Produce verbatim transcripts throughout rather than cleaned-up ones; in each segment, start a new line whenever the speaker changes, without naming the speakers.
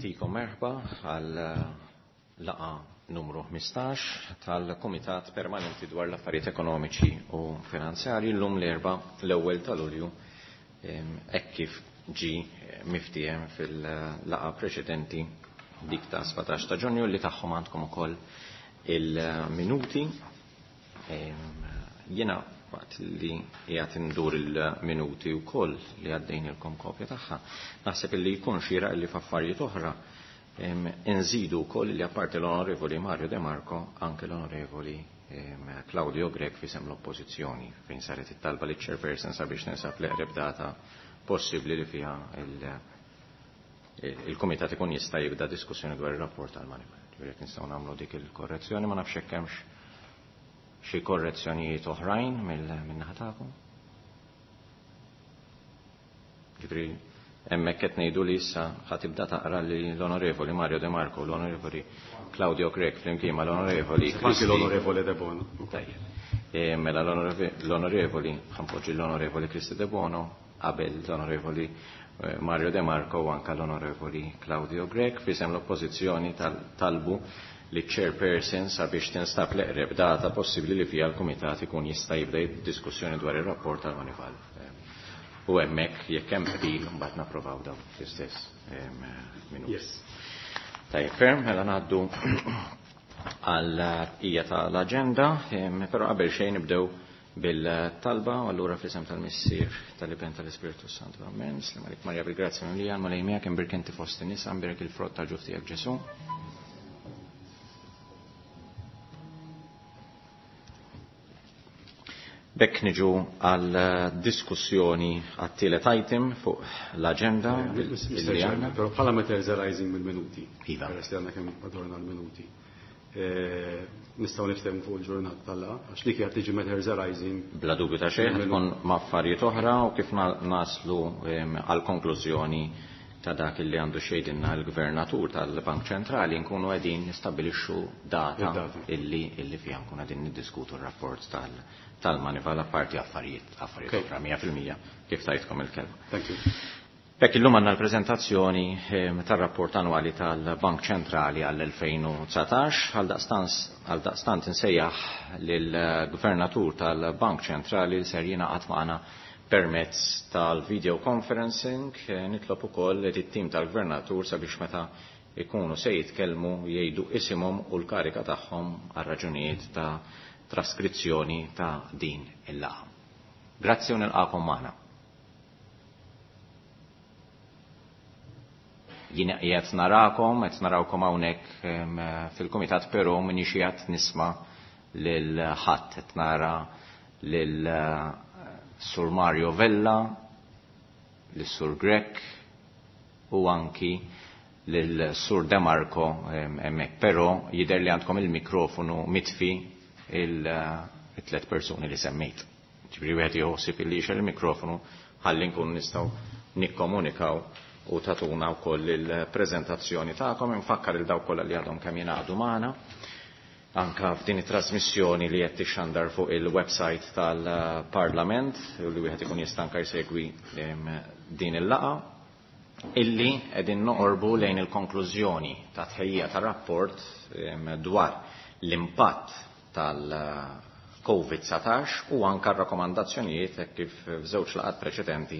Nagħtikom merħba għal laqgħa numru ħmistax tal-Kumitat Permanenti dwar l-Affarijiet Ekonomiċi u Finanzjarji llum l-Erbgħa l-ewwel ta' Lulju hekk kif ġie miftiehem fil-laqgħa preċedenti dik ta' sbatax ta' Ġunju li tagħhom għandkom ukoll il-minuti. Jiena waqt li qiegħed indur il-minuti wkoll li għaddejnilkom kopja tagħha, naħseb li jkun xieraq li f'affarijiet oħra inżidu wkoll li apparti l-Onorevoli Mario De Marco anke l-Onorevoli Claudio Grech fisem l-Oppożizzjoni fejn saret it-talba li chairperson sabiex ninsab l-eqreb data possibbli li fiha il-Kumitat ikun jista' jibda diskussjoni dwar ir-rapport tal-Moneyval. Ġifieri jekk nistgħu nagħmlu dik il-korrezzjoni, ma nafx hekk hemmx xi korrezzjonijiet oħrajn min-naħa tagħkom. Ġifieri hemmhekk qed ngħidu li issa ħa tibda taqra li l-Onorevoli Mario De Marco, l-Onorevoli Claudio Grech flimkien mal-Onorevoli
Anki l-Onorevoli De Bono.
Tajjeb. Mela l-Onorevoli, ħanpoġġi l-Onorevoli Kristy Debono qabel l-Onorevoli Mario De Marco u anka l-Onorevoli Claudio Grech fisem l-Oppożizzjoni talbu li chairperson sabiex tinstab l-eqreb data possibbli li fiha l-Kumitat ikun jista' jibda diskussjoni dwar ir-rapport tal-Moneyval. U hemmhekk jekk hemm qbil mbagħad napprovaw dawn l-istess minuti.
Yes.
Tajjeb, ferm, mela ngħaddu għal hija tal-aġenda, però qabel xejn nibdew bil-talba, u allura fl-isem tal-Missier, tal-Iben, tal-Ispirtu Santu. Amen. Slim għalik Marja bil-grazzja mimlija, l-Mulej miegħek, imbierek inti fost in-nisa, imbierek il-frott tal-ġuf tiegħek Ġesu. Bekk niġu għal diskussjoni għat-tielet item fuq l-aġenda.
Mister Chairman, però bħala matters arising mill-minuti.
Iva.
Peress li għandna kemm adorna l-minuti. Nistgħu niftehmu fuq il-ġurnata tal-laqgħa, għax dik qed tiġi matters arising.
Bla dubju ta' xejn, tkun ma' affarijiet oħra u kif naslu għal konklużjoni ta' dak li għandu xejdinna l-Gvernatur tal-Bank Ċentrali nkunu qegħdin nistabbilixxu data illi, illi fiha nkunu qegħdin niddiskutu r-rapport tal- tal-Moneyval apparti affarijiet, affarijiet oħra mija fil-mija kif tajtkom il-kelma.
Thank you.
Bekk illum għandna l-preżentazzjoni tar-rapport annwali tal-Bank Ċentrali għall-elfejn u dsatax, għal daqstant insejjaħ lill-Gvernatur tal-Bank Ċentrali li ser jingħaqad magħna permezz tal-video conferencing. Nitlob ukoll li t-tim tal-Gvernatur sabiex meta ikunu se jitkellmu jgħidu isimhom u l-karika tagħhom għal raġunijiet ta' traskrizzjoni ta' din il-laqgħa. Grazzi u nilqakom magħna. Jien qiegħed narakom, qed narawkom hawnhekk fil-kumitat, però m'iniex qiegħed nisma' lil ħadd, qed nara lil Sur Mario Vella, lil Sur Grech u anki lil Sur De Marco hemmhekk, però jidher li għandkom il-mikrofonu mitfi il-tlet persuni li semmejt. Ġifieri wieħed jħossib illi jixgħel il-mikrofonu ħalli nkunu nistgħu nikkomunikaw u tatuna wkoll il-preżentazzjoni tagħkom. Infakkar il dawk kollha li għadhom kemm jingħaqdu magħna anka f'din it-trasmissjoni li qed tixxandar fuq il-website tal-Parlament u li wieħed ikun jista' anke jsegwi din il-laqgħa, illi qegħdin noqorbu lejn il-konklużjoni ta' tħejjija tar-rapport dwar l-impatt tal-Covid dsatax u anka r-rakkomandazzjonijiet hekk kif f'żewġ laqgħat preċedenti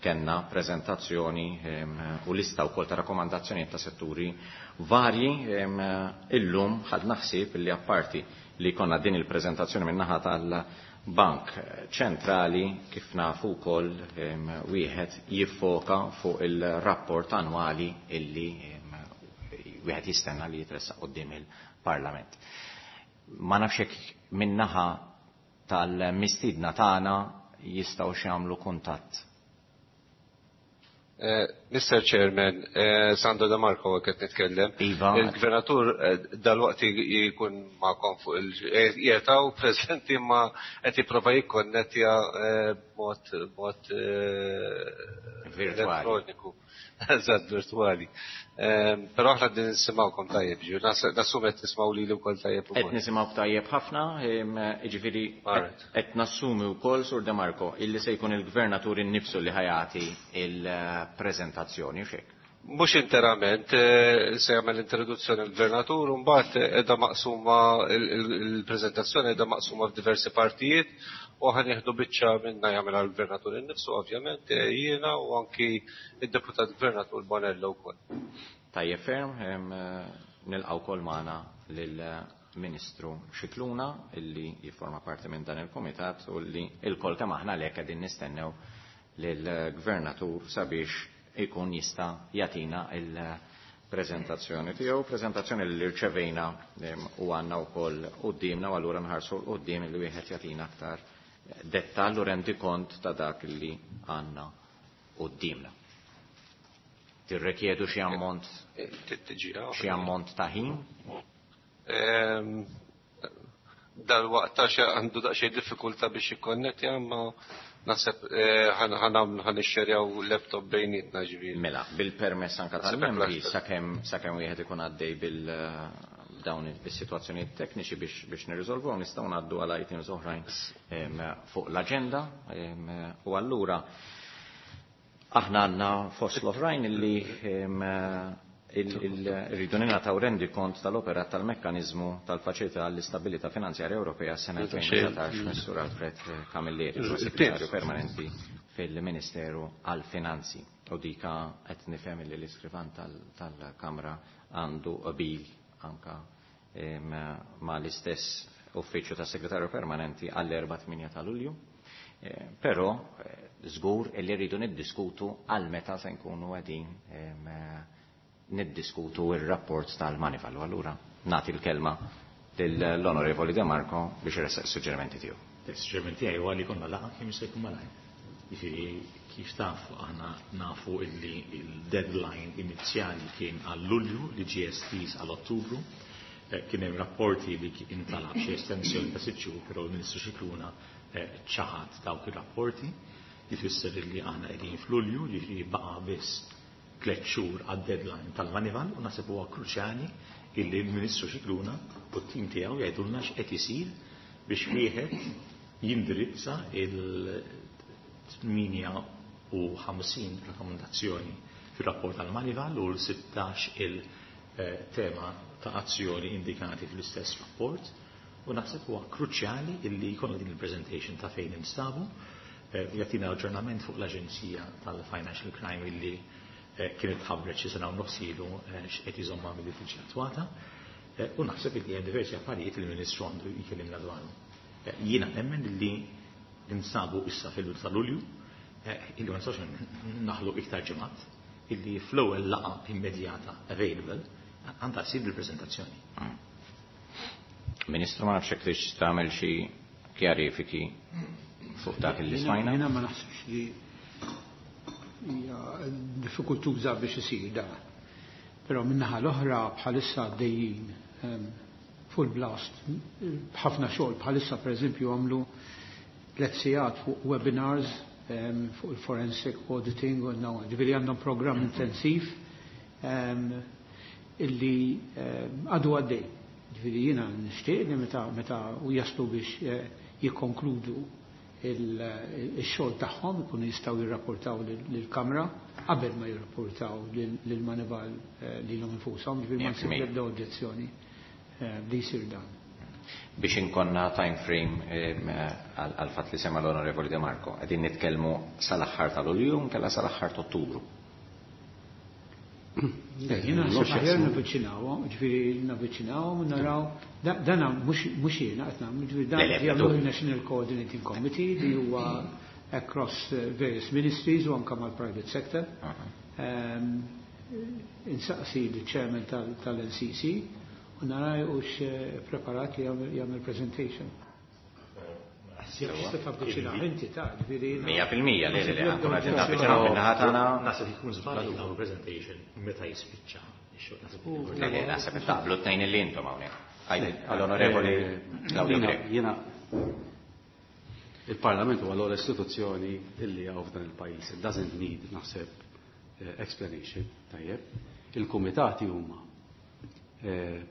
kellna preżentazzjoni u lista wkoll ta' rakkomandazzjonijiet ta' setturi varji. Illum ħadna ħsieb li apparti li konna din il-preżentazzjoni min-naħa tal-Bank Ċentrali, kif nafu wkoll wieħed jiffoka fuq il-rapport annwali illi wieħed jistenna li jitressaq quddiem il-Parlament. Ma nafx hekk min-naħa tal-mistiedna tagħna jistgħu jagħmlu kuntatt.
Mister Chairman, Sandro De Marco qed nitkellem.
Iva.
Il-Gvernatur dal-waqt jkun magħkom fuq il-qiegħed preżenti ma qed jipprova jikkonnettja b'mod, b'mod
Virtuali.
elettroniku. Eżatt, virtuali. Però aħna qegħdin nisimgħukom tajjeb, ġifieri nassumi qed tismgħu lili wkoll tajjeb ukoll.
Qed nisimgħuk tajjeb ħafna, jiġifieri
All right.
qed nassumi wkoll, Sur De Marco, illi se jkun il-Gvernatur innifsu li ħajati il-preżentazzjoni, u x'hekk.
Mhux interament, se jagħmel introduzzjoni l-Gvernatur, u mbagħad qiegħda maqsuma il-preżentazzjoni qiegħda maqsuma f'diversi partijiet u ħa nieħdu biċċa minna jagħmel għall-Gvernatur innifsu ovvjament, jiena u anki id-Deputat Gvernatur Bonello wkoll.
Tajjeb ferm, nilqgħu wkoll magħna lill-Ministru Scicluna illi jifforma parti minn dan il-Kumitat u li l-kol kemm aħna lek qegħdin nistennew lill-Gvernatur sabiex ikun jista' jagħtina il-preżentazzjoni tiegħu, preżentazzjoni li rċevejna u għandna wkoll quddiemna u allura nħarsu l quddiem li wieħed jagħtina aktar dettall u rendikont ta' dak li għandna quddiemna. Tirrekjedu xi ammont xi ammont ta' ħin?
Dal-waqt għandu daqsxejn diffikultà biex jikkonnettja, imma naħseb ħa nixxerjaw laptop bejnietna ġifieri.
Mela, bil-permess anka tal-membri sakemm sakemm wieħed ikun għaddej bil dawn is-sitwazzjonijiet tekniċi biex biex nirriżolvuhom nistgħu ngħaddu għal items oħrajn fuq l-aġenda u allura aħna għandna fost l-oħrajn illi rridu ningħataw rendikont tal-operat tal-mekkaniżmu tal-Faċilità għall-Istabilità Finanzjarja Ewropea s-sena elfejn u dsatax Missur Alfred Camilleri, Segretarju Permanenti fil-Ministeru għall-Finanzi. U dika qed nifhem li l-iskrivan tal-Kamra għandu qbil anka ma l-istess uffiċċju tas-Segretarju Permanenti għall-erba' tmienja ta' Lulju. Però żgur li rridu niddiskutu għal meta se nkunu qegħdin niddiskutu il-rapport tal-Moneyval. U allura nagħti l-kelma lill-Onorevoli De Marco biex iressaq is-suġġerimenti tiegħu.
Is-suġġeriment tiegħi huwa li jkollna laqgħa kemm jista' jkun malajr. Jiġifieri kif taf aħna nafu illi il-deadline inizjali kien għal Lulju li ġie estiż għal Ottubru. Kien hemm rapporti li intalab xi estensjoni ta' sitt xhur, però l-Ministru Scicluna ċaħad dawk ir-rapporti. Jfisser illi aħna qegħdin f'Lulju, jiġifieri baqa' biss tliet xhur għad-deadline tal-Moneyval u naħseb huwa kruċjali illi l-Ministru Scicluna u t-tim tiegħu jgħidulna x'qed isir biex wieħed jindirizza il-tmienja u ħamsin rakkomandazzjoni fir-rapport tal-Moneyval u l-sittax il-tema ta' azzjoni indikati fl-istess rapport u naħseb huwa kruċjali illi jkollna din il-presentation ta' fejn instabu, jagħtina aġġornament fuq l-Aġenzija tal-Financial Crime illi kienet tħabbret xi sena u nofs ilu x'qed iżomma milli tiġi attwata u naħseb li hemm diversi affarijiet li l-Ministru għandu jkellimna dwarhom. Jiena nemmen li ninsabu issa fil-bidu ta' Lulju, illi ma nistgħux naħlu iktar ġimgħat, illi fl-ewwel laqgħa immedjata available għandha ssir il-preżentazzjoni.
Ministru, ma nafx hekk tridx tagħmel xi kjarifiki fuq dak li smajna.
Jiena ma naħsibx li hija diffikultuża biex isir dan. Però min-naħa l-oħra bħalissa għaddejjin full blast b'ħafna xogħol. Bħalissa pereżempju għamlu tliet sigħat fuq webinars fuq il-forensic auditing u naw, ġifieri għandhom programm intensiv illi għadu għaddej. Ġifieri jiena nixtieq li meta meta u jaslu biex jikkonkludu il-xogħol tagħhom ikunu jistgħu jirrapportaw lill-Kamra qabel ma jirrapportaw lill-Moneyval lilhom infushom, ġifieri ma nsib l-ebda oġġezzjoni li jsir dan.
Biex inkonna time frame għal fatt li sema l-Onorevoli De Marco, qegħdin nitkellmu sal-aħħar ta' Lulju nkella sal-aħħar ta' Ottubru.
Jiena naħseb aħjar navviċinawhom, ġifieri navviċinawhom u naraw dana mhux jiena qed nagħmlu, ġifieri dan jagħmlu il-National Coordinating Committee li huwa across various ministries u anke mal-private sector. Insaqsi l-chairman tal-N C C u nara hux preparat li jagħmel presentation. Tista' tavviċina inti ta' ġifieri.
Mija fil-mija, le, le, le, ankun qed navviċinaw min-naħa tagħna.
Naħseb ikun żball li nagħmlu presentation meta jispiċċa ix-xogħol. Naħseb ikun
Le, le, naħseb taqblu t-tnejn illi intom hawnhekk. Għajdi, għall-Onorevoli Claudio Grech.
Jiena il-Parlament huwa l-ogħla istituzzjoni illi hawn f'dan il-pajjiż. It doesn't need, naħseb, explanation, tajjeb. Il-kumitati huma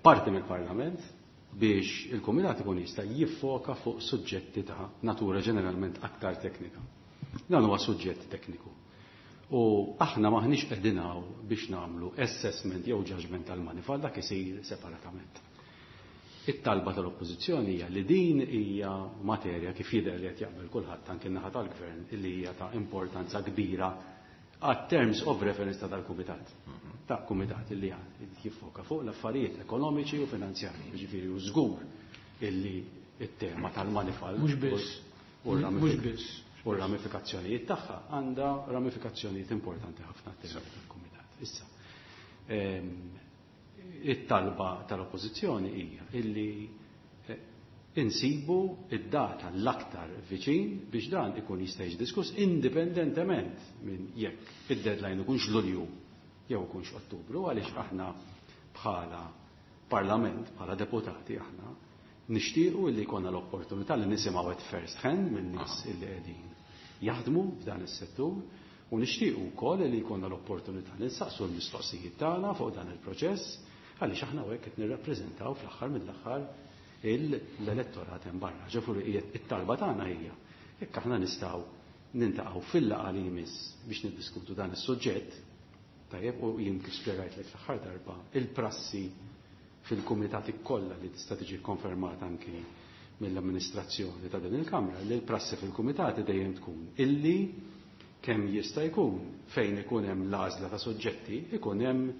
parti mill-Parlament biex il-Kumitat ikun jista' jiffoka fuq suġġetti ta' natura ġeneralment aktar teknika. Dan huwa suġġett tekniku. U aħna maħniex qegħdin hawn biex nagħmlu assessment jew judgment tal-Moneyval, dak isir separatament. It-talba tal-Oppożizzjoni hija li din hija materja kif jidher li qed jaqbel kulħadd anke n-naħa tal-Gvern illi hija ta' importanza kbira għat terms of reference ta' dal-kumitat. Ta' kumitat illi jiffoka fuq l-affarijiet ekonomiċi u finanzjarji. Ġifieri u żgur illi it-tema tal-Moneyval
Mhux biss.
u
Mhux biss.
U r-ramifikazzjonijiet tagħha għandha ramifikazzjonijiet importanti ħafna t-tema tal-kumitat. Issa, ehm, it-talba tal-Oppożizzjoni hija illi eh, insibu id-data l-aktar viċin biex dan ikun jista' jiġi diskuss indipendentement minn jekk id-deadline ikunx Lulju jew ikunx Ottubru, għaliex aħna bħala Parlament, bħala deputati aħna nixtiequ illi jkollna l-opportunità li nisimgħu at first hand minn nies illi qegħdin jaħdmu f'dan is-settur u nixtiequ wkoll li jkollna l-opportunità li nsaqsu l-mistoqsijiet tagħna fuq dan il-proċess, għaliex aħna hekk qed nirrappreżentaw fl-aħħar mill-aħħar l-elettorat hemm barra. Ġifieri it-talba tagħna hija jekk aħna nistgħu nintaqgħu fil-laqgħa li jmiss biex niddiskutu dan is-suġġett, tajjeb, u jien kif spjegajtlek fl-aħħar darba, il-prassi fil-kumitati kollha li tista' tiġi konfermata anki mill-amministrazzjoni ta' din il-Kamra, li l-prassi fil-kumitati dejjem tkun illi kemm jista' jkun fejn ikun hemm l-għażla ta' suġġetti ikun hemm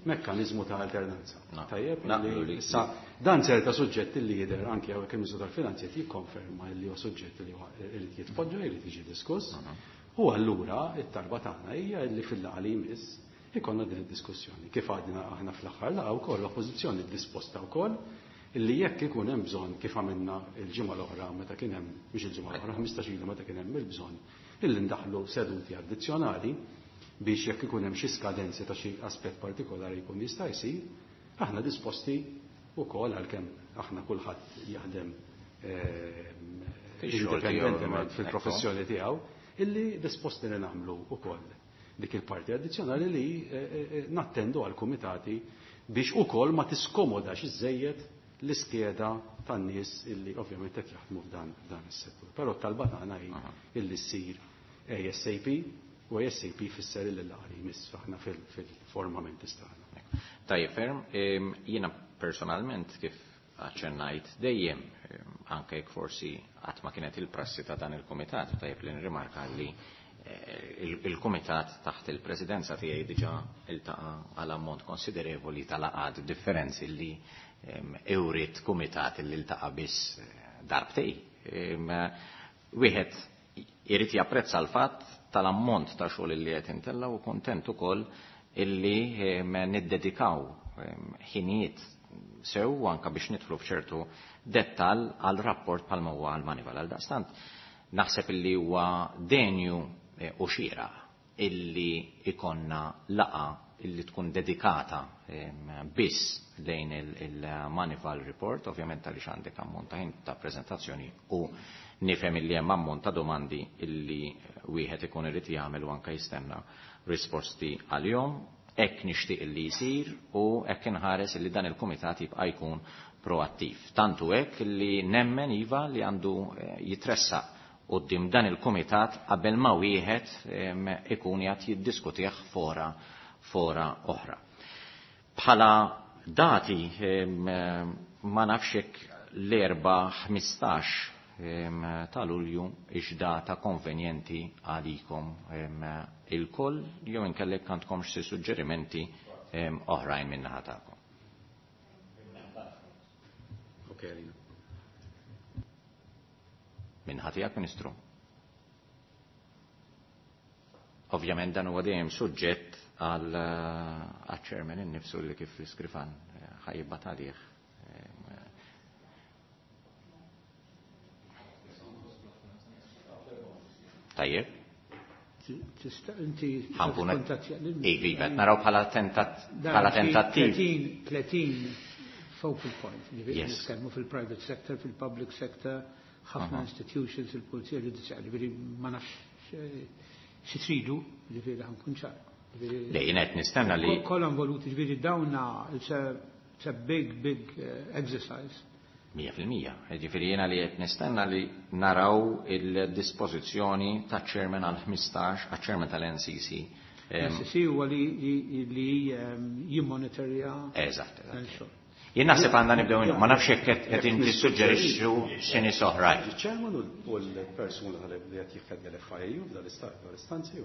mekkaniżmu ta' alternanza. Tajjeb, li issa dan ċerta suġġetti li jidher anke hawnhekk il-Ministru tal-Finanzi qed jikkonferma li huwa suġġett li huwa irid jitpoġġa, irid jiġi diskuss. U allura it-talba tagħna hija li fil-laqgħa li jmiss ikonna din id-diskussjoni. Kif għadna aħna fl-aħħar laqgħa wkoll l-Oppożizzjoni disposta wkoll illi jekk ikun hemm bżonn, kif għamilna l-ġimgħa l-oħra meta kien hemm, mhux il-ġimgħa l-oħra, ħmistax ilu meta kien hemm il-bżonn illi ndaħlu seduti addizzjonali biex jekk ikun hemm xi skadenzi ta' xi aspett partikolari jkun jista' jsir, aħna disposti wkoll, għalkemm aħna kulħadd jaħdem indipendentement fil-professjoni tiegħu, illi disposti li nagħmlu wkoll dik il-parti addizzjonali li nattendu għal kumitati biex ukoll ma tiskomodax iżejjed l-iskeda tan-nies illi ovvjament qed jaħdmu f'dan dan is-settur. Però t-talba tagħna hi illi ssir A S A P u A S A P fisser illi l-laqgħa jmiss aħna fil-formament tagħna.
Tajjeb ferm, jiena personalment kif aċċennajt dejjem, anke jekk forsi qatt ma kienet il-prassi ta' dan il-kumitat, tajjeb li nrimarka li il-kumitat taħt il-presidenza tiegħi diġà iltaqa' għal ammont konsiderevoli tal-laqgħat, differenzi li ewrit kumitat li ltaqa' biss darbtej. Wieħed irid japprezza l-fatt tal-ammont ta' xogħol li qed intella u kontent ukoll illi niddedikaw ħinijiet sew anka biex nidħlu f'ċertu dettal għal rapport bħalma huwa għal Moneyval. Għal daqstant naħseb illi huwa denju u xieraq illi ikonna laqgħa illi tkun dedikata biss lejn il-Moneyval Report, ovvjament għaliex għandek ammont ta' ħin ta' prezentazzjoni u nifhem illi hemm ammont ta' domandi illi wieħed ikun irid jagħmel u anke jistenna risposti għalihom. Hekk nixtieq illi jsir u hekk inħares illi dan il-kumitat jibqa' jkun proattiv. Tantu hekk illi nemmen iva li għandu jitressaq quddiem dan il-kumitat qabel ma wieħed ikun jgħid jiddiskutih fora fora oħra. Bħala dati ma nafx hekk l-Erbgħa ħmistax ta' Lulju hix data konvenjenti għalikom ilkoll jew inkellek għandkom xi suġġerimenti oħrajn min-naħa tagħkom.
Ok, Alina.
Min-naħa tiegħek, Ministru. Ovvjament dan huwa dejjem suġġett għal chairman innifsu li kif l-iskrifan ħa jibgħat għalih. Tajjeb.
Tista' inti
Ħankun Iva, naraw bħala tentattiv.
tletin focal point, ġifieri nitkellmu fil-private sector, fil-public sector, ħafna institutions, il-pulizija ġudizzjarja, ġifieri ma nafx xi tridu, ġifieri ħa nkun ċar.
Le, jien qed nistenna li
Kollha involuti, ġifieri dawna it's a, it's a big, big uh, exercise.
Mija fil-mija. Ġifieri jiena li qed nistenna li naraw il-dispożizzjoni taċ-chairman għal ħmistax, għaċ-chairman tal-N C C.
N C C huwa li li jimmonitorja.
Eżatt, eżatt. Jien naħseb għandna nibdew, ma nafx jekk qed inti tissuġġerixxu xi nies oħrajn.
Il-chairman u l-persuna li qed jiffedja l-F I A U f'dal-istanzi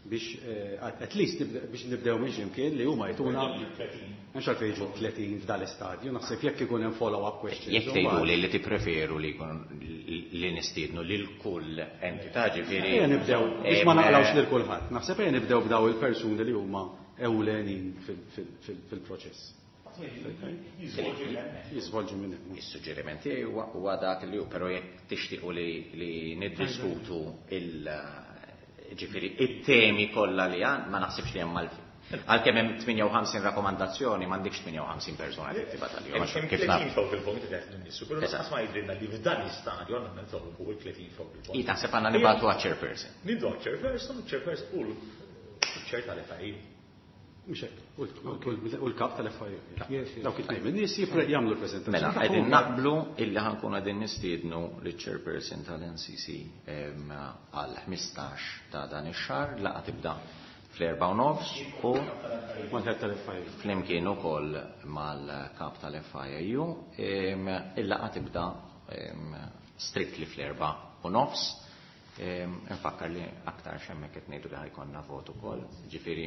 biex eh, at least biex nibdew minn ximkien li huma jtuna mhux għalfejn jiġu tletin f'dal-istadju, naħseb jekk ikun hemm follow-up questions.
Jekk tgħidu li li tippreferu li jkun li nistiednu lil kull entità, ġifieri.
Ejja nibdew biex ma naqlawx lil kulħadd. Naħseb ejja nibdew b'daw il-persuni li huma ewlenin fil-proċess. Jiżvolġu minn hemm.
Is-suġġeriment tiegħi huwa dak li hu, però jekk tixtiequ li niddiskutu il ġifieri it-temi kollha li għand, ma naħsibx li hemm għalfejn. Għalkemm hemm tmienja u ħamsin rakkomandazzjoni, m'għandekx tmienja u ħamsin persuna li tibgħat għalihom.
Kif naf. Focal point li qed nissu, però lanqas ma jidhrilna li f'dan l-istadju għandna nitolbu il-tletin focal point.
I taħseb għandna nibgħatu għaċ-chairperson.
Nibdu għaċ-chairperson, chairperson u l-chair tal-F I A.
Mhux hekk, u l-kap tal-F I A. Dawk it-tnejn min-nies jagħmlu l-preżentazzjoni.
Mela, qegħdin naqblu illi ħa nkunu qegħdin nistiednu liċ-chairperson tal-N C C għal ħmistax ta' dan ix-xahar, laqgħa tibda fl-erba' u nofs u
mal-head tal-F I A.
Flimkien ukoll mal-kap tal-F I A U, il-laqgħa tibda strictly fl-erba' u nofs. Nfakkar li aktar hemmhekk qed ngħidu li ħa jkollna vot ukoll, ġifieri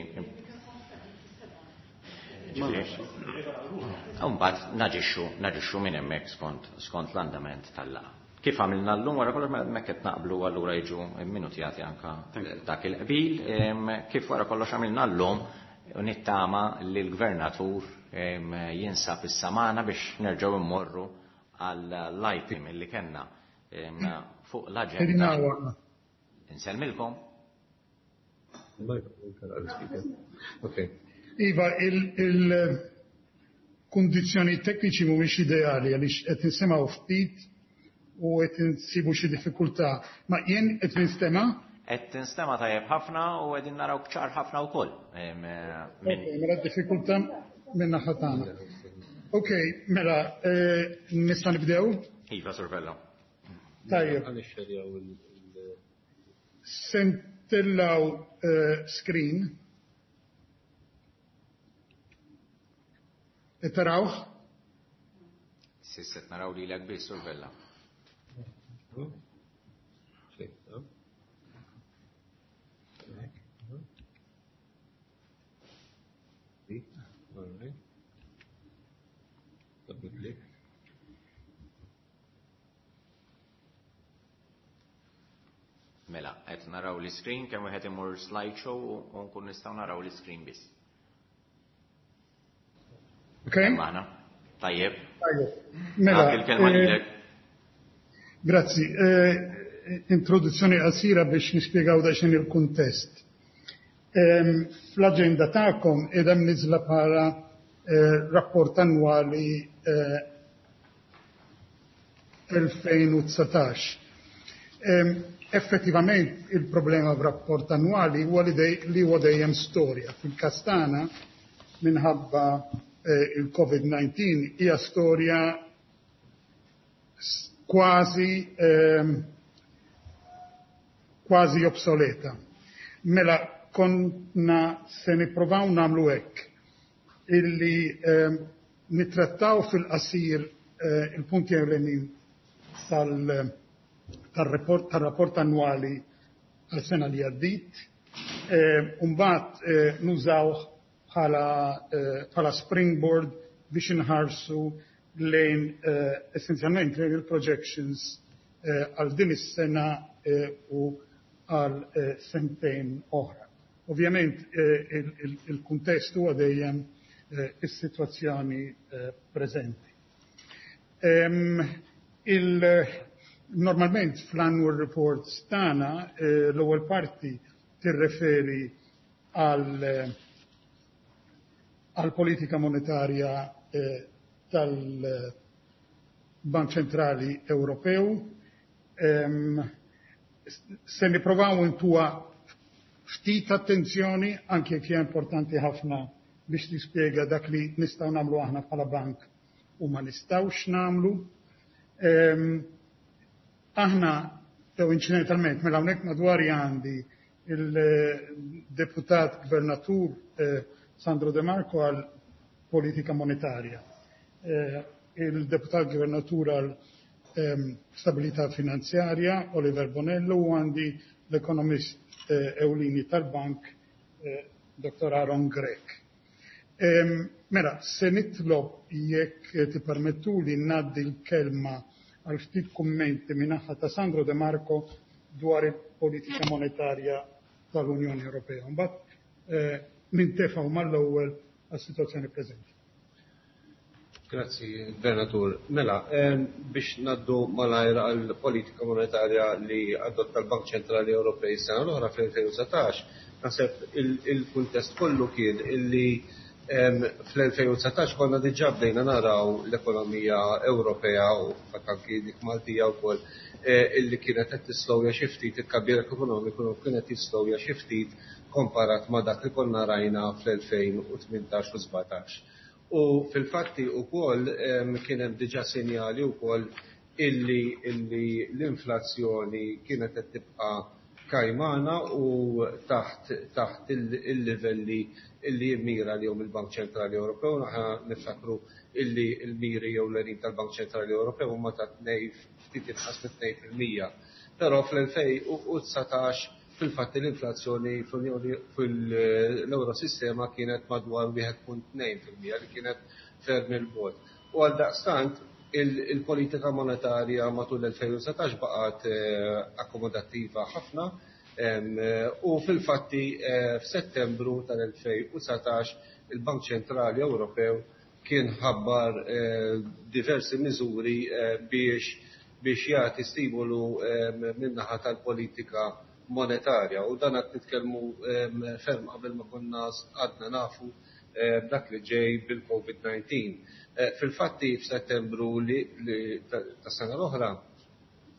Mbagħad naġixxu naġixxu minn hemmhekk skont skont l-andament tal-laqgħa. Kif għamilna llum wara kollox, mela hemmhekk qed naqblu, allura jiġu minutjati anka dak il-qbil. Kif wara kollox għamilna llum, u nittama li l-gvernatur jinsab issa magħna biex nerġgħu immorru għall-item li kellna fuq l-aġenda. Insellmilkom.
Okay.
Iva, il-kondizjoni tekniċi mhumiex ideali għaliex qed nisimgħu ftit u qed insibu xi diffikultà. Ma jien qed ninstema'?
Qed tinstema' tajjeb ħafna u qegħdin naraw ċar ħafna wkoll.
Mela d-diffikultà minn naħa tagħna. Ok, mela eh, nista' nibdew?
Iva, Sur Vella.
Tajjeb. Se ntellgħu eh, screen. Tarawh?
S'issa naraw lilek biss, Sur Vella.
Click, All right. Double click.
Mela, qed naraw l-screen, kemm wieħed imur slideshow u nkun nistgħu naraw l-screen biss.
Okay?
Magħna. Tajjeb.
Tajjeb. Mela,
il-kelma lilek.
Grazzi. Eh, introduzzjoni qasira biex nispjegaw daqsxejn il-kuntest. Fl-aġenda tagħkom qiegħda mniżla bħala eh, rapport annwali eh, elfejn u dsatax. Effettivament il-problema b'rapport annwali huwa li huwa dejjem storja. Fil-każ tagħna, minħabba eh, il-COVID diciannove, hija storja kważi ehm, kważi obsoleta. Mela konna se nipprovaw nagħmlu hekk illi ehm, nittrattaw fil-qasir eh, il-punti ewlenin tal-rapport tal annwali għal-sena li għaddit, eh, Umbagħad eh, nużaw bħala bħala springboard biex inħarsu lejn essenzjalment lejn il-projections għal din is-sena u għal sentejn oħra. Ovvjament il-kuntest huwa dejjem is-sitwazzjoni preżenti. Normalment fl-annual reports tagħna l-ewwel parti tirreferi għal għal politika monetarja tal-Bank Ċentrali Ewropew. Se nipprovaw intuha ftit attenzjoni, anke jekk hija importanti ħafna biex tispjega dak li nistgħu nagħmlu aħna bħala bank u ma nistgħux nagħmlu. Ehm, aħna jew inċidentalment, mela hawnhekk madwari għandi il-deputat gvernatur eh, Sandro De Marco għal politika monetarja, eh, il-deputat gvernatur għal ehm, stabilità finanzjarja Oliver Bonello u għandi l-ekonomist eh, ewlieni tal-bank Doktor Aaron Grech. Ehm, mela, se nitlob, jekk tippermettu li ngħaddi l-kelma għal ftit kummenti min-naħa ta' Sandro De Marco dwar il-politika monetarja tal-Unjoni Ewropea. Mbagħad eh, nintefgħu mal-ewwel għas-sitwazzjoni preżenti.
Grazzi, Gvernatur. Mela, biex ngħaddu malajr għal politika monetarja li adotta l-Bank Ċentrali Ewropej sena l-oħra fl-elfejn u dsatax, naħseb il-kuntest kollu kien illi fl-elfejn u dsatax konna diġà bdejna naraw l-ekonomija Ewropea u anki dik Maltija wkoll eh, illi kienet qed tislowja xi ftit, it-tkabbir ekonomiku kienet jislowja xi ftit komparat ma' dak li konna rajna fl-elfejn u tmintax u sbatax. U fil-fatti ukoll kien hemm diġà sinjali wkoll illi illi l-inflazzjoni kienet qed tibqa' kajmana u taħt taħt il-livelli illi jimmira li il-Bank Ċentrali Ewropew. Aħna niftakru illi il-miri jew l tal-Bank Ċentrali Ewropew huma ta' tnej, ftit inqas mit tnejn fil-mija. Però fl-elfejn u dsatax fil-fatt l-inflazzjoni fil-Eurosistema kienet madwar wieħed punt tnejn fil-mija, li kienet ferm il-bogħod. U għal daqstant il-politika monetarja matul l-elfejn u dsatax baqgħet eh, akkomodattiva ħafna u fil-fatti eh, f'Settembru tal-elfejn u dsatax il-Bank Ċentrali Ewropew kien ħabbar eh, diversi miżuri biex biex jagħti stimolu min-naħa tal-politika monetarja, u dan qed nitkellmu ferm qabel ma konna għadna nafu dak li ġej bil-COVID nineteen. Eh, fil-fatti f'Settembru li ta' sena l-oħra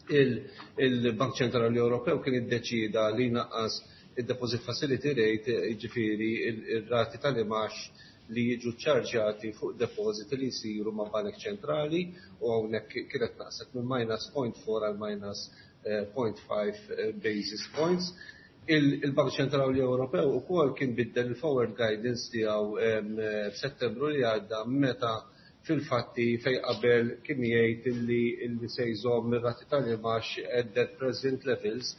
il-Bank Ċentrali Ewropew kien iddeċida li naqqas il-Deposit Facility Rate, ġifieri il-rati tal-imgħax li jiġu ċarġati fuq deposit li jisiru ma' banek ċentrali, u hawnhekk kienet naqset minn minus zero point four għal minus zero point five eh, basis points. Il-Bank Ċentrali Ewropew ukoll kien biddel il-forward guidance tiegħu f'Settembru li għadda, meta fil-fatti fej qabel kien jgħid illi illi se jżomm ir-rati tal-imgħax at that present levels,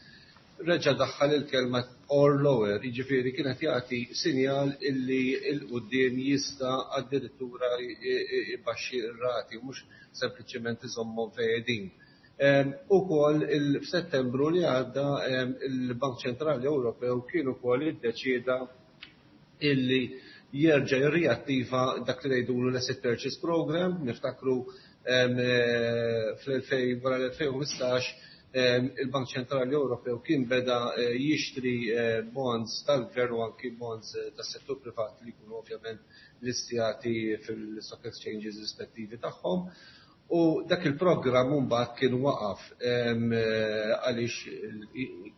reġa' daħħal il-kelma "or lower", jiġifieri kienet jagħti sinjal illi 'l quddiem jista' addirittura jbaxxi r-rati, mhux sempliċement iżommhom fejn. Ukoll f'Settembru li għadda il-Bank Ċentrali Ewropew kien ukoll iddeċieda illi jerġa' jirriattiva dak li ngħidulu l-Asset Purchase Program. Niftakru fl-elfejn, wara l-elfejn u ħmistax, il-Bank Ċentrali Ewropew kien beda eh, jixtri eh, bonds tal-gvern u anki bonds eh, tas-settur privat li jkunu ovvjament listjati fil-stock exchanges rispettivi tagħhom. U dak il-programm mbagħad kien waqaf għaliex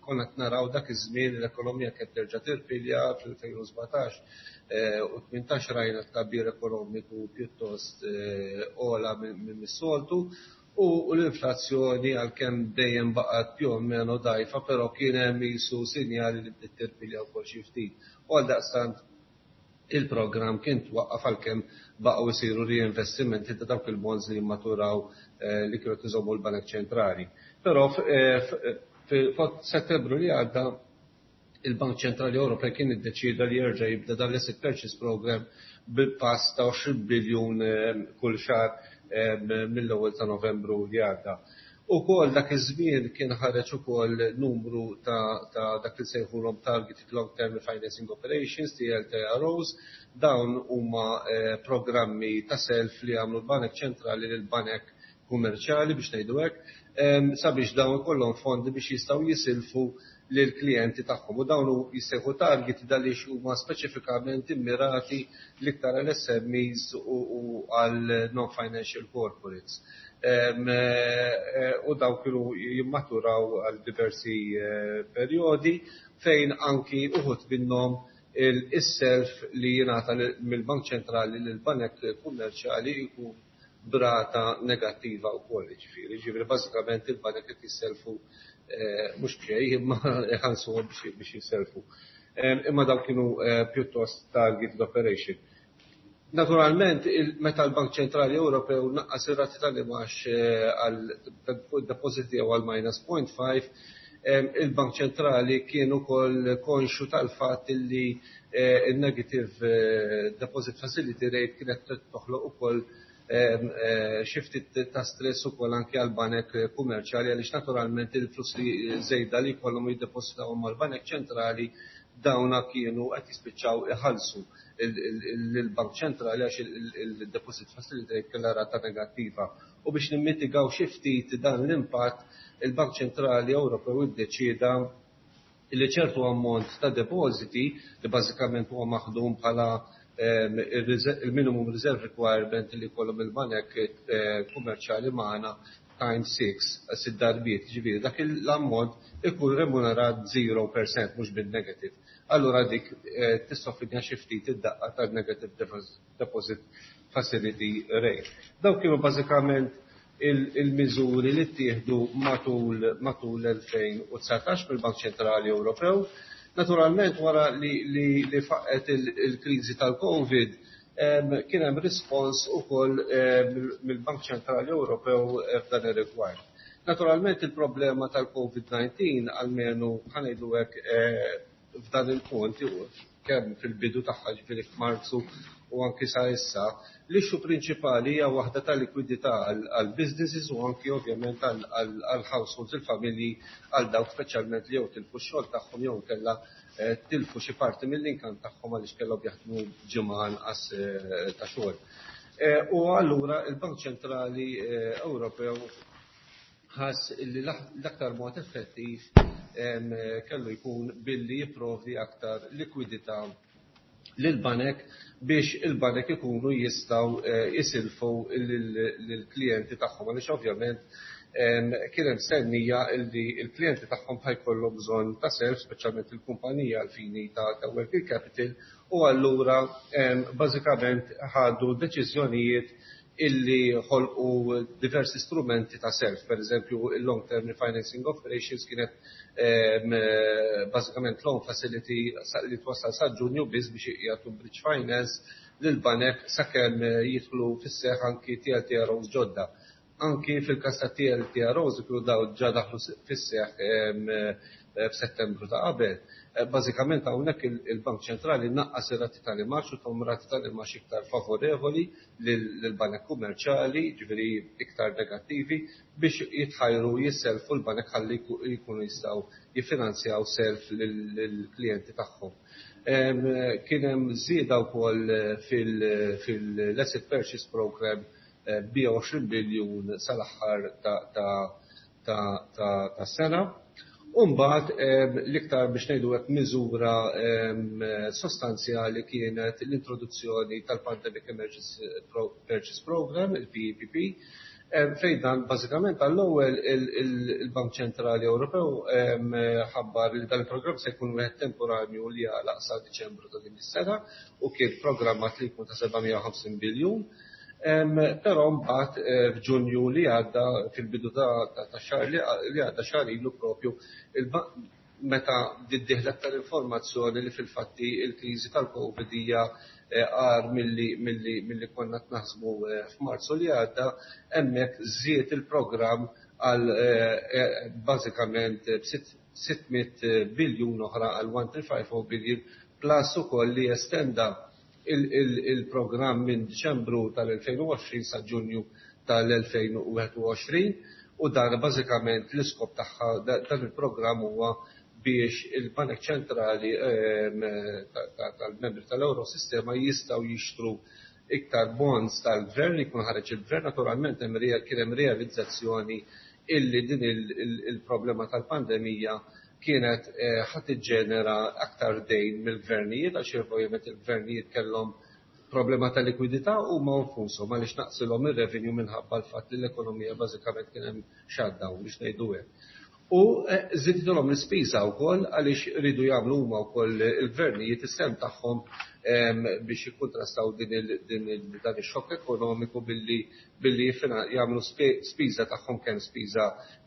konna naraw dak iż-żmien l-ekonomija kienet terġa' tirpilja. Fl-elfejn u sbatax u tmintax rajna tkabbir ekonomiku pjuttost ogħla minn mis-soltu u l-inflazzjoni, għalkemm dejjem baqgħet più o meno dgħajfa, però kien hemm qisu sinjali li bdiet tirpilja wkoll xi ftit. U għaldaqstant il-programm kien twaqqaf, għalkemm baqgħu jsiru reinvestimenti ta' dawk il-bonds li maturaw eh, li kienu iżommu l-Banek Ċentrali. Però eh, f'Settembru li għadda il-Bank Ċentrali Ewropej kien iddeċida li jerġa' jibda dan l-Asset Purchase Program bil-pass ta' għoxrin biljun eh, kull xahar mill-ewwel ta' Novembru li għadda. Ukoll dak iż-żmien kien ħareġ ukoll numru ta', ta dak li sejħulhom Targeted Long Term Financing Operations, T L T R Os. Dawn huma eh, programmi ta' self li għamlu l-Banek Ċentrali lil banek kummerċjali, biex ngħidu hekk, sabiex dawn ikollhom fondi biex jistgħu jisilfu lil klijenti tagħhom. U dawn jissejħu target għaliex huma speċifikament immirati l-iktar għal S M Es u għal non-financial corporates. Eh, u daw kienu jimmaturaw għal diversi eh, perjodi, fejn anki uħud minnhom il-self li jingħata mill-Bank Ċentrali lil banek kummerċjali jkun B'rata negattiva wkoll, ġifieri, ġifieri bażikament il-banek qed jisselfu mhux b'xejn imma iħallsuhom biex jisselfu. Imma dawk kienu pjuttost targeted operation. Naturalment, meta l-Bank Ċentrali Ewropew naqqas ir-rati tal-imgħax għal fuq id-depożiti jew għal minus zero point five, il-Bank Ċentrali kien ukoll konxu tal-fatt li il-negative deposit facility rate kienet toħloq ukoll xi ftit ta' stress ukoll anke għal banek kummerċjali, għaliex naturalment il-flussi żejda li jkollhom jiddepositaw mal-Banek Ċentrali, dawna kienu qed jispiċċaw iħallsu il-Bank Ċentrali għax il-deposit facility rate kellha rata negattiva. U biex nimmitigaw xi ftit dan l-impatt, il-Bank Ċentrali Ewropew iddeċieda li ċertu ammont ta' depositi li bażikament huwa maħdum bħala il-minimum reserve requirement li jkollhom il-banek kummerċjali magħna times six, sitt darbiet, ġifieri dak l-ammont ikun remunerat zero percent, mhux bin-negative. Allura dik tissoffridna xi ftit id-daqqa tal-negative deposit facility rate. Dawk kienu bażikament il-miżuri li ttieħdu matul matul l-elfejn u dsatax mill-Bank Ċentrali Ewropew. Naturalment, wara li, li, li faqqet il-kriżi tal-Covid, kien hemm rispons ukoll mill-Bank Ċentrali Ewropew f'dan ir-rigward. Naturalment, il-problema tal-COVID diciannove, almenu ħa ngħidu hekk f'dan il-punt, kemm fil-bidu tagħha, ġifieri f'Marzu, u anki sa issa, l-issue prinċipali hija waħda ta' likwidità għal businesses u anki ovvjament għal households, il-familji, għal dawk speċjalment li jew tilfu x-xogħol tagħhom jew kellha tilfu xi parti mill-income tagħhom għaliex kellhom jaħdmu ġimgħa anqas ta' xogħol. U allura il-Bank Ċentrali Ewropew ħass li l-aktar mod effettiv kellu jkun billi jipprovdi aktar likwidità lil-banek biex il-banek ikunu jistgħu jisilfu lill-klijenti tagħhom, għaliex ovvjament kien hemm stennija li l-klijenti tagħhom ħa jkollhom bżonn ta' self, speċjalment il-kumpanija għal fini ta' working capital, u allura bażikament ħadu deċiżjonijiet illi ħolqu diversi strumenti ta' self, per eżempju il-long term refinancing operations kienet bażikament loan facility li twassal sa' Ġunju biss biex jagħtu bridge finance lil banek sakemm jidħlu fis-seħħ anki T L T R Os ġodda. Anki fil-każ ta' T L T R Os kienu daw ġa daħlu fis-seħħ f'Settembru ta' qabel. Bażikament hawnhekk il-Bank Ċentrali naqqas ir-rati tal-imgħax u tahom rati tal-imgħax iktar favorevoli lill-banek kummerċjali, ġifieri iktar negattivi, biex jitħajru jisselfu l-banek ħalli jkunu jistgħu jiffinanzjaw self lill-klijenti tagħhom. Kien hemm żieda wkoll fil-Asset Purchase Program b' biljun sal-aħħar ta' sena. Umbagħad l-iktar, biex ngħidu hekk, miżura sostanzjali kienet l-introduzzjoni tal-Pandemic Emergency Purchase Program, il-P E P P, fejn dan bażikament għall-ewwel il-Bank Ċentrali Ewropew ħabbar li dan il-programm se jkun wieħed temporanju li jagħlaq sa Diċembru ta' din is-sena u kien programmat li jkun ta' seba' mija u ħamsin biljun. Però mbagħad f'Ġunju li għadda, fil-bidu ta' xahar li għadda, xahar ilu propju, meta dieħlet tal-informazzjoni li fil-fatti il-kriżi tal-Covid hija agħar milli konna naħsbu f'Marzu li għadda, hemmhekk żied il-programm għal bażikament sitt mitt biljun oħra, għal one three five zero billion, plus ukoll li estenda il-programm minn Diċembru tal-elfejn u għoxrin sa Ġunju tal-elfejn u wieħed u għoxrin. U dan bażikament l-iskop tagħha dan il-programm huwa biex il-Banek Ċentrali tal-membri tal-Eurosistema jistgħu jixtru iktar bonds tal-gvern li jkun ħareġ il-gvern. Naturalment kien hemm realizzazzjoni illi din il-problema tal-pandemija kienet ħa tiġġenera aktar dejn mill-gvernijiet, għax ovvjament il-gvernijiet kellhom problema ta' likwidità u ma nfushom għaliex naqsilhom ir-revenue minħabba l-fatt li l-ekonomija bażikament kien hemm shutdown, biex ngħidu hekk. U żidtilhom l-ispiża wkoll għaliex iridu jagħmlu huma wkoll il-gvernijiet is-sehem tagħhom biex jikkuntrastaw din dan ix-xokk ekonomiku billi billi jagħmlu spiża tagħhom, kemm spiża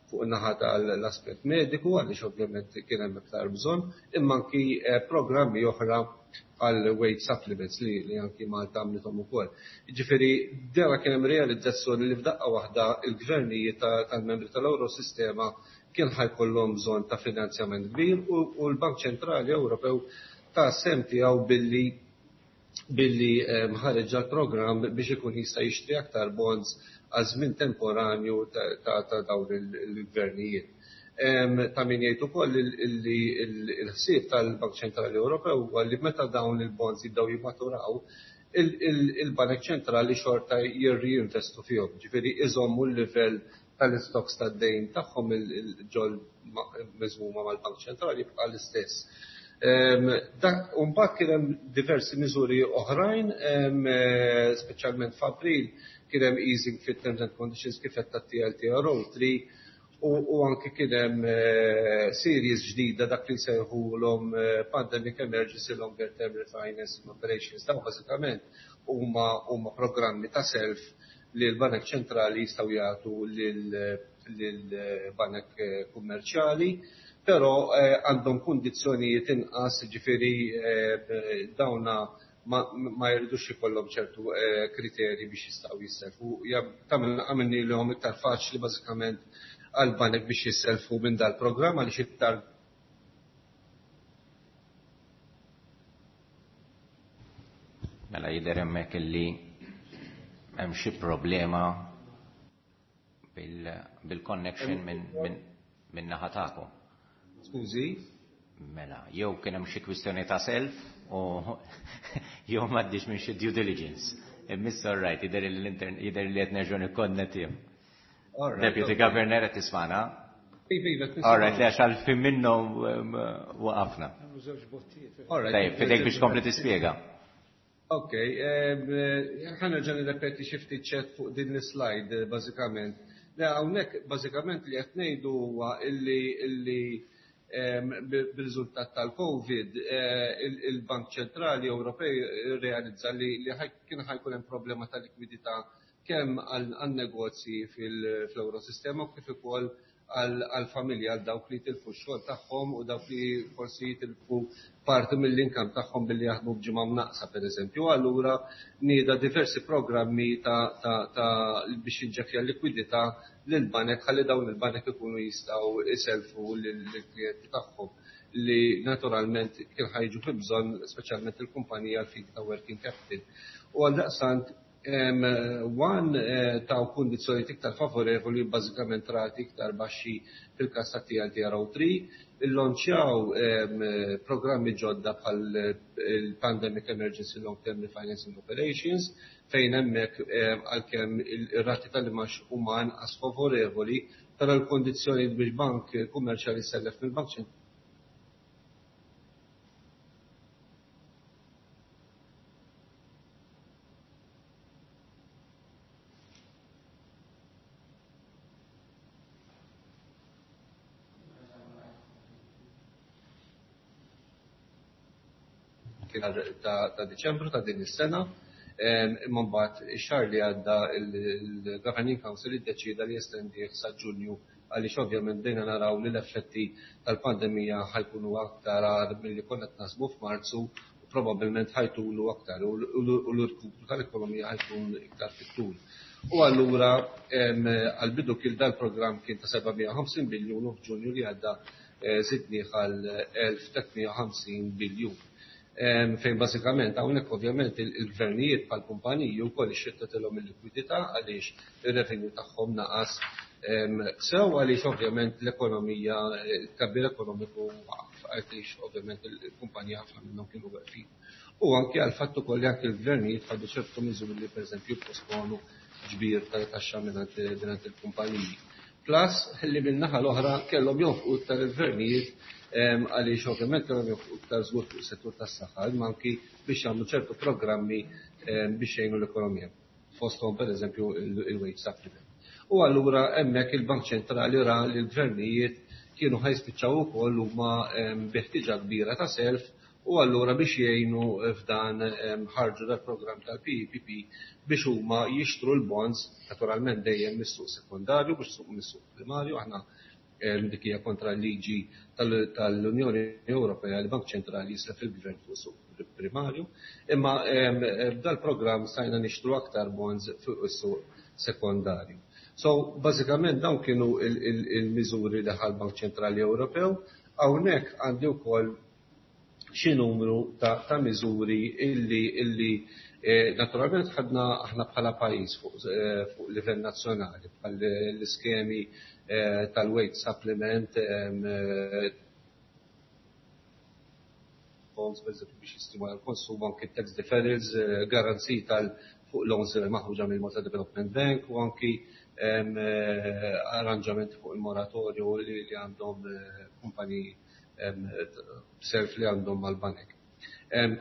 fuq in-naħa tal-aspett mediku għaliex ovvjament kien hemm iktar bżonn, imma anki programmi oħra għal wage supplements li, li anki Malta għamlithom ukoll. Ġifieri dera kien hemm realizzazzjoni li f'daqqa waħda il-gvernijiet tal-membri tal-Eurosistema kien ħajkollhom bżonn ta' finanzjament kbir u l-Bank Ċentrali Ewropew ta' sem tiegħu billi billi ħareġ l-programm biex ikun jista' jixtri aktar bonds għal żmien temporanju ta' dawn il-gvernijiet. Ta' min jgħid ukoll li l-ħsieb tal-Bank Ċentrali Ewropew huwa li meta dawn il-bonds jibdew jimmaturaw, il-Bank Ċentrali xorta jirriinvestu fihom, ġifieri iżommu l-livell tal-istoks tad-dejn tagħhom il-ġol miżmuma mal-Bank Ċentrali jibqa' l-istess. Mbagħad kien hemm diversi miżuri oħrajn, speċjalment f'April kien hemm easing fit-terms and conditions kif qed tat-T L T R O three u anke kien hemm series ġdida dak li nsejħulhom Pandemic Emergency Longer Term Refinancing Operations. Dawn bażikament huma huma programmi ta' self li l-Banek Ċentrali jistgħu jagħtu lill-banek kummerċjali, però għandhom kundizzjonijiet inqas, ġifieri dawna ma jridux ikollhom ċertu kriterji biex jistgħu jisselfu. Għamilnilhom iktar faċli bażikament għall-banek biex jisselfu minn dal-programm għaliex iktar
Mela jidher hemmhekk illi hemm xi problema bil-connection minn naħa tagħkom.
Skużi?
Mela, jew kien hemm xi kwistjoni ta' self u jew m'għaddix minn xi due diligence. Imma all right, jidher li qed nerġgħu nikkonnettihom. Deputy Governor qed tismana? All right, li għax għal minnhom waqafna. Tajjeb, fidejk biex tkompli tispjega.
Ok, ħa nerġa' nirrepeti xi ftit ċert fuq din l-slide bażikament. Le hawnhekk bażikament li qed ngħidu huwa illi illi bir-riżultat tal-Covid il-Bank Ċentrali Ewropej realizza li kien ħajkun hemm problema ta' likwidità kemm għan-negozji fl-Eurosistema u kif ukoll għall-familja, għal dawk li jitilfu x-xogħol tagħhom u dawk li forsi jitilfu parti mill-inkam tagħhom billi jaħdmu b'ġimgħa mnaqsa pereżempju. Allura nieda diversi programmi ta' biex jinġekja l-likwidità lill-banek ħalli dawn il-banek ikunu jistgħu iselfu lill-klijenti tagħhom li naturalment kien ħajġu fi bżonn speċjalment il-kumpanija għal fidi ta' working capital. U għaldaqstant one ta' kundizzjonijiet iktar favorevoli bażikament rati iktar baxxi fil-każ ta' T L T R O three, illonċjaw programmi ġodda bħal il-Pandemic Emergency Long Term Refinancing Operations fejn hemmhekk għalkemm ir-rati tal-imax huma anqas favorevoli, però l-kondizzjonijiet biex bank kummerċjali jsellef mill-Bank Ċentrali ta' Diċembru ta' din is-sena, imma mbagħad ix-xahar li għadda il-Governing Council iddeċieda li jestendih sa Ġunju għaliex ovvjament bdejna naraw li l-effetti tal-pandemija ħajkunu aktar agħar milli konna qed naħsbu f'Marzu u probabbilment ħajtulu aktar u l-irkupru tal-ekonomija ħajkun iktar fit-tul. U allura għall-bidu kien dal-programm kien ta' seba' mija u ħamsin biljun u f'Ġunju li għadda żidnieh għal elf tliet mija u ħamsin biljun. Fejn bażikament hawnhekk ovvjament il-gvernijiet bħal kumpaniji wkoll ixxettetilhom il-likwidità għaliex ir-revenue tagħhom naqas sew għaliex ovvjament l-ekonomija, il-tkabbir ekonomiku waqaf għaliex ovvjament il-kumpaniji ħafna minnhom kienu weqfin. U anke għal fatt ukoll li anke l-gvernijiet ħadu ċertu miżuri li pereżempju jipposponu ġbir tal-taxxa mingħand il-kumpaniji. Plus li min-naħa l-oħra kellhom jonfqu iktar il-gvernijiet għaliex ovvjament kellhom jonfqu iktar żgur fuq is-settur tas-saħħa, imma anki biex jagħmlu ċertu programmi biex jgħinu l-ekonomija. Fosthom pereżempju il-wage supplement. U allura hemmhekk il-Bank Ċentrali ra li l-gvernijiet kienu ħa jispiċċaw ukoll huma bi ħtieġa kbira ta' self, u allura biex jgħinu f'dan ħarġu dal-programm tal-P E P P biex huma jixtru l-bonds, naturalment dejjem mis-suq sekondarju, biex suq mis-suq primarju. Aħna dik hija kontra l-liġi tal-Unjoni Ewropea li Bank Ċentrali jislef il-gvern fuq suq primarju, imma b'dal-programm stajna nixtru aktar bonds fuq is-suq sekondarju. So, bażikament dawn kienu il-miżuri li ħa l-Bank Ċentrali Ewropew. Hawnhekk għandi wkoll xi numru ta', ta miżuri illi illi eh, naturalment ħadna aħna bħala pajjiż fuq, eh, fuq livell nazzjonali, bħal l-iskemi eh, tal-wage supplement, eh, bonds biex jistimula l-konsum, anki tax deferrals, eh, garanziji tal fuq loans maħruġa mill-Malta Development Bank u anki eh, arranġamenti fuq il-moratorju li, li għandhom eh, kumpaniji self li għandhom mal-banek.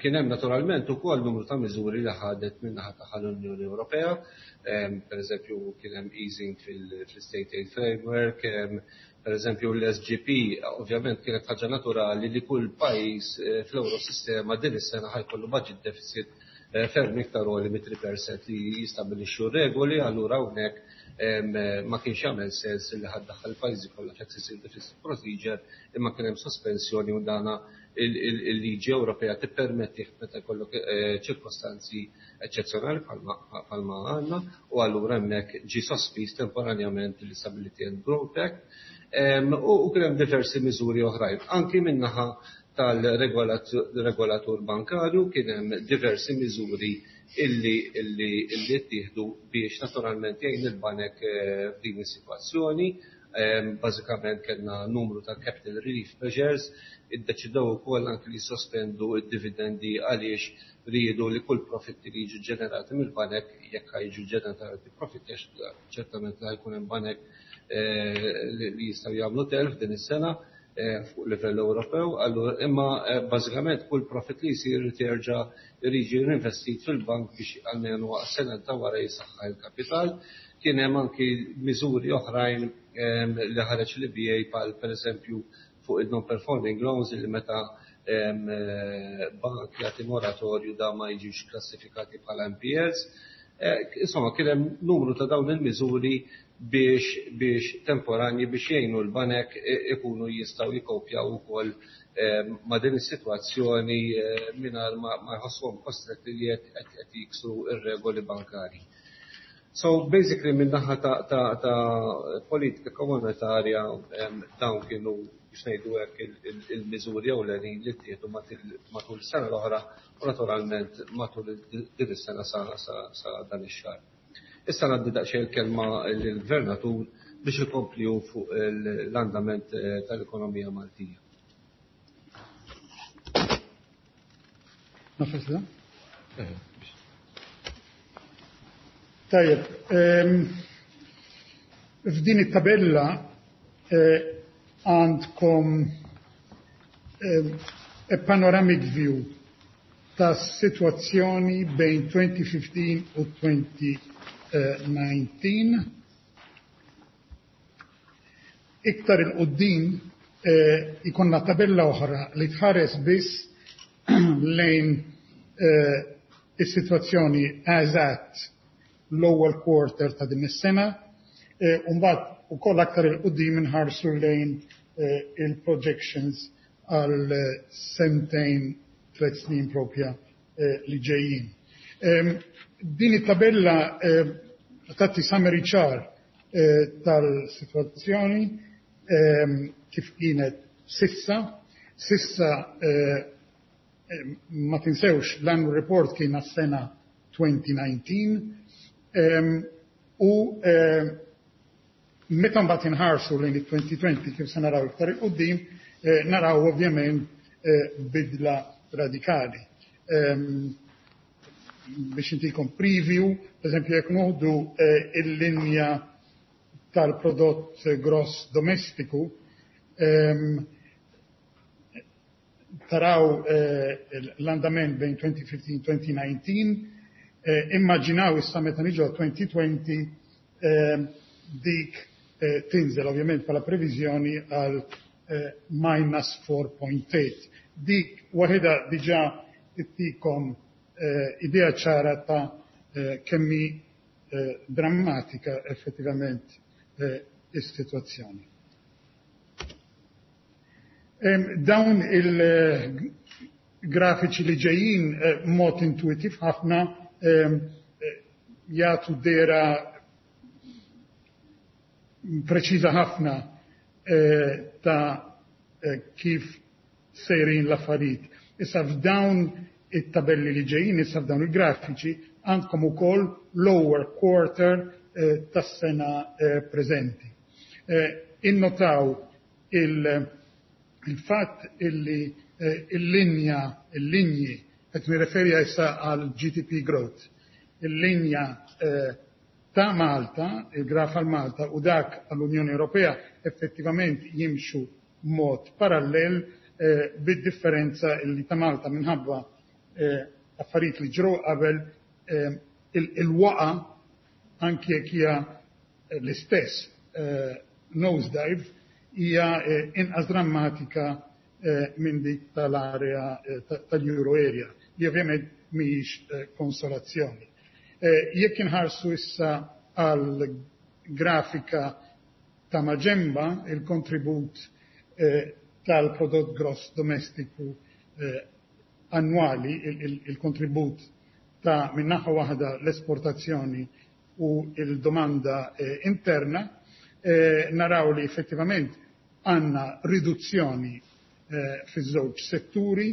Kien hemm naturalment ukoll numru ta' miżuri li ħadet min-naħa tagħha l-Unjoni Ewropea, per eżempju kien hemm easing fil-State Aid Framework, per eżempju l-S G P. Ovvjament kienet ħaġa naturali li kull pajjiż eh, fl-Eurosistema din is-sena ħa jkollu budget deficit eh, ferm iktar għoli mit-tlieta fil-mija li jistabilixxu regoli. Allura hawnhekk ma kienx jagħmel sens li ħa ddaħħal il-pajjiżi kollha f'excessive deficit procedure, imma kien hemm sospensjoni u dana il-liġi Ewropea tippermetti meta jkollok eh, ċirkostanzi eċċezzjonali bħalma għandna, u allura hemmhekk ġi sospiż temporanjament l-Stability and Growth Act. U kien hemm diversi miżuri oħrajn. Anki min-naħa tal-regolatur bankarju kien hemm diversi miżuri illi illi illi ttieħdu biex naturalment jgħin il-banek eh, f'din is-sitwazzjoni. Bażikament kellna numru ta' capital relief measures, iddeċidew ukoll anki li sospendu id-dividendi għaliex riedu li kull profitti li jiġu ġenerati mill-banek, jekk jiġu ġenerati profitti, għax ċertament li ħa jkun hemm banek eh, li jistgħu jagħmlu telf din is-sena eh, fuq livell Ewropew, allura imma eh, bażikament kull profit li jsir terġa' jiġi investit fil-bank biex almenu sena ta' wara jisaħħa il-kapital. Kien hemm anki miżuri oħrajn li ħareġ l-E B A, bħal pereżempju fuq il-non-performing loans, li meta bank jagħti moratorju da ma jiġux klassifikati bħala N P Ls. Insomma, kien hemm numru ta' dawn il-miżuri biex biex temporanji biex jgħinu l-banek ikunu jistgħu jikopjaw ukoll ma' din is-sitwazzjoni mingħajr ma jħossuhom kostretti li qed jiksru ir-regoli bankari. So basically minn naħa ta', ta, ta politika komunitarja dawn kienu, biex ngħidu hekk, il-miżuri ewlenin li ttieħdu matul is-sena l-oħra u naturalment matul din is-sena sa, sa, sa dan ix-xahar. Issa ngħaddi daqsxejn il-kelma lill-Gvernatur biex ikompli fuq l-andament eh, tal-ekonomija Maltija.
Nafas da? Eh. Tajjeb, f'din it-tabella eh, għandkom a panoramic view ta' situazzjoni bejn elfejn u ħmistax u elfejn u dsatax. Iktar 'il quddiem eh, ikollna tabella oħra li tħares biss lejn eh, is-sitwazzjoni eżatt l-ewwel quarter ta' din is-sena, eh, u mbagħad ukoll aktar 'il quddiem inħarsu lejn il-projections għal sentejn, tliet snin propja li ġejjin. Din it-tabella tagħti summary ċar tal-sitwazzjoni kif kienet s'issa. S'issa, ma tinsewx, l-annual report kien għas-sena elfejn u dsatax u meta mbagħad inħarsu lejn it-elfejn u għoxrin, kif se naraw iktar 'il quddiem, naraw ovvjament bidla radikali. Biex intikom preview, per eżempju, jekk nieħdu il-linja tal-prodott gross domestiku, taraw l-andament bejn elfejn u ħmistax u elfejn u dsatax, immaġinaw issa meta niġu elfejn u għoxrin, dik tinżel ovvjament bħala previżjoni għal minus four point eight. Dik waħda diġà ittikom idea ċara ta' kemm hi drammatika effettivament is-sitwazzjoni. Dawn il-grafiċi li ġejjin mod intuitiv ħafna jagħtu dehra preċiża ħafna ta' kif sejrin l-affarijiet. Issa f'dawn it-tabelli li ġejjin, issa f'dawn il-grafiċi, għandkom ukoll lower quarter tas-sena preżenti. Innotaw il-fatt illi il-linja, il-linji, qed nirreferi issa għal G D P growth, il-linja ta' Malta, il-graf għal Malta u dak għall-Unjoni Ewropea effettivament jimxu mod parallel, bid-differenza illi ta' Malta, minħabba affarijiet li ġraw qabel, il-waqa, anki jekk hija l-istess nosedive, hija inqas drammatika minn dik tal-area tal-Euro area, li ovvjament mhijiex konsolazzjoni. Jekk inħarsu issa għal grafika ta' maġenba, il-kontribut tal-prodott gross domestiku annwali, il-kontribut ta' min-naħa waħda l-esportazzjoni u il-domanda interna, naraw li effettivament għandna riduzzjoni fiż-żewġ setturi,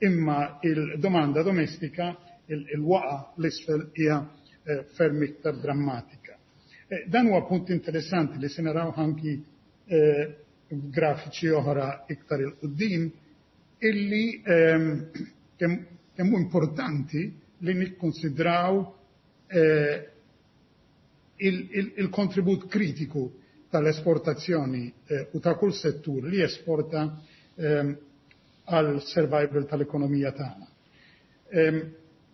imma il-domanda domestika, il-waqa l-isfel, hija ferm iktar drammatika. Dan huwa punt interessanti li se naraw anki grafiċi oħra iktar 'il quddiem, illi kemm hu importanti li nikkonsidraw il-kontribut kritiku tal-esportazzjoni u ta' kull settur li esporta għal survival tal-ekonomija tagħna.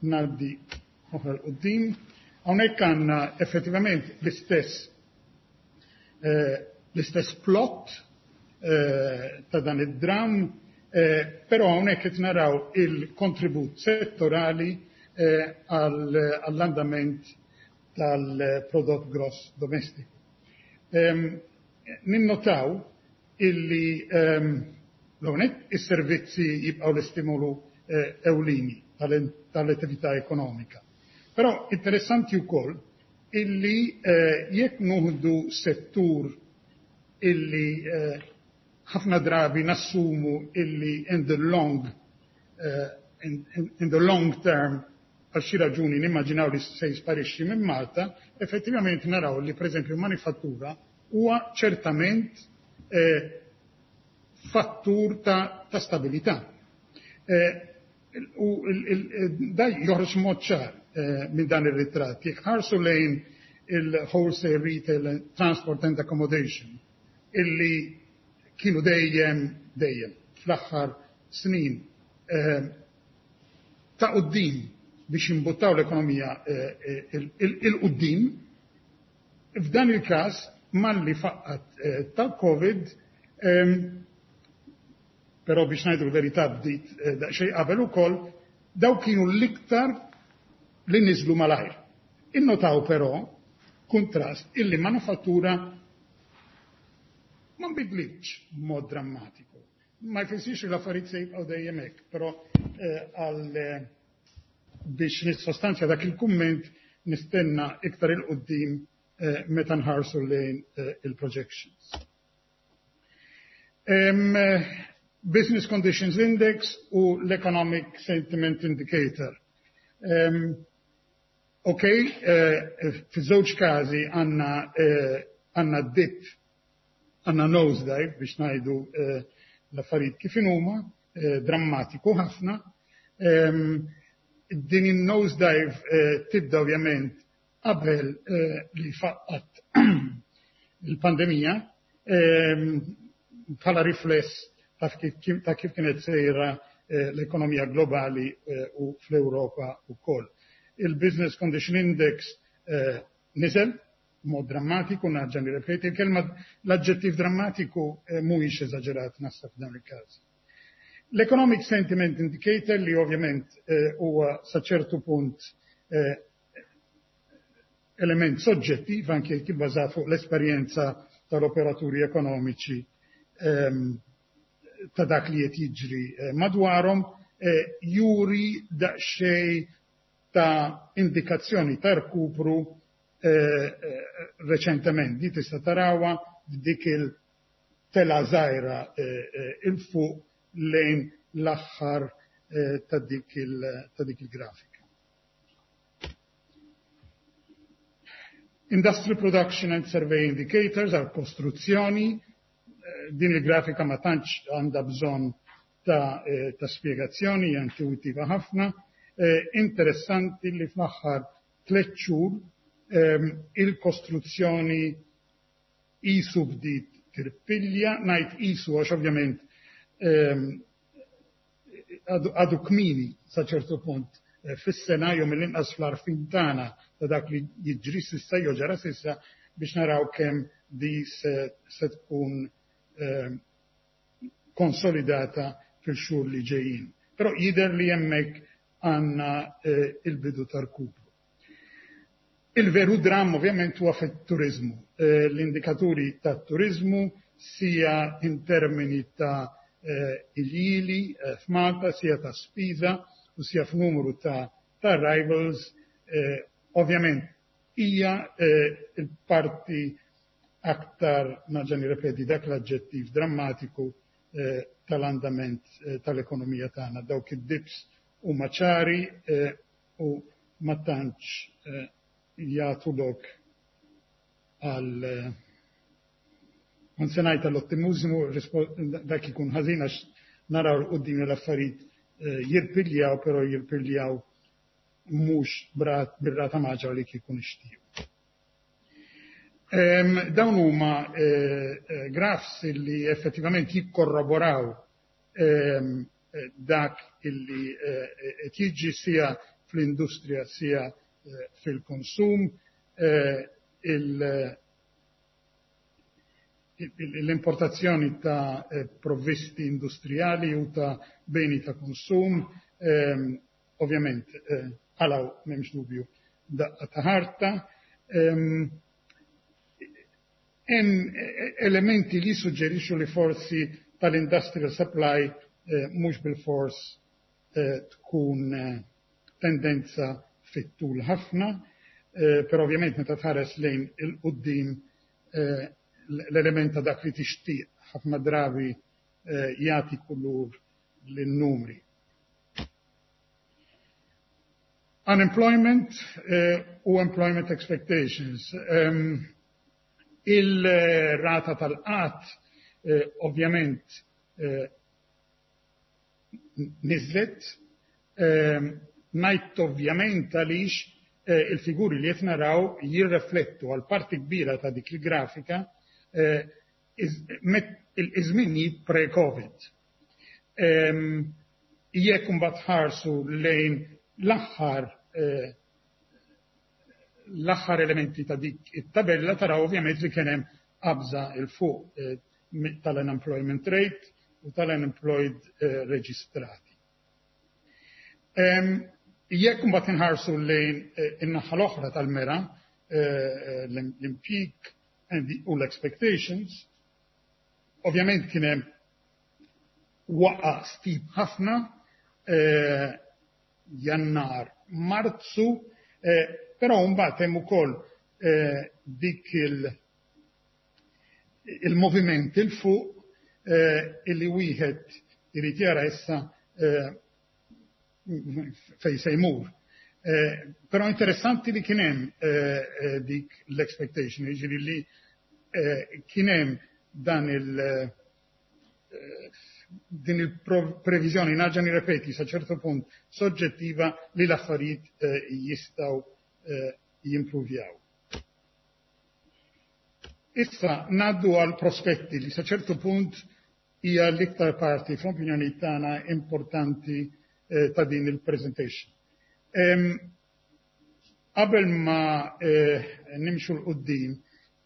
Ngħaddi oħra 'l quddiem. Hawnhekk għandna effettivament l-istess l-istess plot ta' dan id-dram, però hawnhekk qed naraw il-kontribut settorali għall-andament tal-prodott gross domestiku. Ninnotaw illi l-hawnhekk is-servizzi jibqgħu l-istimolu ewlieni tal-attività ekonomika. Però interessanti wkoll illi jekk nieħdu settur illi ħafna drabi nassumu illi in the long in the long term għal xi raġuni nimmaġinaw li se jisparixxi minn Malta, effettivament naraw li pereżempju manifattura huwa ċertament fattur ta' stabilità. U da joħroġ mod ċar minn dan ir-ritratt. Jekk ħarsu lejn il-wholesale, retail, transport and accommodation, illi kienu dejjem dejjem fl-aħħar snin ta' quddiem biex imbuttaw l-ekonomija 'il quddiem, f'dan il-każ malli faqqat tal-Covid, però biex ngħidu l-verità bdiet daqsxejn qabel ukoll, daw kienu l-iktar li niżlu malajr. Innotaw però kuntrast illi manufattura ma nbidlitx b'mod drammatiku. Ma jfissirx li l-affarijiet se jibqgħu dejjem hekk, però għal biex nissostanzja dak il-kumment nistenna iktar 'il quddiem meta nħarsu lejn il-projections. Business Conditions Index u l-Economic Sentiment Indicator. Okay, fiż-żewġ każi għandna għandna dip, għandna nosedive, biex ngħidu l-affarijiet kif inhuma, drammatiku ħafna. Din in-nosedive tibda ovvjament qabel li faqqat il-pandemija, bħala rifless ta' kif kienet sejra l-ekonomija globali u fl-Ewropa wkoll. Il-Business Condition Index niżel mod drammatiku, nerġa' nirrepeti, il-kelma l-aġġettiv drammatiku mhuwiex eżaġerat naħseb f'dan il-każ. L-Economic Sentiment Indicator li ovvjament huwa sa ċertu punt element soġġettiv anke jekk ibbażat fuq l-esperjenza tal-operaturi ekonomiċi ta' dak li qed jiġri madwarhom, juri daqsxejn ta' indikazzjoni ta' rkupru reċentement. Di tista' tarawha f'dik il-tela żgħira 'il fuq lejn l-aħħar ta' dik il-grafika. Industrial Production and Survey Indicators għal kostruzzjoni, din il-grafika ma tantx għandha bżonn ta' spjegazzjoni, hija intuwittiva ħafna. Interessanti li fl-aħħar tliet xhur il-kostruzzjoni qisu bdiet tirpilja, ngħid qisu għax ovvjament għadu kmieni sa ċertu punt fis-sena jew mill-inqas fl-għarfien tagħna ta' dak li jiġri s'issa jew ġara s'issa biex naraw kemm di se tkun konsolidata fil-xhur li ġejjin. Però jidher li hemmhekk għandna il-bidu ta' rkupru. Il-veru dramm ovvjament huwa fit-turiżmu. L-indikaturi tat-turiżmu sia in termini ta' iljieli f'Malta, sia ta' spiża u sia f'numru ta' arrivals, ovvjament hija il-parti aktar, nerġa' nirrepeti, dak l-aġġettiv drammatiku tal-andament tal-ekonomija tagħna. Dawk id-dips huma ċari u ma tantx jagħtu lok għal non se ngħid għall-ottimiżmu, dak ikun ħażin għax naraw 'l quddiem l-affarijiet jirpiljaw, però jirpiljaw mhux bir-rata maġra li kieku nixtiequ. Dawn huma graphs li effettivament jikkorroboraw dak illi qed jiġri sia fl-industrija sia fil-konsum. L-importazzjoni ta' provvisti industrijali u ta' beni ta' konsum, ovvjament għalaw m'hemmx dubju daqqa ta' ħarta. Hemm elementi li suġġerixxu li forsi tal-industrial supply mhux bil-fors tkun tendenza fit-tul ħafna, però ovvjament meta tħares lejn il-quddiem l-element ta' dak li tixtieq ħafna drabi jagħti kulur lin-numri. Unemployment u employment expectations. Il-rata tal-qatt ovvjament niżlet, ngħid ovvjament għaliex il-figuri li qed naraw jirreflettu għal parti kbira ta' dik il-grafika il-żminijiet pre-Covid. Jekk imbagħad ħarsu lejn l-aħħar l-aħħar elementi ta' dik it-tabella taraw ovvjament li kien hemm qabża 'il fuq tal-unemployment rate u tal-unemployed reġistrati. Jekk imbagħad inħarsu lejn in-naħa l-oħra tal-mera, l-impjieg u l-expectations, ovvjament kien hemm waqa steep ħafna Jannar, Marzu, però mbagħad hemm ukoll dik il-moviment 'il fuq illi wieħed irid jara issa fejn se jmur. Però interessanti li kien hemm dik l-expectation, jiġifieri li kien hemm dan il din il-previżjoni, nerġa' nirrepeti, sa ċertu punt soġġettiva li l-affarijiet jistgħu jimpruvjaw. Issa ngħaddu għal prospetti li sa ċertu punt hija l-iktar parti fl-opinjoni tagħna importanti ta' din il-presentation. Qabel ma nimxu 'l quddiem,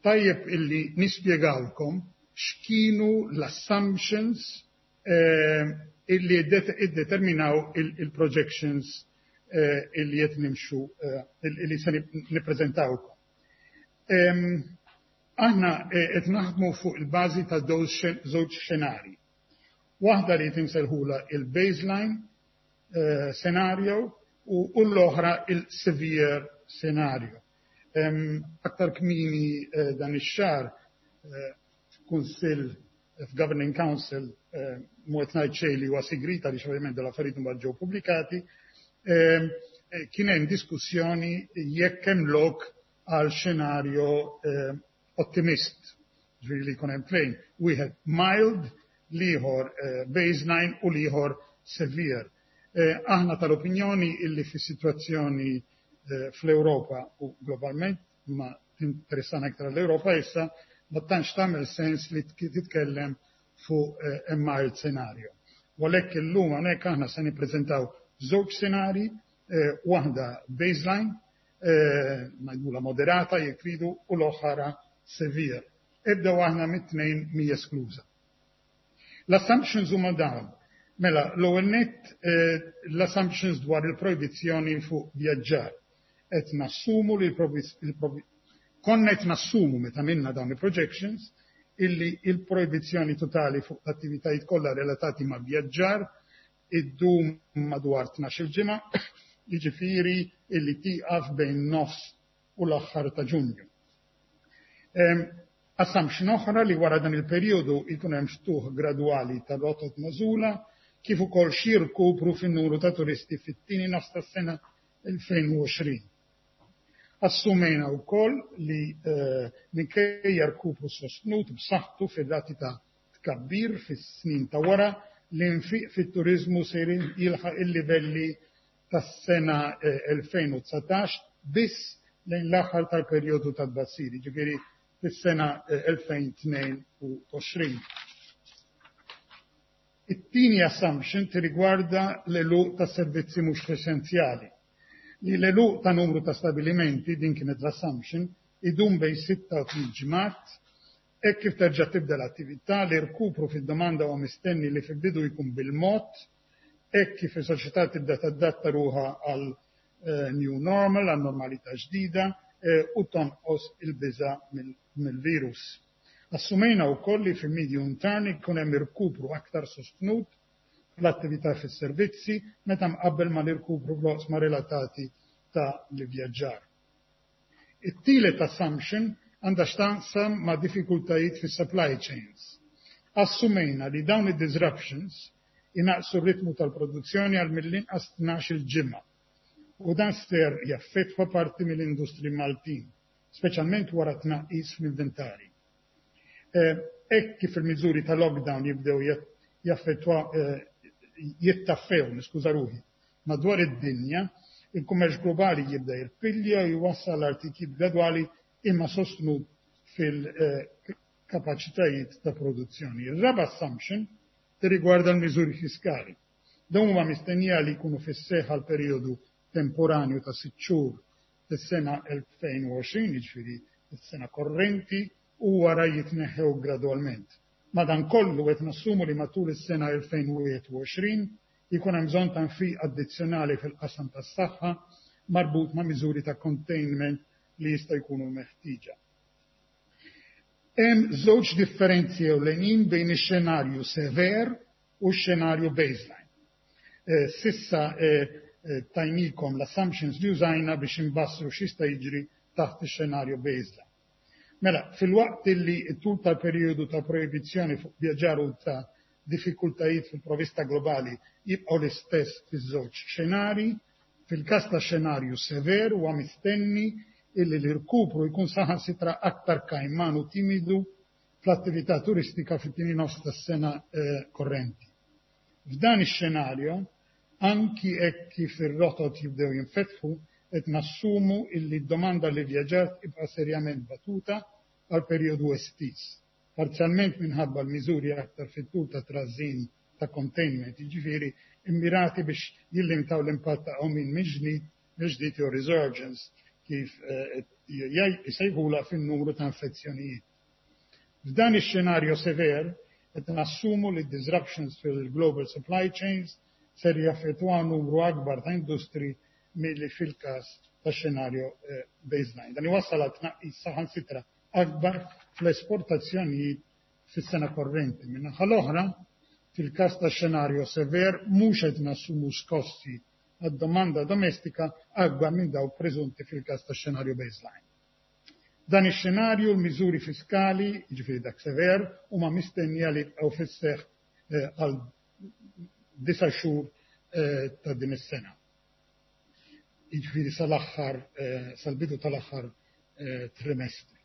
tajjeb illi nispjegawlkom x'kienu l-assumptions illi iddeterminaw il-projections illi qed nimxu illi se nippreżentawlkom. Aħna qed naħdmu fuq il-bażi ta' żewġ xenarji. Waħda li insejħulha il-baseline scenario u l-oħra il-severe scenario. Aktar kmieni dan ix-xahar f'kunsill, f'Governing Council, mhu qed ngħid xejn li huwa sigriet għaliex ovvjament l-affarijiet imbagħad ġew pubblikati, kien hemm diskussjoni jekk hemm lok għal xenarju ottimist, ġifieri li jkun hemm tnejn, wieħed mild, l-ieħor baseline u l-ieħor severe. Aħna tal-opinjoni illi fis-sitwazzjoni fl-Ewropa u globalment, ma tinteressana iktar l-Ewropa issa, ma tantx tagħmel sens li titkellem fuq mild scenario. U għalhekk illum hawnhekk aħna se nippreżentaw żewġ scenari, waħda baseline, ngħidulha moderata jekk tridu, u l-oħra severe. Ebda waħda mit-tnejn mhi eskluża. L-assumptions huma dawn. Mela, l-ewwel nett, l-assumptions dwar il-projbizzjoni fuq vjaġġar. Qed nassumu li konna qed nassumu meta għamilna dawn il-projections illi il-projbizzjoni totali fuq l-attivitajiet kollha relatati ma' vjaġġar iddum madwar tnax-il ġimgħa, jiġifieri illi tieqaf bejn nofs u l-aħħar ta' Ġunju. Assumption oħra li wara dan il-perjodu jkun hemm ftuħ gradwali ta' rotot magħżula kif ukoll xi rkupru fin-numru ta' turisti fit-tieni nofs tas-sena elfejn u għoxrin. Assumejna wkoll li minkejja rkupru sostnut b'saħħtu fir-rati ta' tkabbir fis-snin ta' wara, l-infiq fit-turiżmu se jilħaq il-livelli tas-sena elfejn u dsatax biss lejn l-aħħar tal-perjodu ta' tbassir, jiġifieri fis-sena elfejn u tnejn u għoxrin. It-tieni assumption tirrigwarda l-għeluq ta' servizzi mhux essenzjali. Li l-għeluq ta' numru ta' stabilimenti, din kienet l-assumption, idum bejn sitta u tliet ġimgħat. Hekk kif terġa' tibda l-attività, l-irkupru fid-domanda huwa mistenni li fil-bidu jkun bil-mod, hekk kif is-soċjetà tibda tadatta ruħha għal new normal, għal normalità ġdida, u tonqos il-biża' mill-virus. Assumejna wkoll li fil-medium term ikun hemm irkupru aktar sostnut fl-attività fis-servizzi meta mqabbel mal-irkupru fl-oqsma relatati ta' l-ivvjaġġar. It-tielet assumption għandha x'taqsam ma' diffikultajiet fis-supply chains. Assumejna li dawn id-disruptions inaqqsu r-ritmu tal-produzzjoni għal mill-inqas tnax-il ġimgħa u dan ser jaffettwa parti mill-industri Maltin, speċjalment wara tnaqqis fl-inventari. Hekk kif il-miżuri ta' lockdown jibdew jaffettwa jittaffew, niskuża ruħi, madwar id-dinja, il-kummerċ globali jibda jirpilja u jwassal għal titjib gradwali imma sostnut fil-kapaċitajiet ta' produzzjoni. Ir-raba' assumption tirrigwarda l-miżuri fiskali. Dawn huma mistennija li jkunu fis-seħħ għal perjodu temporanju ta' sitt xhur fis-sena elfejn u għoxrin, jiġifieri is-sena korrenti, u wara jitneħħew gradwalment. Madankollu qed nassumu li matul is-sena elfejn u wieħed u għoxrin jkun hemm bżonn ta' nfiq addizzjonali fil-qasam tas-saħħa marbut ma' miżuri ta' containment li jista' jkunu meħtieġa. Hemm żewġ differenzi ewlenin bejn ix-xenarju sever u x-xenarju baseline. S'issa tajnikom l-assumptions li użajna biex imbassru x'jista' jiġri taħt ix-xenarju baseline. Mela, filwaqt li t-tul tal-perjodu ta' proibizzjoni fuq vjaġġar u ta' diffikultajiet fil-provista globali jibqgħu l-istess fiż-żewġ xenari, fil-każ ta' xenarju sever huwa mistenni illi l-irkupru jkun saħansitra aktar kajman u timidu fl-attività turistika fit-tieni nofs tas-sena korrenti. F'dan ix-xenarju, anki hekk kif ir-rotot jibdew jinfetħu, qed nassumu illi d-domanda li vjaġġar tibqa' serjament batuta għal perjodu estiż, parzjalment minħabba l-miżuri aktar fit-tul ta' trażżin ta' containment, jiġifieri immirati biex jillimitaw l-impatt ta' qawmien mill-ġdid jew resurgence kif jsejħula fin-numru ta' infezzjonijiet. F'dan ix-xenarju sever qed nassumu li disruptions fil-global supply chains ser jaffettwaw numru akbar ta' industri milli fil-każ ta' xenarju baseline. Dan iwassal għal tnaqqis saħansitra akbar fl-esportazzjonijiet fis-sena korrenti. Min-naħa l-oħra, fil-każ ta' xenarju sever mhux qed nassumu skossi għad-domanda domestika akbar minn dawk preżunti fil-każ ta' xenarju baseline. Dan ix-xenarju l-miżuri fiskali, jiġifieri dak sever, huma mistennija li jibqgħu fis-seħħ għal disa' xhur ta' din is-sena. Jiġifieri sal-aħħar sal-bidu tal-aħħar trimestri.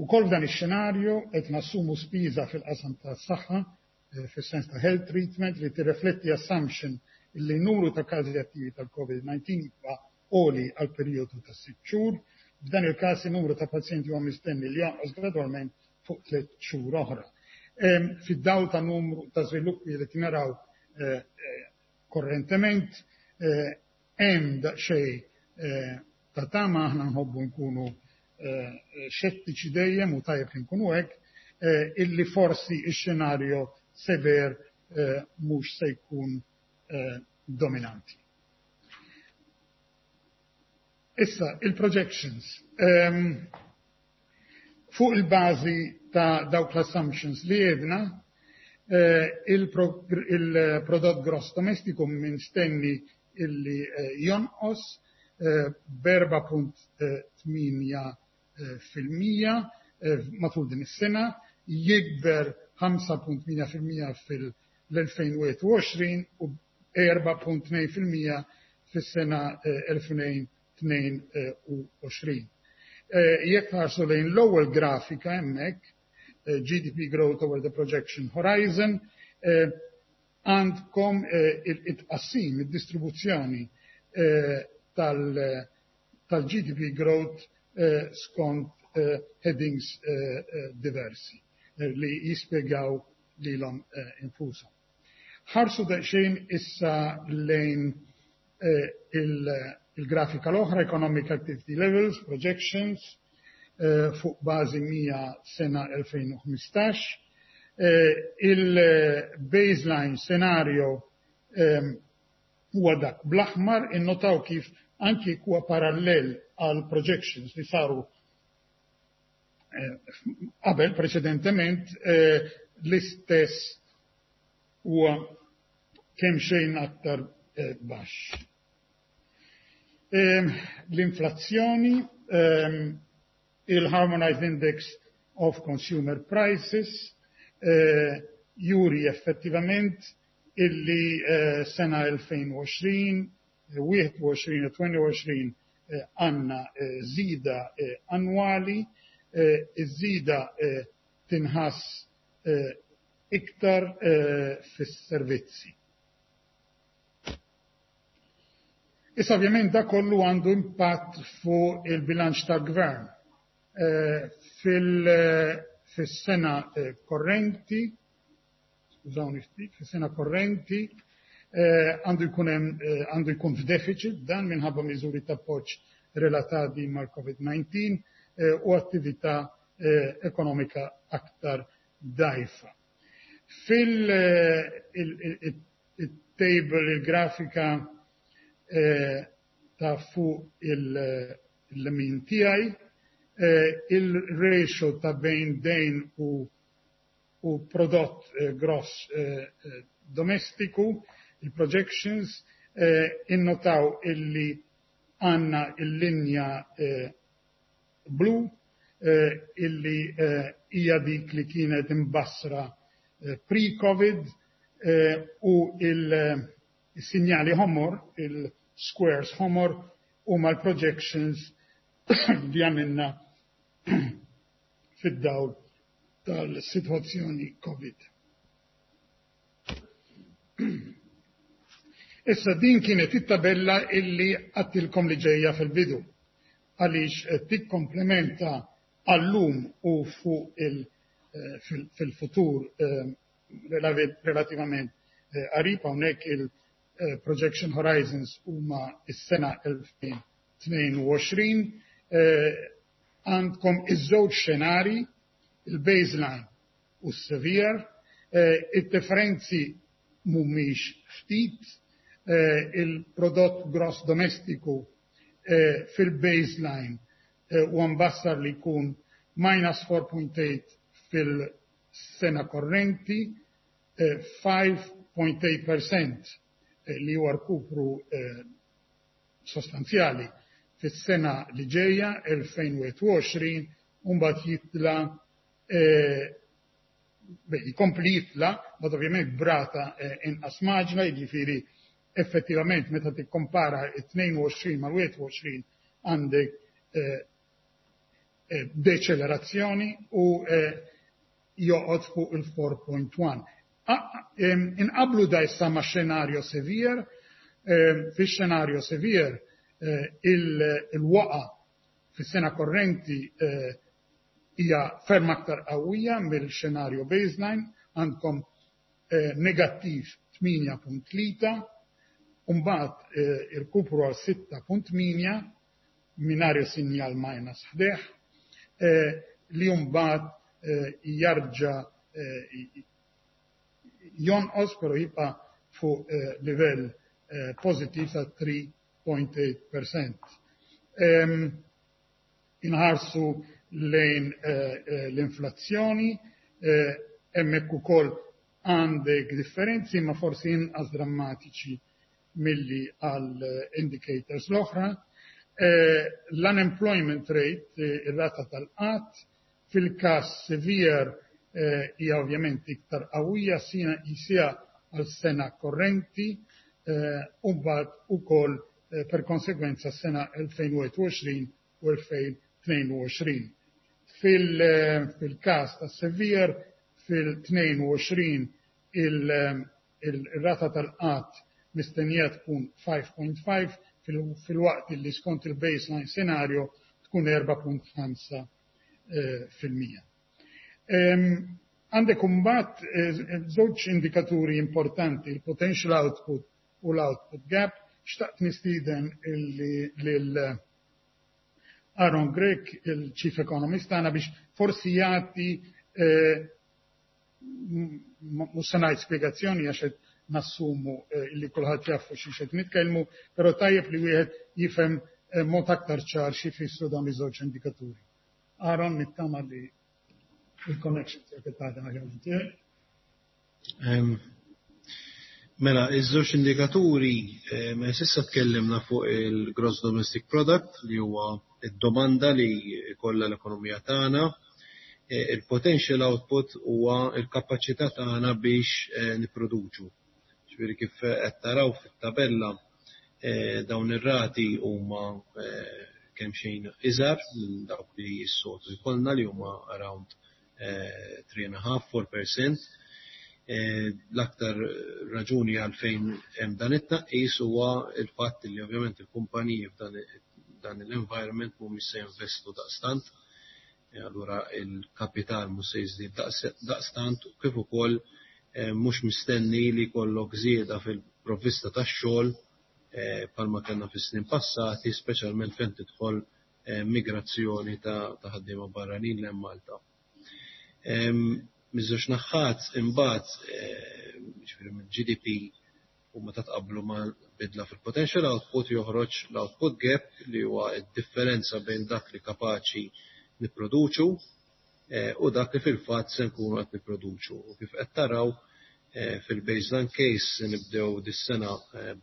Ukoll f'dan ix-xenarju qed nassumu spiża fil-qasam tas-saħħa fis-sens ta' health treatment li tirrifletti assumption li numru ta' każi attivi tal-COVID nineteen jibqa' għoli għal perjodu ta' sitt xhur. F'dan il-każ in-numru ta' pazjenti huwa mistenni li jonqos gradwalment fuq tliet xhur oħra. Fid-dawl ta' numru ta' żviluppi li naraw korrentement, hemm daqsxejn ta' tama, aħna nħobbu nkunu xettiċi dejjem u tajjeb li nkunu hekk, illi forsi x-xenarju sever mhux se jkun dominanti. Issa, il-projections. Fuq il-bażi ta' dawk l-assumptions li għedna, il-prodott gross domestiku mistenni illi jonqos b'erba' punt tmienja fil-mija matul din is-sena, jikber ħamsa punt tmienja fil-mija fil-elfejn u wieħed u għoxrin u erba' punt tnejn fil-mija fis-sena elfejn tnejn u għoxrin. Jekk tħarsu lejn l-ewwel grafika hemmhekk, G D P growth over the projection horizon, għandkom it-tqassim, id-distribuzzjoni tal-G D P growth skont headings diversi li jispjegaw lilhom infushom. Ħarsu daqsxejn issa lejn il-grafika l-oħra, Economic Activity Levels, Projections, fuq bażi mija sena elfejn u ħmistax. Il-baseline scenario huwa dak bl-aħmar, innotaw kif anki huwa parallel għal projections li saru qabel preċedentement, l-istess huwa kemm xejn aktar baxx. L-inflazzjoni, il-Harmonized Index of Consumer Prices, juri effettivament illi sena elfejn u għoxrin, wieħed u għoxrin u tnejn u għoxrin għandna żieda annwali, iż-żieda tinħass iktar fis-servizzi. Issa ovvjament da kollu għandu impatt fuq il-bilanċ tal-gvern. Fis-sena korrenti, skużawni ftit, fis-sena korrenti għandu jkun hemm, għandu jkun f'deficit dan minħabba miżuri ta' appoġġ relatati mal-COVID nineteen u attività ekonomika aktar dgħajfa. Fil-table, il-grafika ta' fuq il-lemin tiegħi, il-ratio ta' bejn dejn u, u prodott gross domestiku, il-projections, innotaw illi għanna il-linja blu illi hija dik li kienet imbassra pre-COVID u il-sinjali ħomor, il-squares ħomor, huma l-projections li għamilna fid-dawl tal-sitwazzjoni COVID. Issa din kienet it-tabella illi għattilkom li ġejja fil-bidu, għaliex tikkomplementa għallum u fuq il-, fil-futur relativament qarib, hawnhekk il-projection horizons huma s-sena elfejn tnejn u għoxrin, Għandkom iż-żewġ xenari, il-baseline u s-severe, id-differenzi mhumiex ftit, il-prodott gross domestiku fil-baseline huwa mbassar li jkun minus four point eight fil-sena korrenti, five point eight percent li huwa rkupru sostanzjali fis-sena li ġejja elfejn u għoxrin, u mbagħad jitla jkompli jitla, bad ovvjament brata inqas maġna, jiġifieri effettivament meta tikkompara it-tnejn u għoxrin mal-wieħed u għoxrin għandek deċelerazzjoni u joqgħod fuq il-four point one. Inqablu da issa ma' xenarju severe, fix-xenarju severe il-waqa fis-sena korrenti hija ferm aktar qawwija mill-xenarju baseline, għandkom negattiv tmienja punt tlieta, u mbagħad irkupru għal sitta punt tmienja mingħajr sinjal minus ħdejh, li mbagħad jarġa' jonqos però jibqa' fuq livell pożittiv ta' three point eight percent. Inħarsu lejn l-inflazzjoni, hemmhekk ukoll għandek differenzi ma forsi inqas drammatiċi milli għal indicators l-oħra. L-unemployment rate, ir-rata tal-qatt, fil-każ severe hija ovvjament iktar qawwija sija għal sena korrenti, u mbagħad ukoll per konsegwenza sena elfejn u wieħed u għoxrin u elfejn tnejn u għoxrin. Fil-każ ta' severe, fil-tnejn u għoxrin il-rata tal-qatt mistennija tkun five point five, fil-waqt li skont il-baseline scenario tkun erba' punt ħamsa fil-mija. Għandek imbagħad żewġ indikaturi importanti, il-potential output u l-output gap. Xtaqt nistieden lil Aaron Grech, il-Chief Economist tagħna, biex forsi jagħti mhux se ngħid spjegazzjoni għax qed nassumu li kulħadd jaf fuq xi qed nitkellmu, però tajjeb li wieħed jifhem mod aktar ċar xi jfissru dawn iż-żewġ indikaturi. Aaron, nittama li il-connection tiegħek qed taħdem aħjar minn tiegħi.
Mela, iż-żewġ indikaturi, s'issa tkellimna fuq il-Gross Domestic Product li huwa id-domanda li jkollha l-ekonomija tagħna. Il-potential output huwa l-kapaċità tagħna biex nipproduċu. Ġifieri kif qed taraw fit-tabella, dawn ir-rati huma kemm xejn iżgħar minn dawk li s-soltu jkollna li huma around three and a half, four percent. L-aktar raġuni għalfejn hemm dan it-tnaqqis huwa l-fatt li ovvjament il-kumpaniji f'dan dan l-environment mhumiex se jinvestu daqstant, allura il-kapital mhux se jiżdied daqstant, u kif ukoll mhux mistenni li jkollok żieda fil-provvista tax-xogħol bħalma kellna fis-snin passati, speċjalment fejn tidħol migrazzjoni ta' ħaddiema barranin lejn Malta. Miż-żewġ naħat imbagħad, ġifieri mill-G D P u meta tqabblu ma' bidla fil-potential output joħroġ l-output gap li huwa d-differenza bejn dak li kapaċi nipproduċu u dak li fil-fatt se nkunu qed nipproduċu. U kif qed taraw fil-baseline case se nibdew dis-sena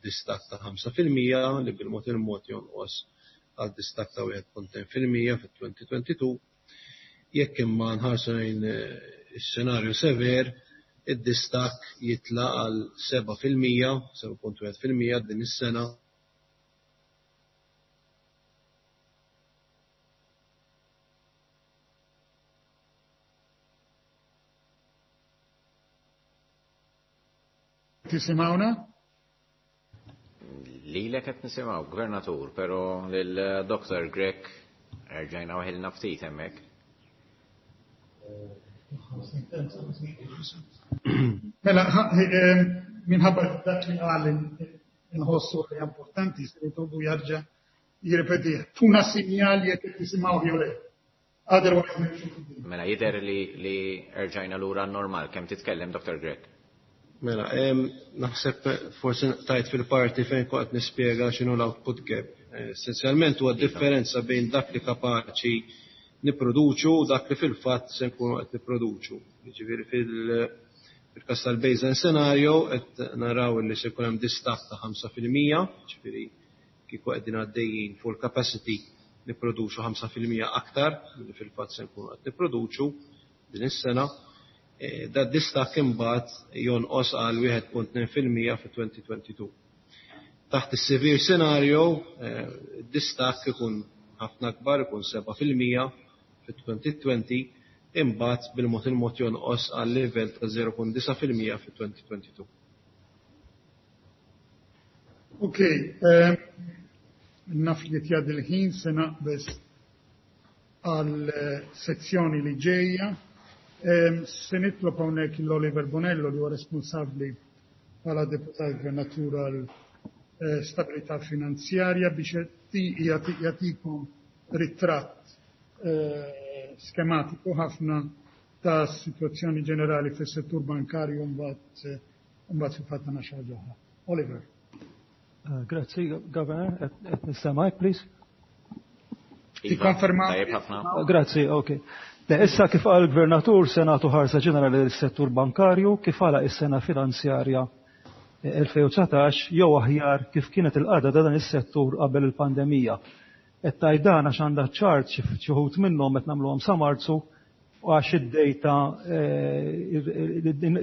b'distakk ta' ħamsa fil-mija li bil-mod il-mod jonqos għal distakk ta' wieħed punt tnejn fil-mija fit-twenty twenty-two. Jekk imma nħarsu lejn is-xenarju sever, id-distakk jitla' għal seba' fil-mija, seba' punt wieħed fil-mija din is-sena.
Tisimgħuna?
Lilek qed nisimgħu, Gvernatur, però lil Doctor Grech erġajna waħilna ftit hemmhekk.
Mela, minħabba dak li qal inħossu li importanti, se nitolbu jarġa' Jirrepetih. Tuna sinjal jekk tisimgħu jew le. Otherwise nimxu.
Mela jidher li li erġajna lura normal. Kemm titkellem, Doctor Grech?
Mela, naħseb forsi tajt fil-parti fejn kont nispjega x'inhu l-output gap. Essenzjalment huwa differenza bejn dak li kapaċi nipproduċu u dak li fil-fatt se nkunu qed nipproduċu. Jiġifieri fil-każ tal-baseline scenario qed naraw li se jkun hemm distakk ta' ħamsa fil-mija, ġifieri kieku qegħdin għaddejjin full capacity nipproduċu ħamsa fil-mija aktar milli fil-fatt se nkunu qed nipproduċu din is-sena. Da distakk imbagħad jonqos għal wieħed punt tnejn fil-mija fi elfejn u tnejn u għoxrin. Taħt is-severe scenario, distakk ikun ħafna akbar, ikun seba' fil-mija fi elfejn u għoxrin, imbagħad bil-mod il-mod jonqos għal livell ta' żero punt disa' fil-mija fi elfejn u tnejn u għoxrin.
Okay, naf li jgħaddi l-ħin, se naqbeż għal sezzjoni li ġejja. Se nitlob hawnhekk l-Oliver Bonello, li huwa responsabbli bħala deputat gvernatur għal stabilità finanzjarja, biex jagħtikom ritratt skematiku ħafna ta' situazzjoni ġenerali fis-settur bankarju, mbagħad mbagħad fil-fatt għandna xi ħaġa oħra. Oliver.
Grazzi, Governor. Qed nistemgħek, please?
Tikkonferma?
Tajjeb ħafna.
Grazzi, ok. Issa, kif qal gvernatur, se nagħtu ħarsa ġenerali l-settur bankarju kif għalaq is-sena finanzjarja elfejn u dsatax, jew aħjar kif kienet il-qagħda ta' dan is-settur qabel il-pandemija. Qed tgħid dan għax għandha ċart xi wħud minnhom qed nagħmluhom sa Marzu u għax id-data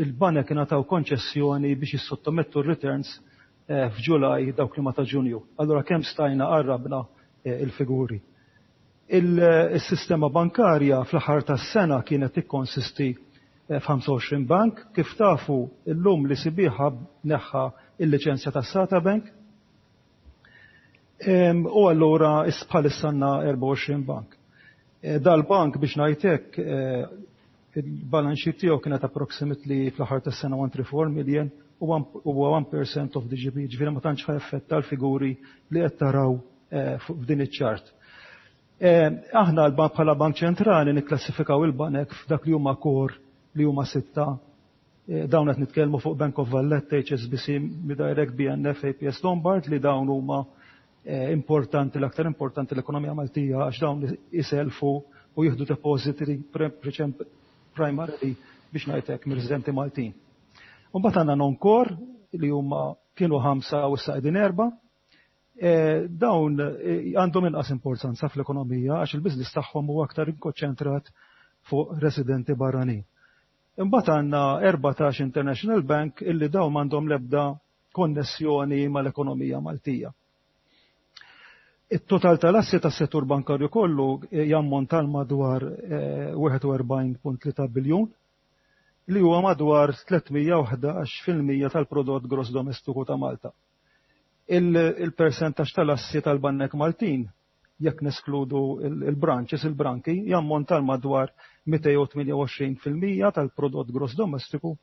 il-banek ingħataw konċessjoni biex jissottomettu r-returns f'Ġulaj, dawk li ma ta' Ġunju. Allura kemm stajna qarrabna il-figuri. Il-sistema bankarja fl-aħħar tas-sena kienet tikkonsisti f'ħamsa u għoxrin bank. Kif tafu, illum l-E C B neħħa il-liċenzja tas Sata Bank. U allura bħalissa għandna erbgħa u għoxrin bank. Dal-bank, biex ngħidlek, il-balance sheet tiegħu kienet approximately fl-aħħar tas-sena mija u tnejn u tletin million u huwa one percent of the G D P, ġifieri ma tantx effetta l-figuri li qed taraw f'din iċ-ċart. Aħna l-bank bħala Bank Ċentrali nikklassifikaw il-banek f'dak li huma core, li huma sitta. Dawn qed nitkellmu fuq Bank of Valletta, H S B C, MeDirect, B N F, A P S Lombard, li dawn huma importanti, l-aktar importanti l-ekonomija Maltija, għax dawn iselfu u jieħdu depositi primarily, biex ngħidlek, mir-residenti Maltin. Mbagħad għandna non-core li huma kienu ħamsa u issa qegħdin erba'. Dawn għandhom inqas importanza fl-ekonomija għax il-biznis tagħhom huwa aktar inkonċentrat fuq residenti barranin. Imbagħad għandna erbatax International Bank, illi dawn m'għandhom l-ebda konnessjoni mal-ekonomija Maltija. Il-total tal-assi tas-settur bankarju kollu jammonta madwar wieħed u erbgħin punt tlieta biljun, li huwa madwar tliet mija u ħdax fil-mija tal-prodott gross domestiku ta' Malta. Il-percentaġġ tal-assi tal-Banek Maltin, jekk neskludu il-branches, il-branki, jammonta madwar mitejn u tmienja u għoxrin fil-mija tal-prodott gross domestiku,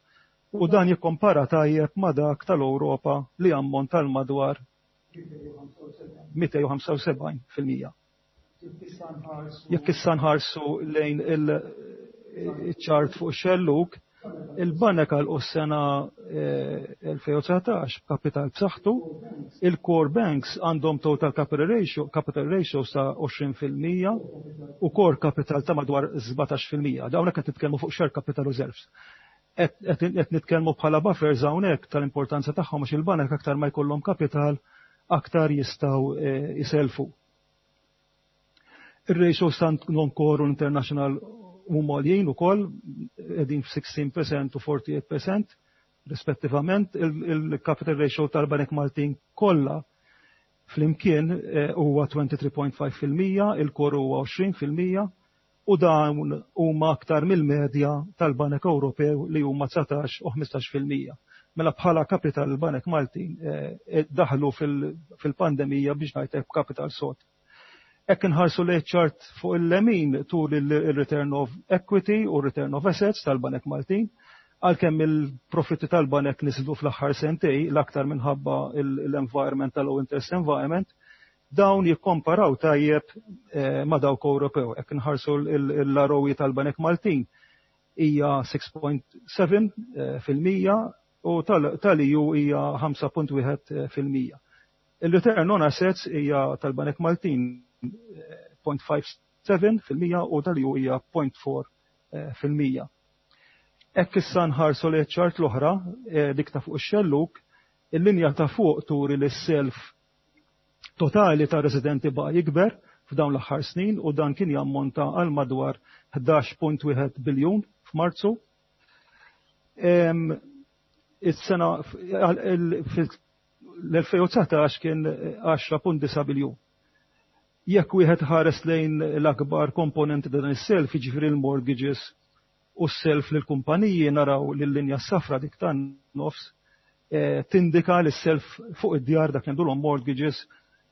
u dan jikkompara tajjeb ma' dak tal-Ewropa li jammonta madwar mitejn u ħamsa u sebgħin fil-mija. Jekk issa nħarsu lejn il-ċart fuq xelluk, il-banek għalqu s-sena elfejn u dsatax b'kapital b'saħħtu. Il-core banks għandhom total capital ratio, capital ratio sa għoxrin fil-mija u core capital ta' madwar sbatax fil-mija. Dawn qed nitkellmu fuq share capital reserves. Qed nitkellmu bħala buffers hawnhekk tal-importanza tagħhom, għax il-banek aktar ma jkollhom kapital, aktar jistgħu jiselfu. Ir-ratios ta' non-core u international huma għoljin ukoll, qegħdin f'sittax fil-mija u erbgħa u erbgħin fil-mija rispettivament. Il-capital ratio tal-Banek Maltin kollha flimkien huwa tlieta u għoxrin punt ħamsa fil-mija, il-core huwa għoxrin fil-mija, u dawn huma aktar mill-medja tal-Banek Ewropew li huma dsatax u ħmistax fil-mija. Mela bħala kapital il-Banek Maltin daħlu fil-pandemija, biex ngħidlek, kapital sod. Jekk inħarsu li ċart fuq il-lemin tur il-return of equity u return of assets tal-Banek Maltin, għalkemm il-profitti tal-banek niżlu fl-aħħar sentej, l-aktar minħabba l-environment tal-low interest environment, Dawn jikkomparaw tajjeb ma' dawk Ewropew. Jekk nħarsu l-R O E tal-Banek Maltin hija sitta punt seba' fil-mija u tal-E U hija ħamsa punt wieħed fil-mija. Il-return on assets hija tal-Banek Maltin punt ħamsa sebgħa fil-mija u tal-E U hija punt erbgħa fil-mija. Jekk issa nħarsu li ċart l-oħra, dik ta' fuq ix-xelluk, il-linja ta' fuq turi li s-self totali ta' residenti baqa' jikber f'dawn l-aħħar snin u dan kien jammonta għal madwar ħdax punt wieħed biljun f'Marzu. Is-sena l-elfejn u dsatax kien għaxra punt disgħa biljun. Jekk wieħed ħares lejn l-akbar komponenti ta' dan is-self, jiġifieri l-mortgages u s-self lill-kumpaniji, naraw li l-linja safra, dik tan-nofs, tindika li s-self fuq id-djar, dak li mortgages,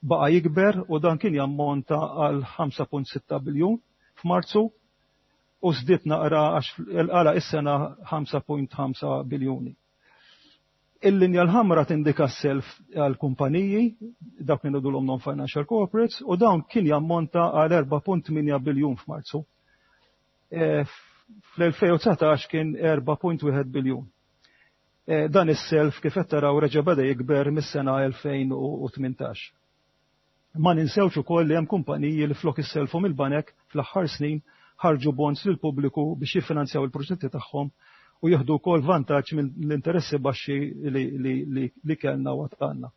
baqa' jikber u dan kien jammonta għal ħamsa punt sitta biljun f'Marzu u żdied naqra għax għala is-sena ħamsa punt ħamsa biljuni. Il-linja l-ħamra tindika s-self għal kumpaniji, dak li ngħidulhom non-financial corporates, u dawn kien jammonta għal erbgħa punt tmienja biljun f'Marzu. Fl-elfejn u dsatax kien erbgħa punt wieħed biljun. Dan is-self, kif qed taraw, reġa' beda jikber mis-sena elfejn u tmintax. Ma ninsewx ukoll li hemm kumpaniji li flok isselfu mill-banek fl-aħħar snin ħarġu bonds lil pubbliku biex jiffinanzjaw il-proġetti tagħhom u jieħdu wkoll vantaġġ mill-interessi baxxi li, li, li, li kellna u għandna.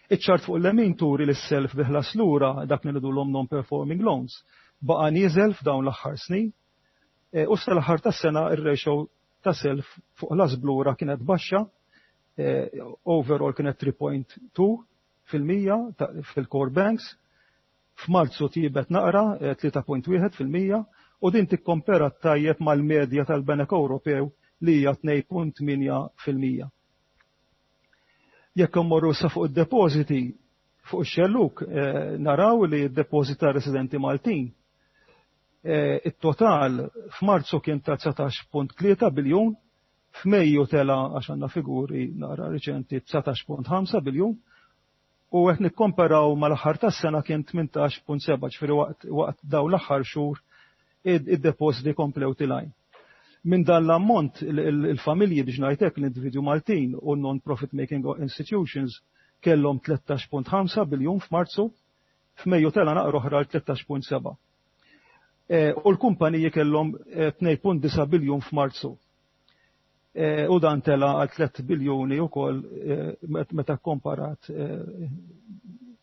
Iċ-ċart fuq l-lemin turi li s-self bi ħlas lura, dak li ngħidulhom non-performing loans, baqa' nieżel f'dawn l-aħħar snin e, u sal-aħħar tas-sena ir-ratio ta' self fuq ħlas b'lura kienet baxxa, e, overall kienet tlieta punt tnejn fil-mija fil-core banks, f'Marzu tjiebet naqra tlieta punt wieħed fil-mija u din tikkompara tajjeb mal-medja tal-Banek Ewropew li hija tnejn punt tmienja fil-mija. Jekk immorru sa fuq id-depożiti fuq ix-xelluk, naraw li d-depożiti ta' residenti Maltin, it-total f'Marzu kien ta' dsatax punt tlieta biljun, f'Mejju tela, għax għandna figuri naqra riċenti, dsatax punt ħamsa biljun u qed nikkomparaw mal-aħħar tas-sena kien tmintax punt seba', ġifieri waqt waqt dawn l-aħħar xhur id-depożiti komplew telgħin. Minn dan l-ammont, il-familji, biex ngħidlek, l-individwu Maltin u non-profit making institutions kellhom tlettax punt ħamsa biljun f'Marzu, f'Mejju tela naqra oħra l tlettax punt seba'. U l-kumpaniji kellhom tnejn punt disgħa biljun f'Marzu. U dan tela għal tliet biljuni wkoll meta komparat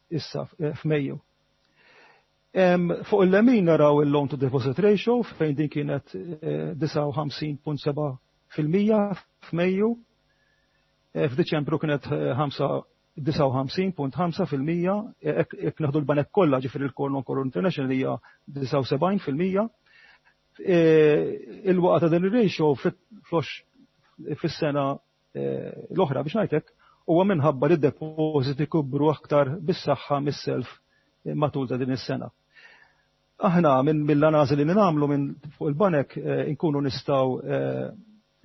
issa f'Mejju. Fuq il-lemin naraw il-loan to deposit ratio fejn din kienet disgħa u ħamsin punt seba' fil-mija f'Mejju. F'Diċembru kienet disgħa u ħamsin punt ħamsa fil-mija, jekk nieħdu l-banek kollha, ġifieri l-core, non-core, international, hija disgħa u sebgħin fil-mija. Il-waqgħa ta' din ir-ratio fis-sena l-oħra, biex ngħidlek, huwa minħabba li d-depożiti kibru aktar bis-saħħa mis-self matul ta' din is-sena. Aħna minn mill-analiżi li nagħmlu minn fuq il-banek inkunu nistgħu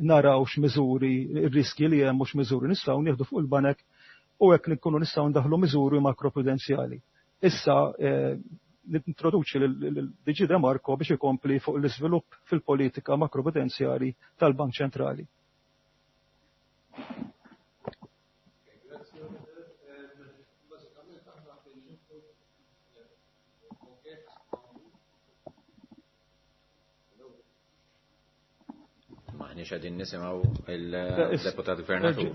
naraw x'miżuri, ir-riski li hemm u x'miżuri nistgħu nieħdu fuq il-banek u hekk nkunu nistgħu ndaħlu miżuri makroprudenzjali. Issa nintroduċi lil D G De Marco biex ikompli fuq l-iżvilupp fil-politika makroprudenzjali tal-Bank Ċentrali.
Grazzi, Oliver. Bażikament aħna fil Forget.
Maħniex qegħdin nisimgħu il-deputat gvernatur.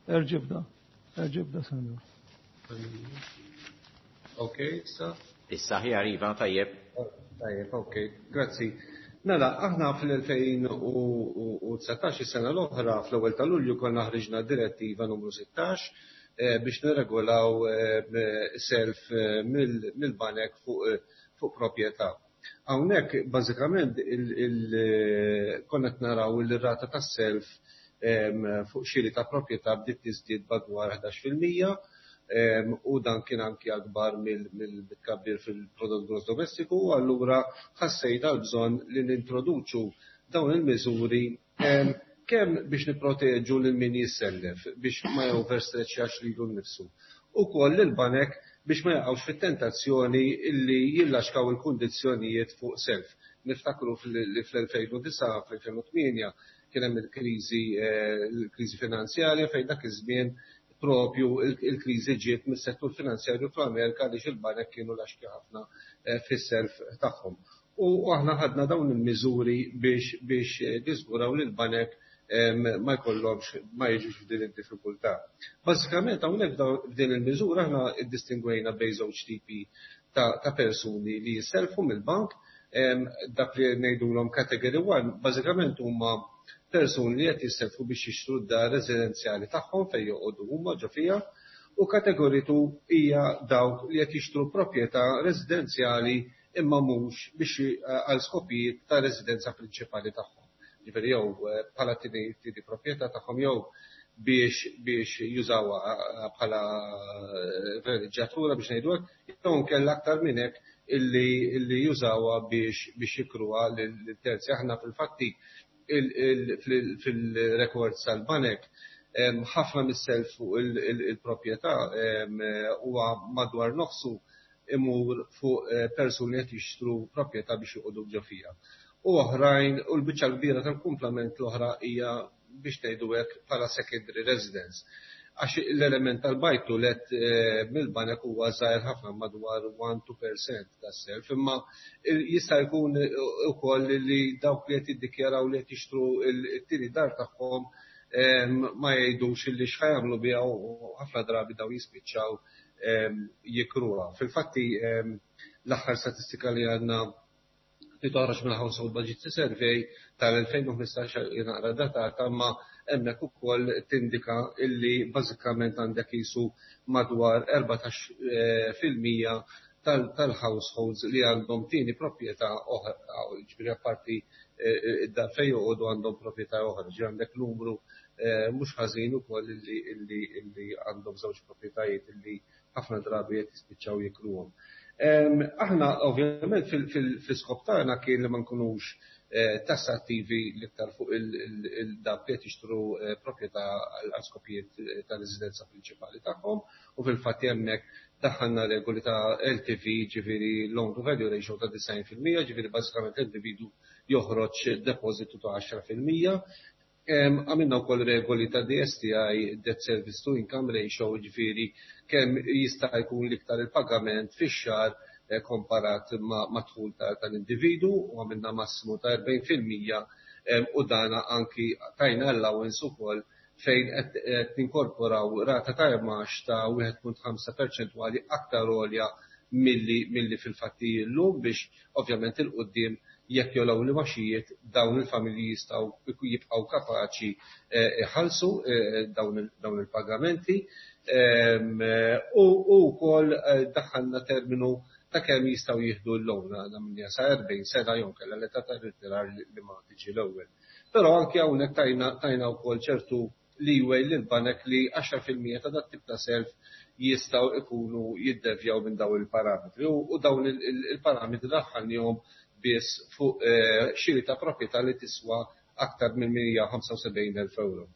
Erġa' ibda, erġa' ibda, Sandro.
Ok, issa.
Issa aħjar, iva, tajjeb.
Tajjeb, ok, grazzi. Mela, aħna fl-elfejn u dsatax, is-sena l-oħra, fl-ewwel ta' Lulju konna ħriġna direttiva numru sittax eh, biex nirregolaw eh, self eh, mill-banek fuq fuq proprjetà. Hawnhekk bażikament konna qed naraw il-rata tas-self fuq xiri ta' proprjetà bdiet tiżdied madwar ħdax fil-mija u dan kien anki akbar mill-tkabbir fil-prodott gross domestiku, u allura ħassejna l-bżonn li nintroduċu dawn il-miżuri kemm biex nipproteġu lil min jissellef biex ma joverstretchjax lilu nnifsu. Ukoll il-banek. biex ma jaqgħux fit-tentazzjoni illi jillaxkaw il-kundizzjonijiet fuq self. Niftakru li fl-elfejn u disgħa, fl-elfejn u tmienja kien hemm il-kriżi, il-kriżi finanzjarja fejn dak iż-żmien propju il-kriżi ġiet mis-settur finanzjarju fl-Amerika għaliex il-banek kienu laxki ħafna fis-self tagħhom. U aħna ħadna dawn il-miżuri biex, biex niżguraw li l-banek ma jkollhomx, ma jiġux f'din id-diffikultà. Bażikament hawnhekk f'din il-miżura aħna ddistingwejna bejn żewġ tipi ta', ta' persuni li jisselfu mill-bank, dak li ngħidulhom category one, bażikament huma persuni li qed jisselfu biex jixtru d-dar residenzjali tagħhom fejn joqogħdu huma ġo fiha, u category two hija dawk li qed jixtru proprjetà residenzjali imma mhux biex għal skopijiet ta' residenza prinċipali tagħhom. Ġifieri jew bħala tieni proprjetà tagħhom jew biex, biex jużawha bħala villeġġjatura biex ngħidu hekk, jew inkella aktar minn hekk illi, illi jużawha biex, biex jikruha lil terzi. Aħna fil-fatti fil-rekords tal-banek ħafna mis-self fuq il-proprjetà huwa madwar nofsu imur fuq persuni qed jixtru proprjetà biex joqogħdu ġo fiha. U oħrajn, u l-biċċa kbira tal-kumplament l-oħra hija biex ngħidu hekk bħala secondary residence. Għax l-element tal-buy to let mill-banek huwa żgħir ħafna madwar one two percent tas-self, imma jista' jkun ukoll li dawk li qed jiddikjaraw li qed jixtru t-tieni dar tagħhom ma jgħidux illi x'ħajamlu biha u ħafna drabi daw jispiċċaw jikruha. Fil-fatti l-aħħar statistika li għandna li toħroġ mill Household Budget Survey tal-elfejn u ħmistax naqra datata, imma hemmhekk ukoll tindika illi bażikament għandek qisu madwar erbatax fil-mija tal-households li għandhom tieni proprjetà oħra, ġifieri apparti id-dar fejn joqogħdu għandhom proprjetà oħra, ġifieri għandek numru mhux ħażin ukoll illi, illi, illi għandhom żewġ proprjetajiet illi ħafna drabi qed jispiċċaw jikruhom. Aħna ovvjament fil-skop tagħna kien li ma nkunux tassattivi l-iktar fuq il-dawk li qed jixtru proprjetà għal skopijiet ta' residenza prinċipali tagħhom, u fil-fatt hemmhekk daħħalna regoli ta' L T V, ġifieri loan to value ratio ta' disgħin fil-mija, ġifieri bażikament l-individu joħroġ depożitu ta' għaxra fil-mija. Għamilna wkoll regoli ta' D S T I, Debt Service to Income Ratio, ġifieri kemm jista' jkun l-iktar il-pagament fix-xahar komparat ma' dħul tal-individu, u għamilna massimu ta' erbgħin fil-mija, u dana anki tajna allowance ukoll fejn qed ninkorporaw rata ta' imgħax ta' wieħed punt ħamsa perċentwali aktar għolja milli, milli fil-fatti llum, biex ovvjament il-qudiem jekk jolgħu l-imgħaxijiet dawn il-familji jistgħu jibqgħu kapaċi iħallsu dawn il-pagamenti. U wkoll daħħalna terminu ta' kemm jistgħu jieħdu l-loan, għandna minn sa erbgħin sena jew kellha l-età ta' irtirar li ma tiġi l-ewwel. Però anke hawnhekk tajna, tajna wkoll ċertu leeway lil banek li għaxra fil-mija ta' dat tip ta' self jistgħu ikunu jiddevjaw minn dawn il-parametri, u dawn il-parametri daħħalnihom biss fuq xiri ta' proprjetà li tiswa aktar minn mija u ħamsa u sebgħin elf euro.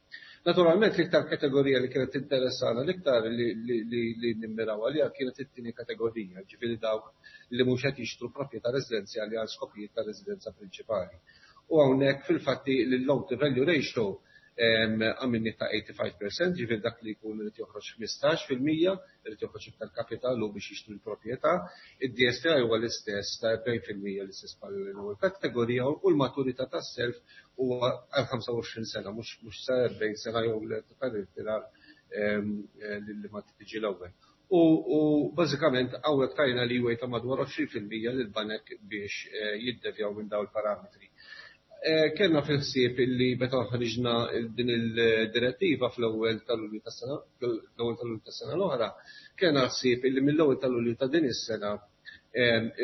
Naturalment l-iktar kategorija li kienet interessana l-iktar li, li, li, li nimmiraw għaliha kienet it-tieni kategorija, ġifieri dawk li mhux qed jixtru proprjetà residenzjali għal skopijiet ta' residenza prinċipali. U hawnhekk fil-fatti l-loan to value ratio għamilni ta' eighty-five percent, ġifieri dak li jkun irid joħroġ ħmistax fil-mija, irid joħroġ iktar kapital u biex jixtri l-proprjetà. Id-D S T I huwa l-istess ta' erbgħin fil-mija l-istess bħal l-ewwel kategorija, u l-maturità tas-self huwa għal ħamsa u għoxrin sena, mhux, mhux sa erbgħin sena jew l-età tal-irtirar li ma tiġi l-ewwel. U, u bażikament hawnhekk tajna li huwa ta' madwar għoxrin fil-mija lil banek biex jiddevjaw minn dawn il-parametri. Kellna fil-ħsieb illi meta ħriġna din il-direttiva fl-ewwel tal-Lulju tas-sena, l-ewwel tal-Lulju tas-sena l-oħra, kellna ħsieb illi mill-ewwel tal-Lulju ta' din is-sena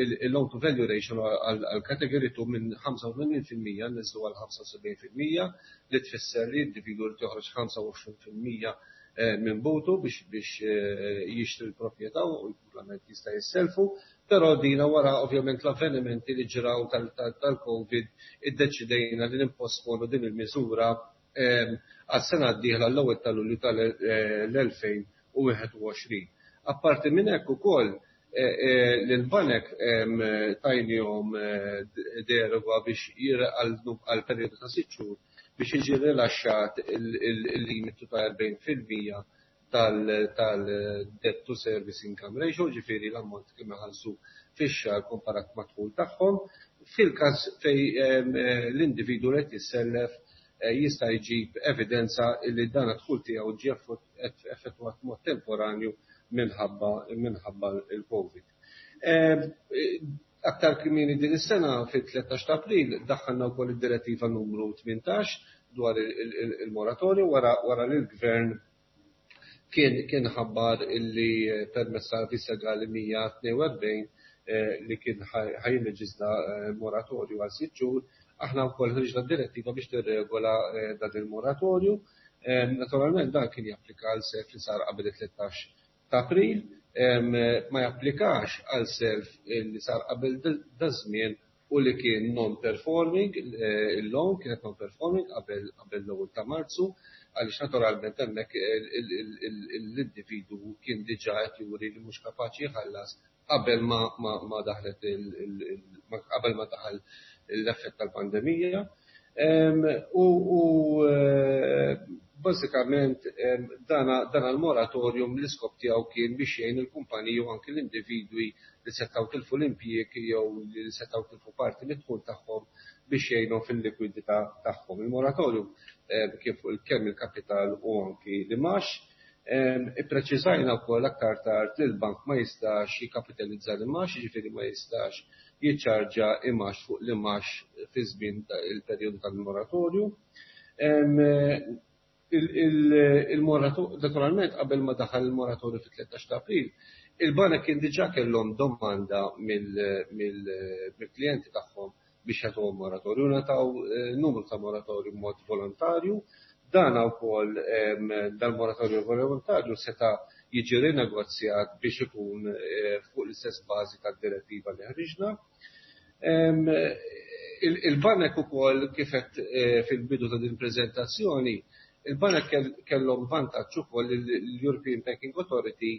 il-loan to value ratio għal category two minn ħamsa u tmenin fil-mija niżlu għal ħamsa u sebgħin fil-mija, li tfisser li l-individwu li toħroġ ħamsa u għoxrin fil-mija minn butu biex, biex jixtri l-proprjetà u l-kumplament jista' jisselfu, però dina wara ovvjament l-avvenimenti li ġraw tal-COVID iddeċidejna li nimposponu din il-miżura għas-sena d-dieħla l-ewwel ta' Lulju tal-elfejn u wieħed u għoxrin. Apparti minn hekk ukoll l-banek tajnihom deroga biex għal perjodu ta' sitt xhur biex jiġi rilaxxat il-limitu ta' erbgħin fil-mija tal-debt to service income ratio, ġifieri l-ammont kemm iħallsu fix-xahar komparat mad-dħul tagħhom. Fil-każ fejn l-individwu li qed jissellef jista' jġib evidenza li dan id-dħul tiegħu ġie effettwat mod temporanju minħabba minħabba il-Covid. Aktar kmieni din is-sena, fit-tlettax ta' April, daħħalna wkoll id-direttiva numru tmintax dwar il-moratorju wara wara li l-Gvern kien kien ħabbar illi permezz tal-Avviż Legali mija tnejn u erbgħin li kien ħa jilleġisla moratorju għal sitt xhur. Aħna wkoll ħriġna direttiva biex tirregola dan il-moratorju. Naturalment, dan kien japplika għal self li sar qabel it-tlettax ta' April, ma japplikax għal self li sar qabel daż-żmien u li kien non-performing, il-loan kienet non-performing qabel qabel l-ewwel ta' Marzu, għaliex naturalment hemmhekk l-individwu kien diġà qed juri li mhux kapaċi jħallas qabel ma ma daħlet qabel ma daħal l-effett tal-pandemija. U bażikament dana l-moratorium l-iskop tiegħu kien biex jgħin il-kumpaniji u anki l-individwi li setgħu tilfu l-impjieg jew li setgħu tilfu parti mid-dħul tagħhom, biex jgħinhom fil-likwidità tagħhom. Il-moratorium kien fuq kemm il-kapital u anki l-imgħax. Ippreċiżajna wkoll aktar tard li l-bank ma jistax jikkapitalizza l-imgħax, jiġifieri ma jistax jiċċarġa imgħax fuq l-imgħax fi żmien il-perjodu tal-moratorju. Il-moratorju, naturalment, qabel ma daħal il-moratorju fit-tlettax ta' April, il-banek kien diġà kellhom domanda mill-klijenti tagħhom biex jagħtuhom moratorju. Ngħataw numru ta' moratorju mod volontarju. Dan wkoll, dal-moratorju volontarju seta' jiġi rinegozjat biex ikun fuq l-istess bażi tad-direttiva li ħriġna. Il-banek ukoll, kif qed fil-bidu ta' din preżentazzjoni, il-banek kellhom vantaġġ ukoll: l-European Banking Authority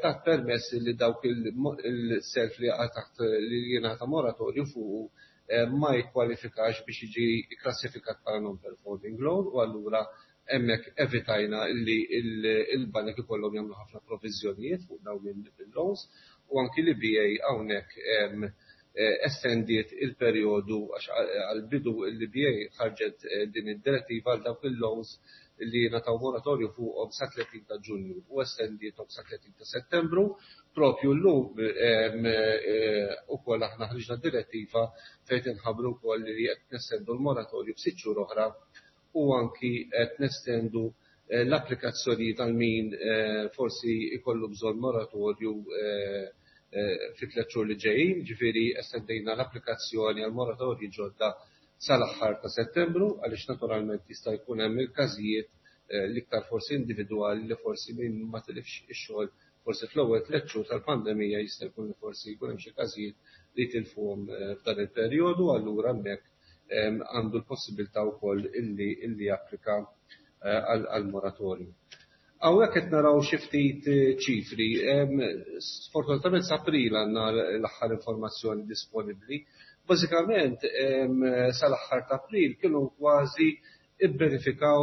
tat permess li dawk il-self li taħt li jingħata moratorju fuq ma jikkwalifikax biex jiġi klassifikat bħala non-performing loan, u allura hemmhekk evitajna li l-banek ikollhom jagħmlu ħafna proviżjonijiet fuq dawn il-loans. U anki l-E B A hawnhekk estendiet il-perjodu, għax għal-bidu l-E B A ħarġet din id-direttiva għal dawk il-loans li ngħataw moratorju fuqhom sa tletin ta' Ġunju u estendietom sa tletin ta' Settembru. Propju llum ukoll aħna ħriġna direttiva fejn inħabbru wkoll li qed nestendu l-moratorju b'sitt xhur oħra u anki qed nestendu l-applikazzjoni tal min forsi ikollu bżonn moratorju fi tliet xhur li ġejjin, ġifieri estendejna l-applikazzjoni għal moratorji ġodda sal-aħħar ta' Settembru, għaliex naturalment jista' jkun hemm il-każijiet l-iktar forsi individwali li forsi min ma tilifx ix-xogħol forsi fl-ewwel tliet xhur tal-pandemija, jista' jkun li forsi jkun hemm xi każijiet li tilfuhom f'dan il-perjodu, allura hemmhekk għandu l-possibilità wkoll illi illi japplika għal moratorju. Hawnhekk qed naraw xi ftit ċifri. Sfortunatament s'April għandna l-aħħar informazzjoni disponibbli. Bażikament, sal-aħħar ta' April kienu kważi ibbenefikaw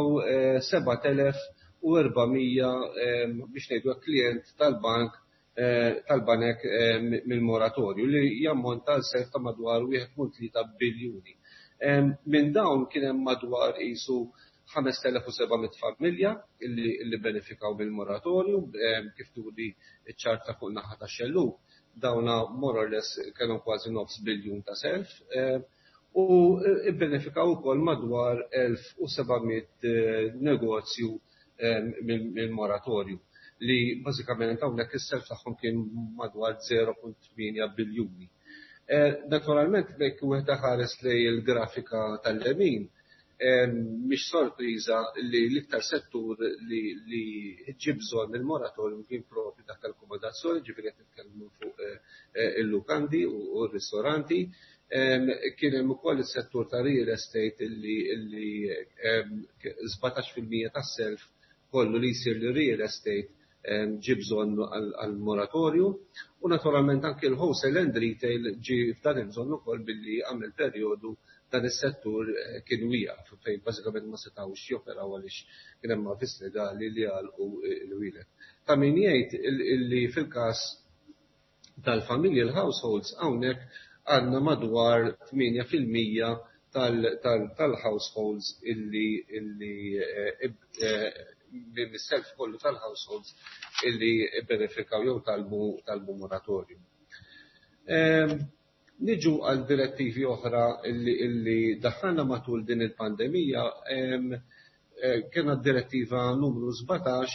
sebat elef u erba' mija, biex ngħidu, klient tal-bank tal-banek mill-moratorju, li jammonta għal self ta' madwar wieħed punt tlieta biljuni. Minn dawn kien hemm madwar qisu ħamest elef u seba' mitt familja illi benefikaw mill-moratorju, kif turi ċ-ċarta fuq naħa ta' xellug. Dawna more or less kellhom kważi nofs biljun ta' self u ibbenefikaw ukoll madwar elf u seba' mitt negozju mill-moratorju, li bażikament hawnhekk is-self tagħhom kien madwar żero punt tmienja biljuni. Naturalment, jekk wieħed ħares lejn il-grafika tal-lemin, mhix sorpriża li l-iktar settur li ġie bżonn il-moratorium kien propju dak tal-akkomodazzjoni, ġifieri qed nitkellmu fuq il-lukandi u r-ristoranti. Kien hemm ukoll is-settur ta' real estate illi sbatax fil-mija tas-self kollu li jsir li real estate ġie bżonn għal moratorju u naturalment anke l-wholesale and retail ġie f'dan il-bżonn ukoll billi għamel perjodu dan is-settur kien wieqaf fejn bażikament ma setgħux joperaw għaliex kien hemm avviż legali li għalqu l-wielet. Ta' min jgħid illi fil-każ tal-familji, l-households, hawnhekk għandna madwar tmienja fil-mija tal-households illi illi mis-self kollu tal-households illi benefikaw jew talbu talbu moratorju. Niġu għal direttivi oħra illi, illi daħħalna matul din il-pandemija. Kena direttiva numru sbatax,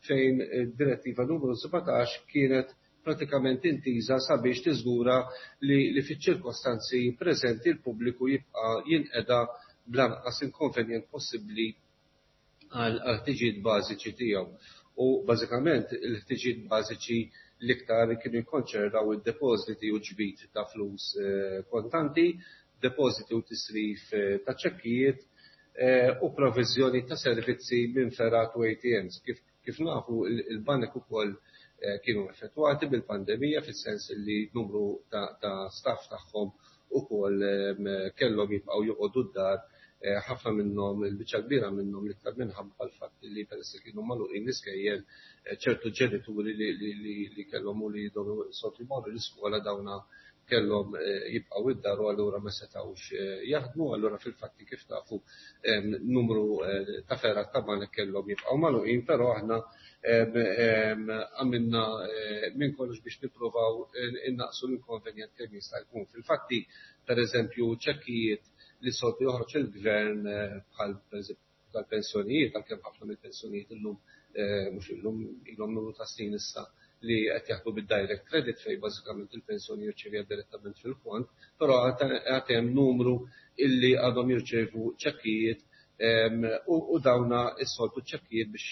fejn direttiva numru sbatax kienet pratikament intiża sabiex tiżgura li, li fiċ-ċirkostanzi preżenti l-pubbliku jibqa' jinqeda bl-anqas inkonvenjent possibbli għal ħtiġijiet bażiċi tiegħu. U bażikament il-ħtiġijiet bażiċi l-iktar kienu jikkonċernaw id-depożiti u ġbid ta' flus kontanti, depożiti u tisrif ta' ċekkijiet u provviżjoni ta' servizzi minn fergħat u A T Ms. Kif, kif nafu, il-banek ukoll kienu effettwati bil-pandemija fis-sens li numru ta', ta staff tagħhom ukoll kellhom jibqgħu joqogħdu d-dar, ħafna minnhom, il-biċċa kbira minnhom, l-iktar minħabba l-fatt li peress li kienu magħluqin l-iskejjel, ċertu ġenituri li, li, li, li kellhom u li jidhom soltu jmorru l-iskola, dawna kellhom jibqgħu id-dar u allura ma setgħux jaħdmu. Allura fil-fatti, kif tafu, numru ta' fergħat ta' banek kellhom jibqgħu magħluqin, però aħna għamilna minn kollox biex nippruvaw innaqsu l-inkonvenjent kemm jista' jkun. Fil-fatti, per eżempju, ċekkijiet li soltu joħroġ il-gvern, bħal tal-pensjonijiet, għalkemm ħafna mill-pensjonijiet illum, mhux illum, ilhom numru ta' snin issa li qed jaħdmu bid-direct credit, fejn bażikament il-pensjoni jirċevija direttament fil-kont, però għad hemm numru illi għadhom jirċevu ċekkijiet u dawna is-soltu ċekkijiet, biex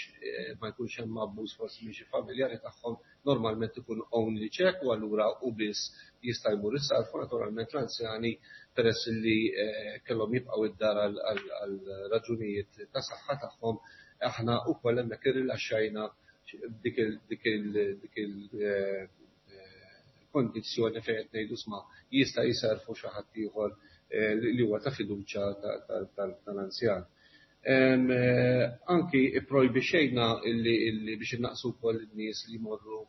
ma jkunx hemm abbuż forsi minn xi familjari tagħhom, normalment ikun only check u allura u biss jista' jmur is-sarfu. Naturalment l-anzjani, peress li kellhom jibqgħu id-dar għal raġunijiet ta' saħħa tagħhom, aħna wkoll hemmhekk irrilaxxajna dik il kondizzjoni fejn qed ngħidu, sma, jista' jisarfu xi ħadd ieħor li huwa ta' fiduċja tal-anzjan. Anki ipprojbixxejna illi biex innaqsu wkoll in-nies li jmorru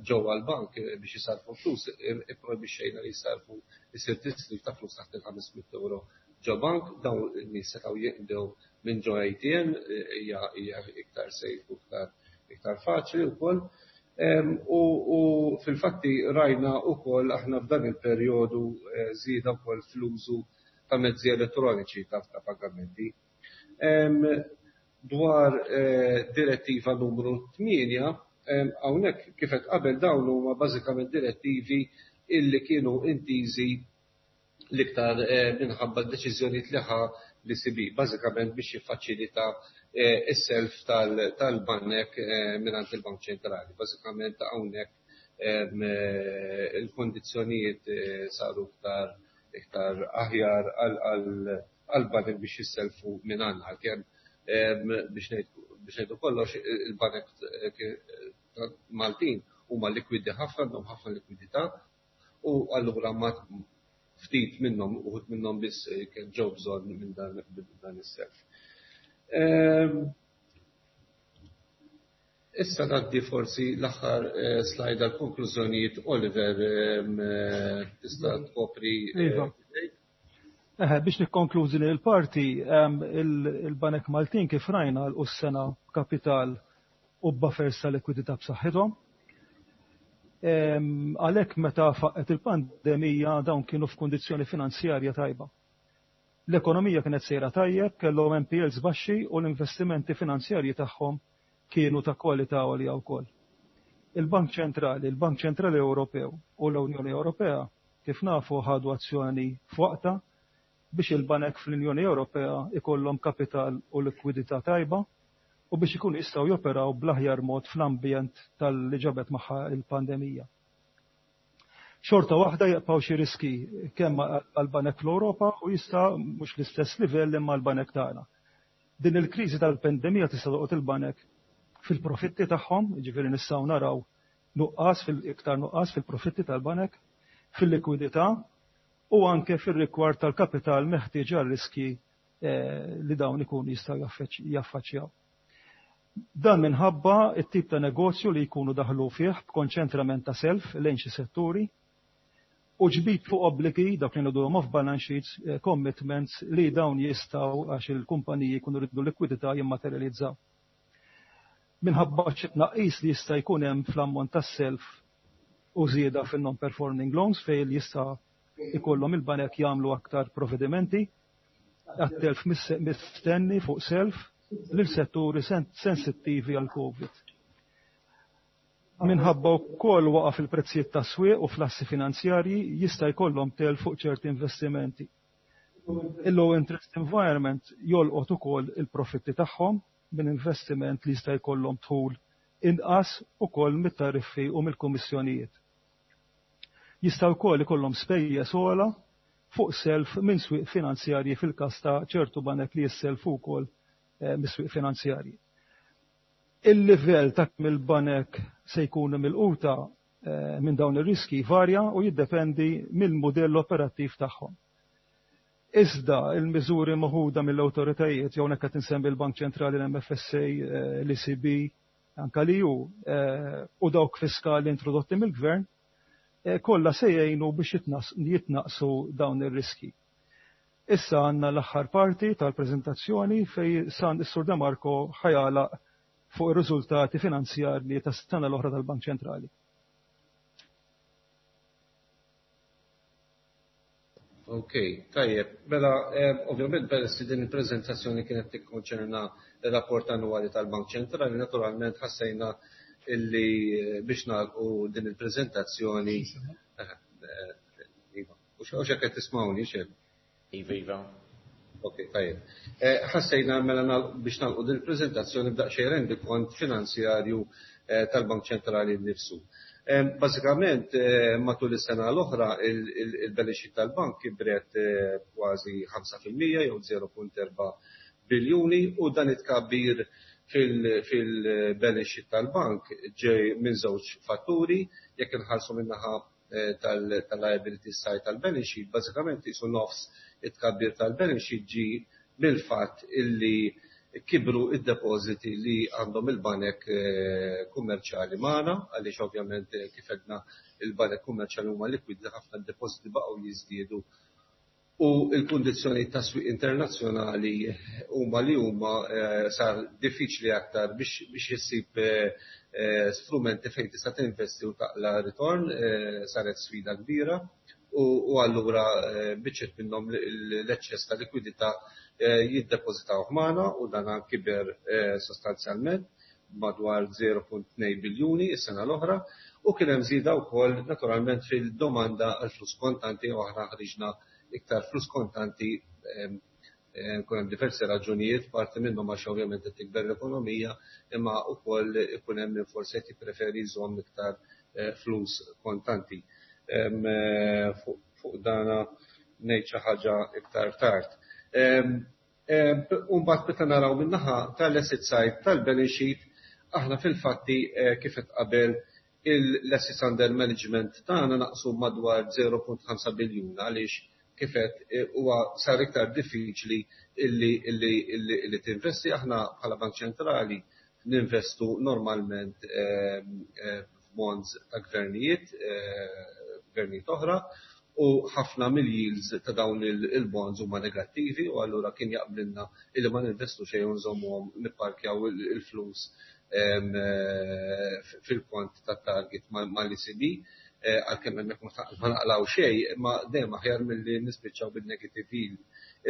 ġewwa l-bank biex jisarfu flus, ipprojbixxejna li jisarfu, isir tisrif ta' flus taħt il-ħames mitt euro ġo bank. Dawn in-nies setgħu jinqdew minn ġo A T M, hija iktar safe u iktar iktar faċli wkoll. U, u fil-fatti rajna wkoll aħna f'dan il-perjodu żieda wkoll fl-użu ta' mezzi elettroniċi ta' pagamenti. Dwar direttiva numru tmienja, hawnhekk, kif qed qabel, dawn huma bażikament direttivi illi kienu intiżi l-iktar minħabba d-deċiżjonijiet li ħa l-E C B, bażikament biex jiffaċilita is-self tal-banek mingħand il-Bank Ċentrali. Bażikament hawnhekk il-kondizzjonijiet saru iktar iktar aħjar għal-banek biex jisselfu minn għandna, għalkemm biex ngħidu kollox, il-banek Maltin huma likwidi ħafna, għandhom ħafna likwidità u allura ma ftit minnhom, uħud minnhom biss kien ġew bżonn minn dan is-self. Issa ngħaddi forsi l-aħħar slide għal konklużjonijiet. Oliver, tista' tkopri?
Iva. Biex nikkonklużi li l-parti, il-Banek Maltin, kif rajna, l-sena kapital u buffers ta' likwidità b'saħħithom. Għalhekk meta faqqet il-pandemija dawn kienu f'kundizzjoni finanzjarja tajba. L-ekonomija kienet sejra tajjeb, kellhom N P Ls baxxi u l-investimenti finanzjarji tagħhom kienu ta' kwalità għolja wkoll. Il-Bank Ċentrali, il-Bank Ċentrali Ewropew u l-Unjoni Ewropea, kif nafu, ħadu azzjoni f'waqta biex il-banek fl-Unjoni Ewropea ikollhom kapital u likwidità tajba u biex ikunu jistgħu joperaw bl-aħjar mod fl-ambjent tal-li ġabet magħha il-pandemija. Xorta waħda jibqgħu xi riski kemm għal-banek fl-Ewropa u jista' mhux l-istess livell imma l-banek tagħna. Din il-kriżi tal-pandemija tista' toqgħod il-banek fil-profitti tagħhom, jiġifieri nistgħu naraw nuqqas fil-iktar nuqqas fil-profitti tal-banek, fil-likwidità u anke fir-rigward tal-kapital meħtieġ għar-riski li dawn ikunu jistgħu jaffaċċjaw. Dan minħabba it-tip ta' negozju li jkunu daħlu fih b'konċentrament ta' self lejn xi setturi u ġbid fuq obbligi dak li ngħidulhom off balance sheets commitments li dawn jistgħu għax il-kumpaniji jkunu jridu likwidità jimmaterjalizzaw. Minħabba xi tnaqqis li jista' jkun hemm fl-ammont tas-self u żieda fin-non-performing loans fejn jista' ikollhom il-banek jagħmlu aktar provvedimenti għat-telf mistenni fuq self lil setturi sensittivi għal Covid. Minħabba wkoll waqa' fil-prezzijiet tas-swieq u fl-assi finanzjarji jista' jkollhom telf fuq ċerti investimenti. Il-low interest environment jolqot ukoll il-profitti tagħhom minn investiment li jista' jkollhom dħul inqas ukoll mit-tariffi u mill-kummissjonijiet. Jista' wkoll ikollhom spejjeż ogħla fuq self minn swieq finanzjarji fil-każ ta' ċertu banek li jisselfu wkoll mis-swieq finanzjarji. Il-livell ta' kemm il-banek se jkunu milquta minn dawn ir-riski varja u jiddependi mill-mudell operattiv tagħhom. Iżda il-miżuri meħuda mill-awtoritajiet jew hekk qed insemmi l-Bank Ċentrali, l-M F S A, l-E C B, anka l-E U u dawk fiskali introdotti mill-gvern, kollha se jgħinu biex jitnaqsu dawn ir-riski. Issa għandna l-aħħar parti tal-preżentazzjoni fejn san is-Sur De Marco ħa jagħlaq fuq ir-riżultati finanzjarji tas-sena l-oħra tal-Bank Ċentrali.
Ok, tajjeb. Mela, ovvjament peress li din il-preżentazzjoni kienet tikkonċerna ir-rapport annwali tal-Bank Ċentrali, naturalment ħassejna illi biex nagħlqu din il-preżentazzjoni. Iva, u x'hekk qed tismgħuni xejn?
Iva, iva.
Ok, tajjeb. Ħassejna mela biex nagħlqu din il-preżentazzjoni b'daqsxejn rendikont finanzjarju tal-Bank Ċentrali nnifsu. Bażikament, matul is-sena l-oħra il-balance sheet tal-bank kibret kważi ħamsa fil-mija jew żero punt erba' biljuni u dan it-tkabbir fil-balance sheet tal-bank ġej minn żewġ fatturi. Jekk inħarsu min-naħa tal-liability side tal-balance sheet, bażikament qisu nofs it-tkabbir tal-balance sheet ġie mill-fatt illi kibru id-depożiti li għandhom il-banek kummerċjali magħna, għaliex ovvjament, kif għedna, il-banek kummerċjali huma likwidi ħafna, d-depożiti baqgħu jiżdiedu u l-kundizzjoni tas-swieq internazzjonali huma li huma, sar diffiċli aktar biex issib strumenti fejn tista' tinvesti u taqla' ritorn, saret sfida kbira u allura biċċiet minnhom l-eċċess ta' likwidità jiddepożitaw magħna u dan kiber sostanzjalment madwar żero punt tnejn biljuni is-sena l-oħra. U kien hemm żieda wkoll naturalment fil-domanda għal flus kontanti u aħna ħriġna iktar flus kontanti. Kun hemm diversi raġunijiet, parti minnhom għax ovvjament qed tikber l-ekonomija, imma wkoll ikun hemm min forsi qed jippreferi jżomm iktar flus kontanti. Fuq dana ngħid xi ħaġa iktar tard. U mbagħad meta naraw min-naħa tal-asset side tal-balance sheet, aħna fil-fatti, kif qed qabel, l-assets under management tagħna naqsu madwar żero punt ħamsa biljun għaliex, kif qed, huwa sar iktar diffiċli illi illi illi tinvesti. Aħna bħala Bank Ċentrali ninvestu normalment f'bonds ta' gvernijiet, gvernijiet oħra, u ħafna mill-yields ta' dawn il-bonds huma negattivi u allura kien jaqblilna illi ma ninvestu xejn u nżommuhom nipparkjaw il-flus fil-kont tat-target mal-E C B, għalkemm hemmhekk ma naqlaw xejn, imma dejjem aħjar milli nispiċċaw bin-negative yield.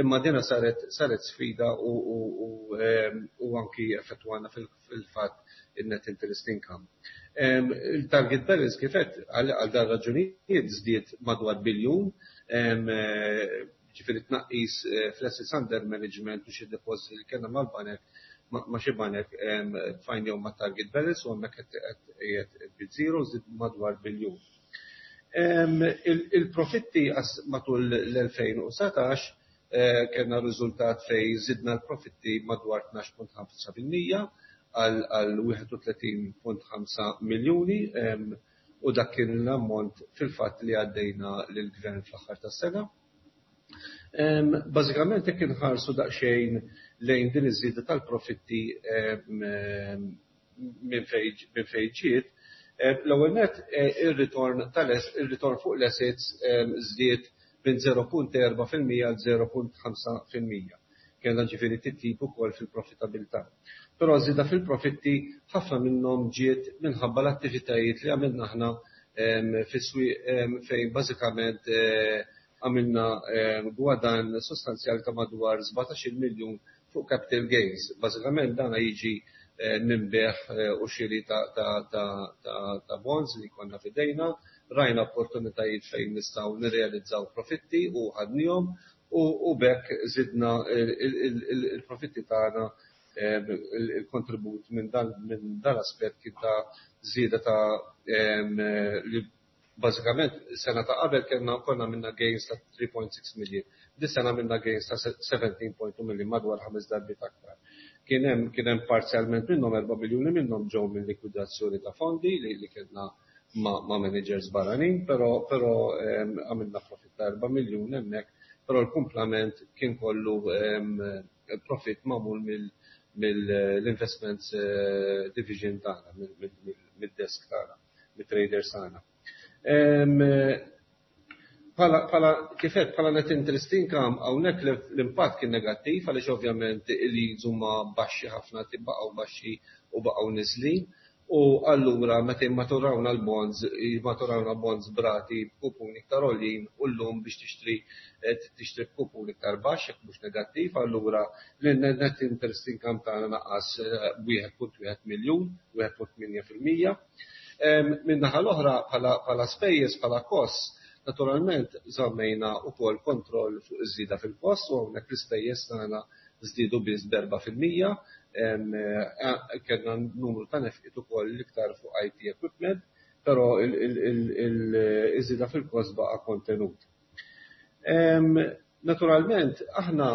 Imma dina saret saret sfida u anki effettwana fil-fatt in-net interest income. Il-target balance, kif għedt, għal dan raġunijiet żdied madwar biljun, ġifieri tnaqqis fl-assets under management u xi deposit li kellna mal-banek, ma' xi banek, tfajnihom ma' target balance u hemmhekk qiegħed bi zero, żied madwar biljun. Il-profitti matul l-elfejn u dsatax kellna riżultat fejn żidna l-profitti madwar tnax punt ħamsa fil-mija. għal wieħed u tletin punt ħamsa miljuni u dak kien l-ammont fil-fatt li għaddejna lill-gvern fl-aħħar tas-sena. Bażikament, jekk inħarsu daqsxejn lejn din iż-żieda tal-profitti minn fejn ġiet, l-ewwel nett, ir-return ir-return fuq l-assets żdied minn żero punt erba' fil-mija għal żero punt ħamsa fil-mija. Kellna ġifieri titjib ukoll fil-profitabilità. Però żieda fil-profitti ħafna minnhom ġiet minħabba l-attivitajiet li għamilna aħna fis-swieq, fejn bażikament għamilna gwadann sostanzjali ta' madwar sbatax-il miljun fuq capital gains. Bażikament dana jiġi minn bejgħ u xiri ta' bonds li konna f'idejna. Rajna opportunitajiet fejn nistgħu nirrealizzaw profitti u ħadnihom u b'hekk żidna il-profitti tagħna. Il-kontribut minn dan l-aspett kien ta' żieda ta' li bażikament sena ta' qabel kellna konna għamilna gains ta' tlieta punt sitta million. Dis-sena għamilna gains ta' sbatax punt tnejn million, madwar ħames darbiet aktar. Kien hemm kien hemm parzjalment minnhom, erba' miljuni minnhom ġew minn likwidazzjoni ta' fondi li kellna ma' managers barranin, però għamilna profitt ta' erba' miljun hemmhekk, però l-kumplament kien kollu profitt magħmul mill-investments division tagħna, mid-desk tagħna, mit-traders tagħna. Bħala kif għedt, bħala net interest income, hawnhekk l-impatt kien negattiv għaliex ovvjament il-yields huma baxxi ħafna, tibaqgħu baxxi u baqgħu niżlin. U allura meta jimmaturawna l-bonds, jimmaturawna bonds b'rati b'kupuni iktar għoljin, u llum biex tixtri tixtri b'kupun iktar baxx, jekk mhux negattiv, allura l-net interest income tagħna naqas b'wieħed punt wieħed miljun, wieħed punt tmienja fil-mija. Min-naħa l-oħra, bħala spejjeż, bħala cost, naturalment żammejna wkoll kontroll fuq iż-żieda fil-cost u hawnhekk l-ispejjeż tagħna żdiedu biss b'erba' fil-mija. Kellna numru ta' nefqiet ukoll, l-iktar fuq I T equipment, però iż-żieda fil-cost baqa' kontenut. Naturalment, aħna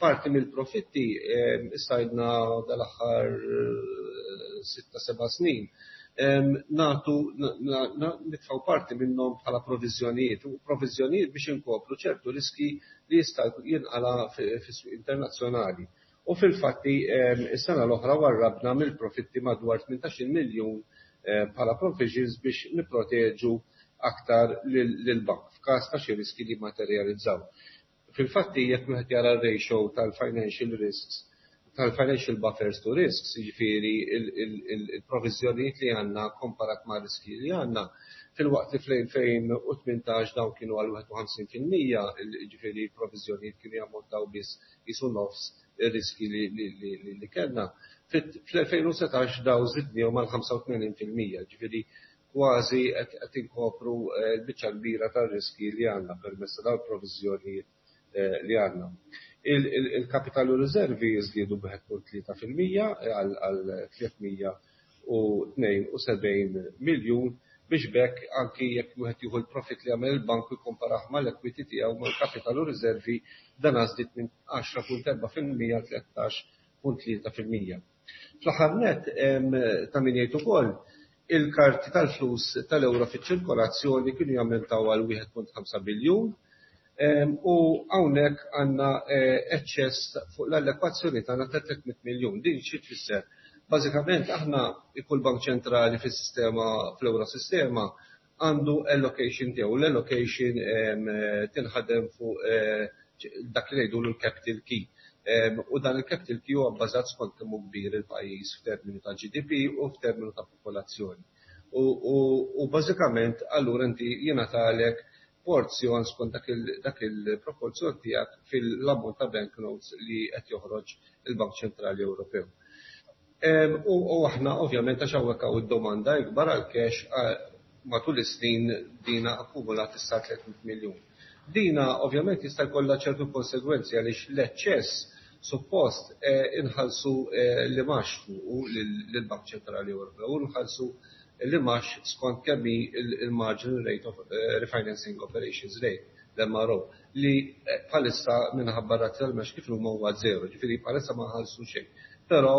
parti mill-profitti issa għidna dal-aħħar sitta seba' snin nagħtu nitfgħu parti minnhom bħala proviżjonijiet u proviżjonijiet biex inkopru ċertu riski li jista' jinqala' fis-suq internazzjonali. U fil-fatti is-sena l-oħra warrabna mill-profitti madwar tmintax-il miljun bħala provisions biex nipproteġu aktar lill-bank f'każ ta' xi riski li jimmaterjalizzaw. Fil-fatti, jekk wieħed jara r-ratio tal-financial risks, tal-financial buffers to risks, jiġifieri il-proviżjonijiet li għandna komparat ma' riski li għandna, filwaqt li fl-elfejn u tmintax dawn kienu għal wieħed u ħamsin fil-mija, jiġifieri l-proviżjonijiet kienu jammontaw biss qisu nofs ir-riski li kellna. Fl-elfejn u sbatax dawn żidnihom għal ħamsa u tmenin fil-mija, ġifieri kważi qed inkopru l-biċċa kbira tar-riski li għandna permezz ta' dawn il-proviżjonijiet li għandna. Il-capital u riservi żdiedu b'wieħed punt tlieta fil-mija għal tliet mija u tnejn u sebgħin miljun, biex b'hekk anki jekk wieħed jieħu l-profit li għamel il-bank u jikkomparah mal-equity tiegħu, mal-capital u riservi, dan żdied minn għaxra punt erba' fil-mija għal tlettax punt tlieta fil-mija. Fl-aħħar nett, ta' min jgħid ukoll, il-karti tal-flus tal-euro fiċ-ċirkolazzjoni kienu jammontaw għal wieħed punt ħamsa biljun u hawnhekk għandna eċċess fuq l-allokazzjoni tagħna ta' tliet mitt miljun. Din xi tfisser? Bażikament aħna, kull bank ċentrali fis-sistema, fl-Eurosistema, għandu allocation tiegħu. L-allocation tinħadem fuq dak li ngħidu l-capital key. U dan il-capital key huwa bbażat skont kemm hu kbir il-pajjiż f'termini ta' G D P u f'termini ta' popolazzjoni. U bażikament allura inti jingħatalek porzjon skont dak il-proporzjon tiegħek fil-ammont ta' banknotes li qed joħroġ il-Bank Ċentrali Ewropew. U aħna ovvjament, għax hawnhekk hawn id-domanda ikbar għal cash, matul is-snin dina akkumulat issa tliet mitt miljun. Dina ovvjament jista' jkollha ċertu konsegwenzi għaliex l-eċċess suppost inħallsu l-imgħax fuqu lill-Bank Ċentrali Ewropew u nħallsu l-imgħax skont kemm hi il-marginal rate of refinancing operations rate, l-M R O, li bħalissa minħabba rati tal-imgħax kif huma huwa zero, ġifieri bħalissa ma nħallsu xejn. Però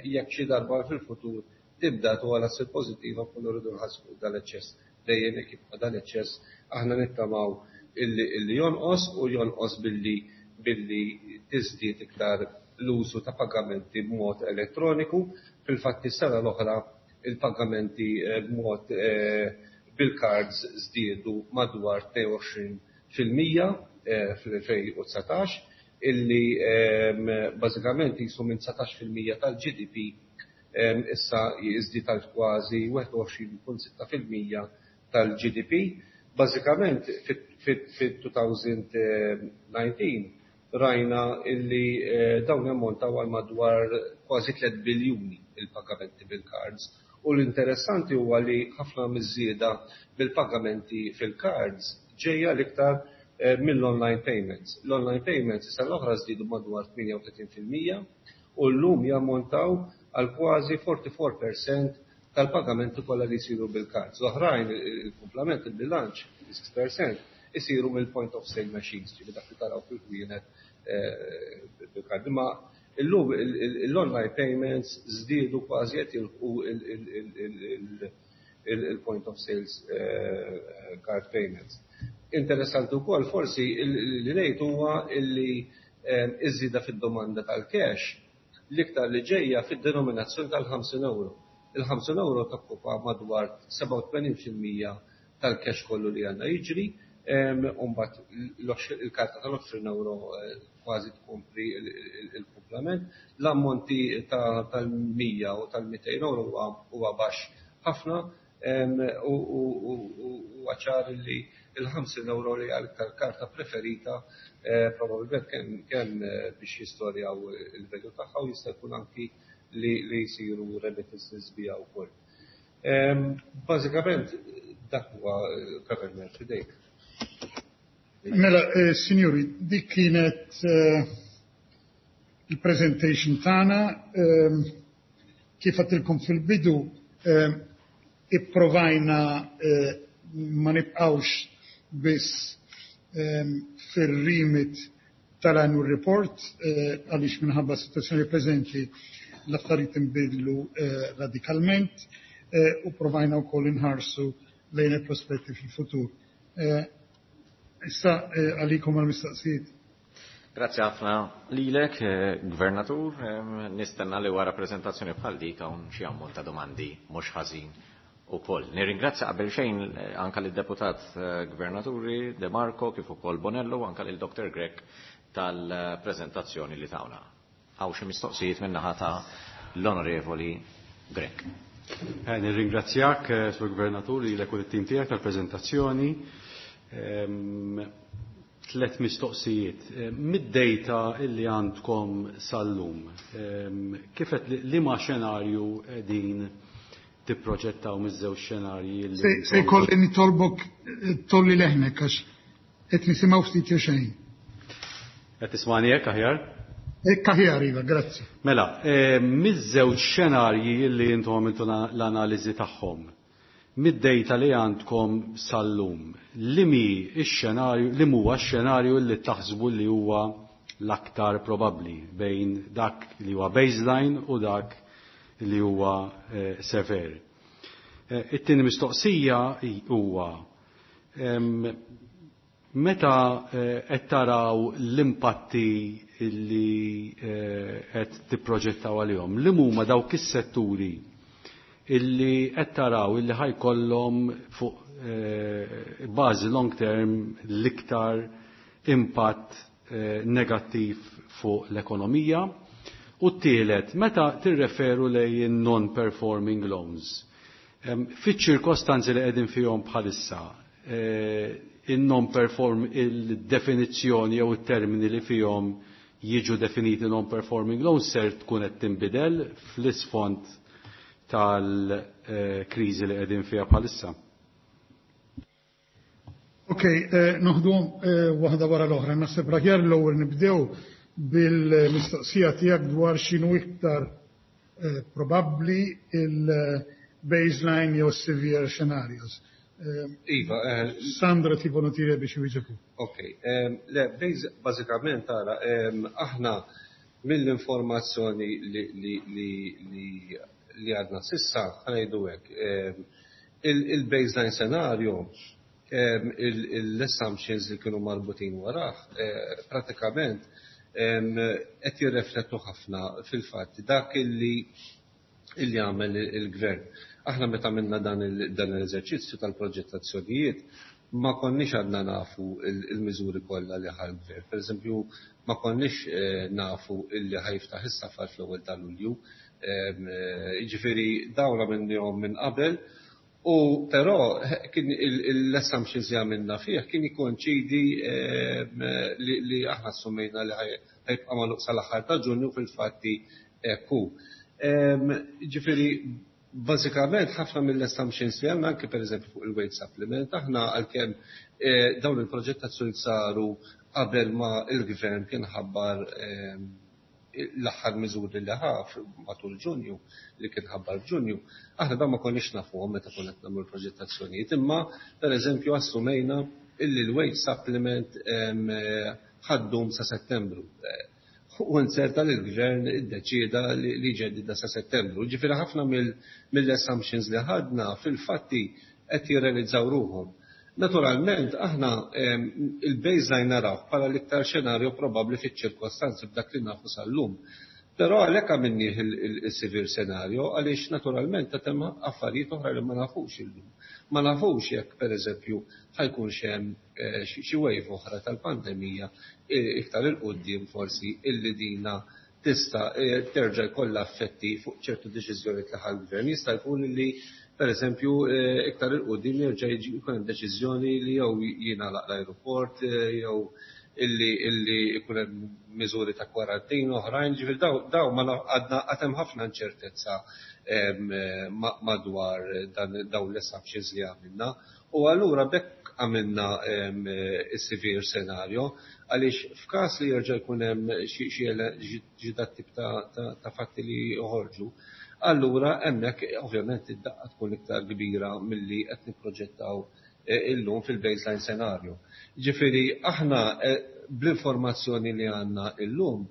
jekk xi darba fil-futur tibda togħla ssir pożittiva, nkunu rridu nħassbu dal-eċċess. Dejjem jekk jibqa' dal-eċċess, aħna nittamaw illi jonqos u jonqos billi billi tiżdied iktar l-użu ta' pagamenti b'mod elettroniku. Fil-fatt, is-sena l-oħra il-pagamenti b'mod bil-cards żdiedu madwar tnejn u għoxrin fil-mija fl-elfejn u dsatax, illi bażikament jisu minn dsatax fil-mija tal-G D P issa jiżdied għal kważi wieħed u għoxrin punt sitta fil-mija tal-G D P. Bażikament fit-elfejn u dsatax rajna illi dawn jammontaw għal madwar kważi tliet biljuni il-pagamenti bil-cards. U l-interessanti huwa li ħafna miż-żieda bil-pagamenti fil-cards ġejja l-iktar mill-online payments. L-online payments issa l-oħra żdiedu madwar tmienja u tletin fil-mija u llum jammontaw għal kważi erbgħa u erbgħin fil-mija tal-pagamenti kollha li jsiru bil-cards. L-oħrajn, il-kumplament, il-bilanċ, sitta fil-mija, isiru mill-point of sale machines, ġifieri dak li taraw fil-ħwienet bil-card. Imma illum l-online payments żdiedu, kważi qed jilħqu il-point of sales card payments. Interessanti wkoll forsi li ngħid huwa illi iż-żieda fid-domanda tal-cash l-iktar li ġejja fid-denominazzjoni tal-ħamsin euro. Il-ħamsin euro tokkupa madwar sebgħa u tmenin fil-mija tal-cash kollu li għandna jiġri, u mbagħad il-karta tal-għoxrin euro kważi tkompri il-kumplament. L-ammonti tal-mija u tal-mitejn euro huwa baxx ħafna u ċar li il-ħamsin euro li għal karta preferita, probabbilment kemm biex jistorjaw il-value tagħha u jista' jkun anki li jsiru remittances biha wkoll. Bażikament dak huwa, Governor, f'idejk.
Mela, signori, dik kienet il-presentation tagħna. Kif għedtilkom fil-bidu, ipprovajna ma nibqgħux biss fir-remit tal-annual report, għaliex minħabba situazzjoni preżenti l-affarijiet inbidlu radikalment, u provajna wkoll inħarsu lejn il-prospetti fil-futur. Issa għalikom għal-mistoqsijiet.
Grazzi ħafna lilek, Gvernatur. Nistenna li wara prezentazzjoni bħal dik hawn xi ammont ta' domandi mhux ħażin ukoll. Nirringrazzja qabel xejn anka lid-deputat Gvernaturi De Marco kif ukoll Bonello u anka lil Doktor Grech tal-prezentazzjoni li tawna. Hawn xi mistoqsijiet min-naħa ta' l-Onorevoli Grech.
Nirringrazzjak, Sur Gvernatur, lilek u t-tim tiegħek tal-preżentazzjoni. Tlet mistoqsijiet. Mid-data illi għandkom sal-lum, kif qed li ma xenarju din tipproġettaw miż-żewġ xenarji li
Se jkolli nitolbok tgħolli leħnek għax qed nisimgħu ftit jew xejn.
Qed tismani hekk aħjar?
Hekk aħjar, iva, grazzi.
Mela, miż-żewġ xenarji li intom għamiltu l-analiżi tagħhom, mid-data li għandkom sal-lum, li mi x-xenarju, li huwa x-xenarju li taħsbu li huwa l-aktar probabbli bejn dak li huwa baseline u dak li huwa severe? It-tieni mistoqsija huwa meta qed taraw l-impatti li qed tipproġettaw għalihom, li huma dawk is-setturi illi qed taraw illi ħa jkollhom fuq bażi long term l-iktar impatt negattiv fuq l-ekonomija? U t-tielet, meta tirreferu lejn non-performing loans, fiċ-ċirkostanzi li qegħdin fihom bħalissa, il-non-perform il-definizzjoni jew it-termini li fihom jiġu definiti non-performing loans ser tkun qed tinbidel fl-isfond tal-kriżi li qegħdin fiha bħalissa?
Ok, noħdu waħda wara l-oħra. Naħseb l-aħjar l-ewwel nibdew bil-mistoqsija tiegħek dwar x'inhu iktar probabbli, il-baseline jew severe scenarios.
Iva.
Sandro, ti volontieri biex iwieġbu.
Ok, le, bażikament tara, aħna Mill-informazzjoni li, li, li, li, li għadna s'issa, ħa ngħidu hekk, il-baseline scenario, l-assumptions li kienu marbutin warah, eh, pratikament qed jirreflettu ħafna fil-fatt dak illi illi għamel il-gvern. Aħna meta għamilna dan l-eżerċizzju tal-proġettazzjonijiet ma konniex għadna nafu il-miżuri kollha li ħa l-gvern. Per eżempju, ma konniex eh, nafu illi ħa jiftaħ is-safar fl-ewwel ta' Lulju. Eh, jiġifieri dawn għamilnihom minn qabel. U però kien l-assumptions li għamilna fih kien jikkoinċidi li aħna assumejna li ħa jibqa' magħluq sal-aħħar ta' Ġunju, fil-fatti hekk hu. Ġifieri bażikament ħafna mill-assumptions li għandna, anke pereżempju fuq il-wage supplement, aħna għalkemm eh, dawn il-proġettazzjoni saru qabel ma il-gvern kien ħabbar l-aħħar miżuri li ħa matul Ġunju, li kien ħabbar f'Ġunju, aħna dan ma konniex nafuhom meta konna qed nagħmlu l-proġettazzjonijiet, imma pereżempju assumejna illi l-wage supplement ħa ddum sa Settembru. U nserta li l-gvern iddeċieda li jġeddidha sa Settembru. Ġifieri ħafna mill-assumptions li ħadna fil-fatti qed jirrealizzaw ruħhom. Naturalment, aħna il-baseline naraw bħala l-iktar xenarju probabbli fiċ-ċirkostanzi b'dak li nafu sal-lum. Però għalhekk għamilnieh il-severe scenario, għaliex naturalment ta' hemm affarijiet oħra li ma nafux illum. Ma nafux jekk pereżempju ħa jkunx hemm eh, xi wave oħra tal-pandemija eh, iktar 'il quddiem forsi, illi dina tista' eh, terġa' jkollha effetti fuq ċertu deċiżjonijiet li ħa l-gvern. Jista' jkun li per eżempju iktar 'il quddiem jerġa' jkun hemm deċiżjoni li jew jingħalaq l-ajruport jew illi illi ikun hemm miżuri ta' kwarantina oħrajn, ġifieri daw daw ma għadna għad hemm ħafna inċertezza madwar dawn l-assumptions li għamilna. U allura b'hekk għamilna is-severe scenario, għaliex f'każ li jerġa' jkun hemm xi dat tip ta' fatti li joħorġu, allura hemmhekk ovvjament id-daqqa tkun iktar kbira milli qed nipproġettaw illum fil-baseline scenario. Ġifieri aħna bl-informazzjoni li għandna illum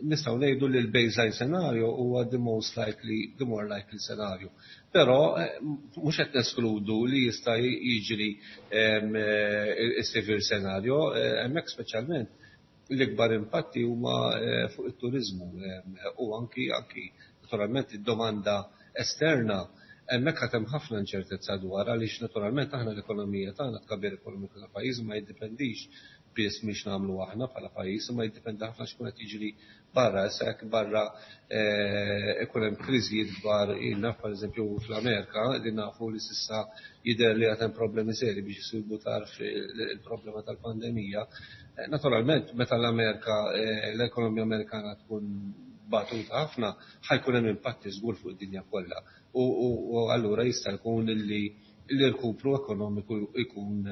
nistgħu ngħidu li l-baseline scenario huwa the most likely, the more likely scenario. Però mhux qed neskludu li jista' jiġri is-severe scenario, hemmhekk speċjalment l-ikbar impatti huma fuq it-turizmu u anki anki naturalment id-domanda esterna. Hemmhekk għad hemm ħafna inċertezza dwar, għaliex naturalment aħna l-ekonomija tagħna, tkabbir ekonomiku ta' pajjiż ma jiddependix biss mhix nagħmlu aħna bħala pajjiż, ma jiddependi ħafna x'kun qed jiġri barra. Issa jekk barra ikun hemm kriżijiet kbar, naf pereżempju fl-Amerika li nafu li s'issa jidher li għad hemm problemi seri biex isibu tarf il-problema tal-pandemija. Naturalment meta l-Amerika, l-ekonomija Amerikana tkun batuta ħafna, ħa jkun hemm impatti żgur fuq id-dinja kollha. U allura jista' jkun li l-irkupru ekonomiku jkun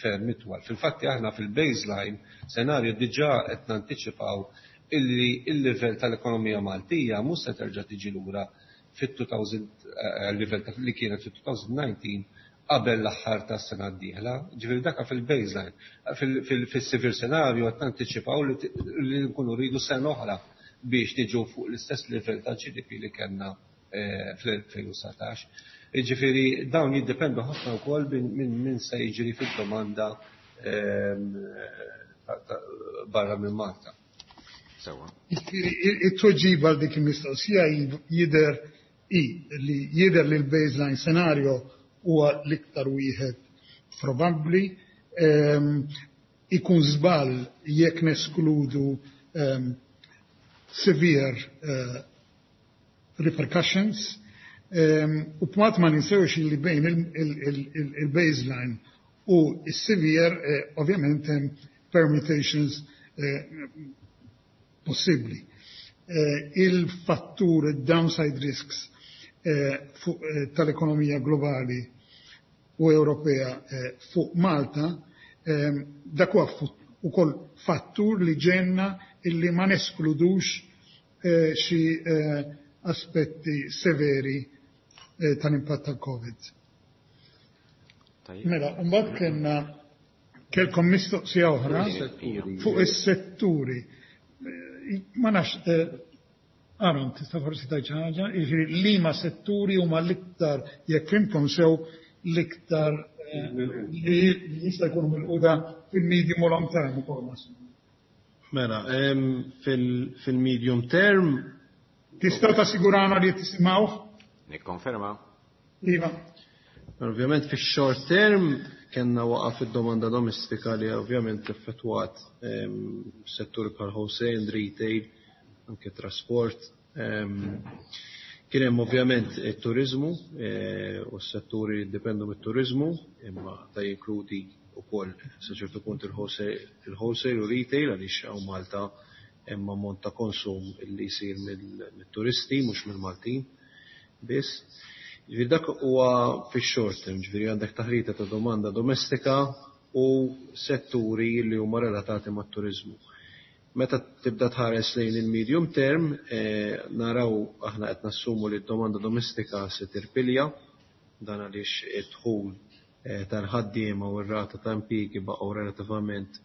ferm itwal. Fil-fatti aħna fil-baseline scenario diġà qed nantiċipaw illi il-livell tal-ekonomija Maltija mhux se terġa' tiġi lura fit-elfejn livell li kienet fit-elfejn u dsatax qabel l-aħħar tas-sena d-dieħla, ġifieri daka fil-baseline. Fil-severe scenario qed nantiċipaw li nkunu rridu sena oħra biex niġu fuq l-istess livell ta' G D P li kellna fl-elfejn u dsatax. Ġifieri dawn jiddependu ħafna wkoll minn min se jiġri fid-domanda barra minn Malta.
Sewa.
It-tweġiba għal dik il-mistoqsija jidher i li jidher li l-baseline scenario huwa l-iktar wieħed probabbli. Ikun żball jekk neskludu severe uh, repercussions. Um, u b'mod ma ninsewx li bejn il-baseline u il-severe, eh, ovvjament hemm permutations eh, possibbli. Eh, il-fattur downside risks eh, eh, tal-ekonomija globali u Ewropea eh, fuq Malta, eh, dak huwa ukoll fattur li ġenna illi ma neskludux eh, xi eh, aspetti severi eh, tal-impatt tal-Covid. Mela, mbagħad kellna kellkom mistoqsija oħra fuq is-setturi. Ma nafx, Aaron, tista' forsi tgħid xi ħaġa, jiġifieri liema setturi huma l-iktar, jekk fhimtkom sew, l-iktar li jista' jkunu milquta fil-medium u long term ukoll.
Mela, fil-medium term.
Tistgħu tassigurana li tisimgħuh?
Nikkonferma.
Iva.
Ovvjament fix-short term kellna waqgħa fid-domanda domestika li ovvjament effettwat setturi bħal wholesale and retail, anke trasport. Kien hemm ovvjament it-turiżmu u s-setturi li jiddependu mit-turiżmu, imma da jinkludi wkoll sa ċertu punt il-wholesale u retail, għaliex hawn Malta hemm ammont ta' konsum li jsir mit-turisti, mhux mill-Maltin biss. Ġifieri dak huwa fix-short term, ġifieri għandek taħlita ta' domanda domestika u setturi li huma relatati mat-turiżmu. Meta tibda tħares lejn il-medium term, naraw aħna qed nassumu li d-domanda domestika se tirpilja, dan għaliex id-dħul tal-ħaddiema u r-rata ta' impjiegi baqgħu relattivament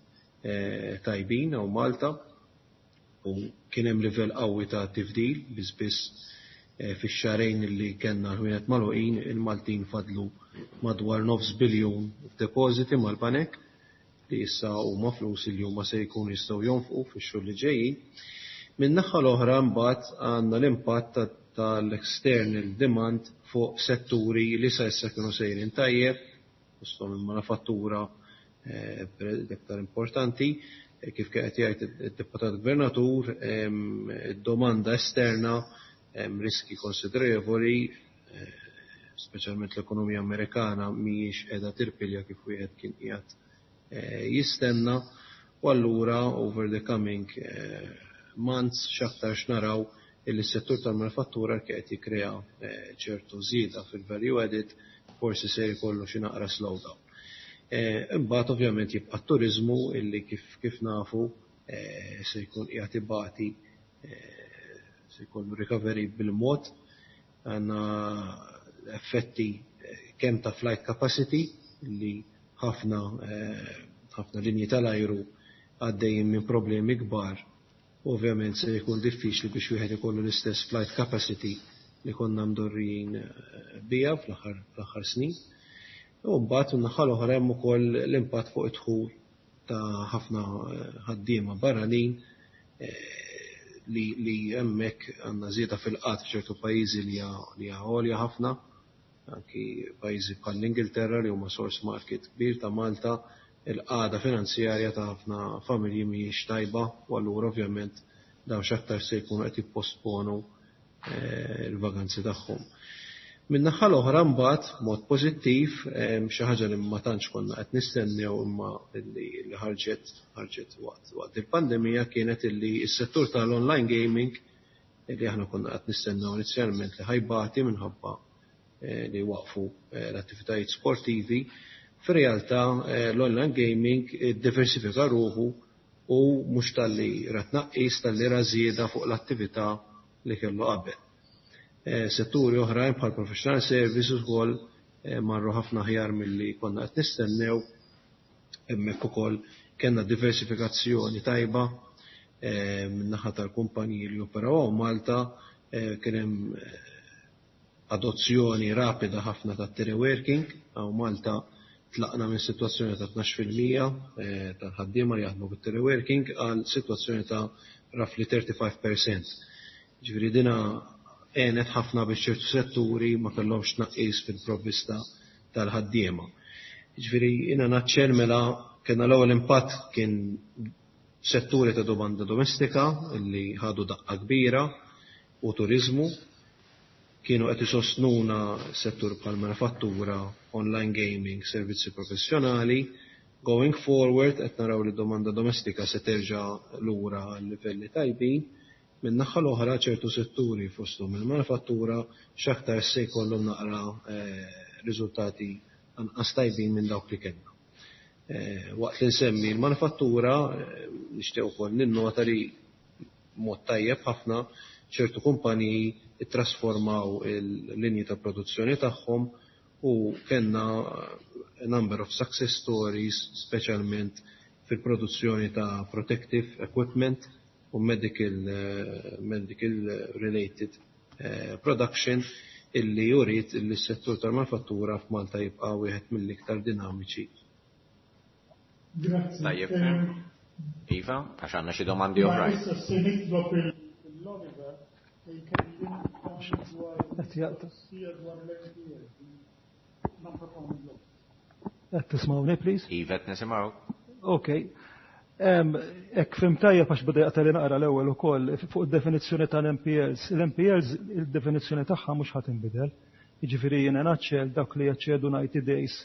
tajbin hawn Malta u kien hemm livell qawwi ta' tifdil. Biss biss fix-xahrejn li kellna l-ħwienet magħluqin, il-Maltin fadlu madwar nofs biljun f'depożiti mal-banek li issa huma flus li huma se jkunu jistgħu jonfqu fix-xhur li ġejjin. Min-naħa l-oħra mbagħad għandna l-impatt tal-external demand fuq setturi li sa issa kienu sejrin tajjeb, fosthom il-manifattura l-iktar importanti. Kif kien qed jgħid id-Deputat Gvernatur, id-domanda esterna hemm riski konsiderevoli, speċjalment l-ekonomija Amerikana mhijiex qiegħda tirpilja kif wieħed kien qiegħed jistenna, u allura over the coming months x'aktarx naraw illi s-settur tal-manifattura, qed jikkrea ċertu żieda fil-value added, forsi se jkollu xi naqra slowdown. Imbagħad ovvjament jibqa' t-turiżmu illi kif kif nafu se jkun qiegħed ibati, se jkollu recovery bil-mod. Għandna effetti kemm ta' flight capacity, li ħafna ħafna linji tal-ajru għaddejjin minn problemi kbar. Ovvjament se jkun diffiċli biex wieħed ikollu l-istess flight capacity li konna mdorrijin biha fl-aħħar snin. U mbagħad min-naħa l-oħra hemm ukoll l-impatt fuq id-dħul ta' ħafna ħaddiema barranin, li li hemmhekk għandna żieda fil-qgħad f'ċertu pajjiżi li hija għolja ħafna, anki pajjiżi bħal l-Ingilterra li huma source market kbir ta' Malta, il-qagħda finanzjarja ta' ħafna familji mhijiex tajba u allura ovvjament dawn x'aktar se jkunu qed jipposponu l-vaganzi tagħhom. Min-naħa l-oħra mbagħad mod pożittiv, xi ħaġa li ma tantx konna qed nistennew imma li ħarġet ħarġet waqt waqt il-pandemija, kienet illi s-settur tal-online gaming, li aħna konna qed nistennew inizjalment li ħa jbati minħabba li waqfu l-attivitajiet sportivi, fir-realtà l-online gaming iddiversifika ruħu u mhux talli ra tnaqqis, talli ra żieda fuq l-attività li kellu qabel. Setturi oħrajn bħal professional services ukoll marru ħafna aħjar milli konna qed nistennew. Hemmhekk ukoll kellna diversifikazzjoni tajba min-naħa tal-kumpaniji li operaw Malta, kien hemm adozzjoni rapida ħafna ta' teleworking. Hawn Malta tlaqna minn sitwazzjoni ta' tnax fil-mija tal-ħaddiema li jaħdmu bit-teleworking għal sitwazzjoni ta' roughly thirty-five percent. Ġifieri dina għenet ħafna biex ċertu setturi ma kellhomx tnaqqis fil-provvista tal-ħaddiema. Ġifieri in a nutshell, mela, kellna l-ewwel impatt kien setturi ta' domanda domestika li ħadu daqqa kbira u turiżmu, kienu qed isostnuna settur bħal manifattura, online gaming, servizzi professjonali. Going forward qed naraw li domanda domestika se terġa' lura għal livelli tajbin. Min-naħa l-oħra ċertu setturi, fosthom il-manifattura, x'aktar se jkollhom naqra riżultati anqas tajbin minn dawk li kellna. Waqt li nsemmi l-manifattura, nixtieq ukoll ninnota li mod tajjeb ħafna ċertu kumpaniji ittrasformaw il-linji ta' produzzjoni tagħhom u kellna number of success stories, speċjalment fil-produzzjoni ta' protective equipment. u medical, medical related production illi jurid illi s-settur tal-manifattura f'Malta jibqa' wieħed mill-iktar dinamiċi.
Grazzi.
Tajjeb. Iva, għax għandna xi domandi oħrajn.
Issa se nitlob l-Oliver jkellimna dwar dwar l-N P L, non-performing loans.
Qed tismawni, please?
Iva, qed nisimgħu.
Okay. Jekk fhimt tajjeb, għax beda jaqtagħli naqra l-ewwel ukoll, fuq id-definizzjoni tal-N P Ls. L-N P Ls, il-definizzjoni tagħha mhux ħadd inbidel. Jiġifieri jiena naċċel dak li jaċċedu ninety days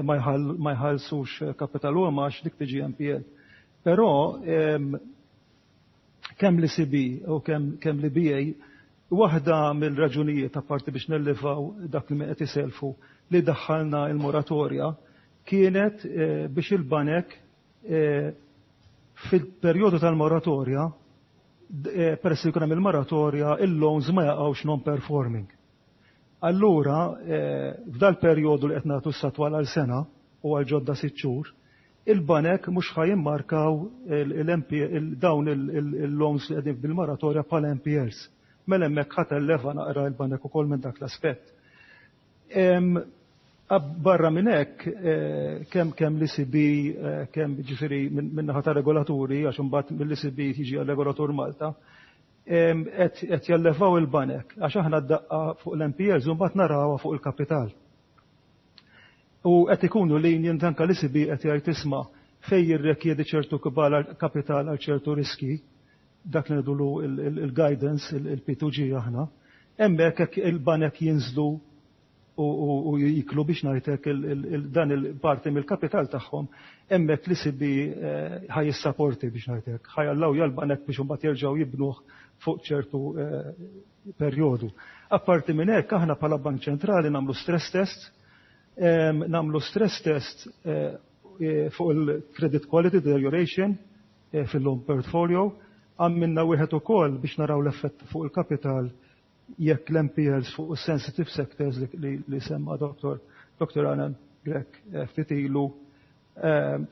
ma jħallsux kapital u għax dik tiġi N P L. Però kemm l-E C B u kemm kemm l-E B A, waħda mill-raġunijiet, apparti biex nellivaw dak li qed iselfu, li daħħalna il-moratorja kienet biex il-banek fil-perjodu tal-moratorja, peress li jkun hemm il-moratorja, il-loans ma jaqgħux non-performing. Allura, f'dal perjodu li qed nagħtu s-satwal għal sena u għal ġodda sitt xhur, il-banek mhux ħa jimmarkaw dawn il-loans li qegħdin bil-moratorja bħala N P Ls. Mela hemmhekk ħa telleva naqra il-banek ukoll minn dak l-aspett. Barra minn hekk, kemm kemm l-E C B, kemm ġifieri minn naħa ta' regolaturi, għax imbagħad mill-E C B tiġi għal-regolatur Malta, qed jallevaw il-banek, għax aħna d-daqqa fuq l-N P Ls u mbagħad narawha fuq il-kapital. U qed ikunu lenient, anke l-E C B qed jgħid, isma', fej jirrikjedi ċertu kapital għal ċertu riski, dak li ngħidulu il-guidance, il-P two G aħna, hemmhekk hekk il-banek jinżlu u jiklu, biex ngħidlek, dan il-parti mill-kapital tagħhom, hemmhekk l-E C B ħa jissapporti, biex ngħidlek, ħa jallaw l-banek biex imbagħad jerġgħu jibnuh fuq ċertu perjodu. Apparti minn hekk, aħna bħala Bank Ċentrali nagħmlu stress test, nagħmlu stress test fuq il-credit quality deterioration fil-loan portfolio, għamilna wieħed ukoll biex naraw l-effett fuq il-kapital jekk l-N P Ls fuq sensitive sectors li, li semma Doktor Doktor Alan Grech ftit ilu,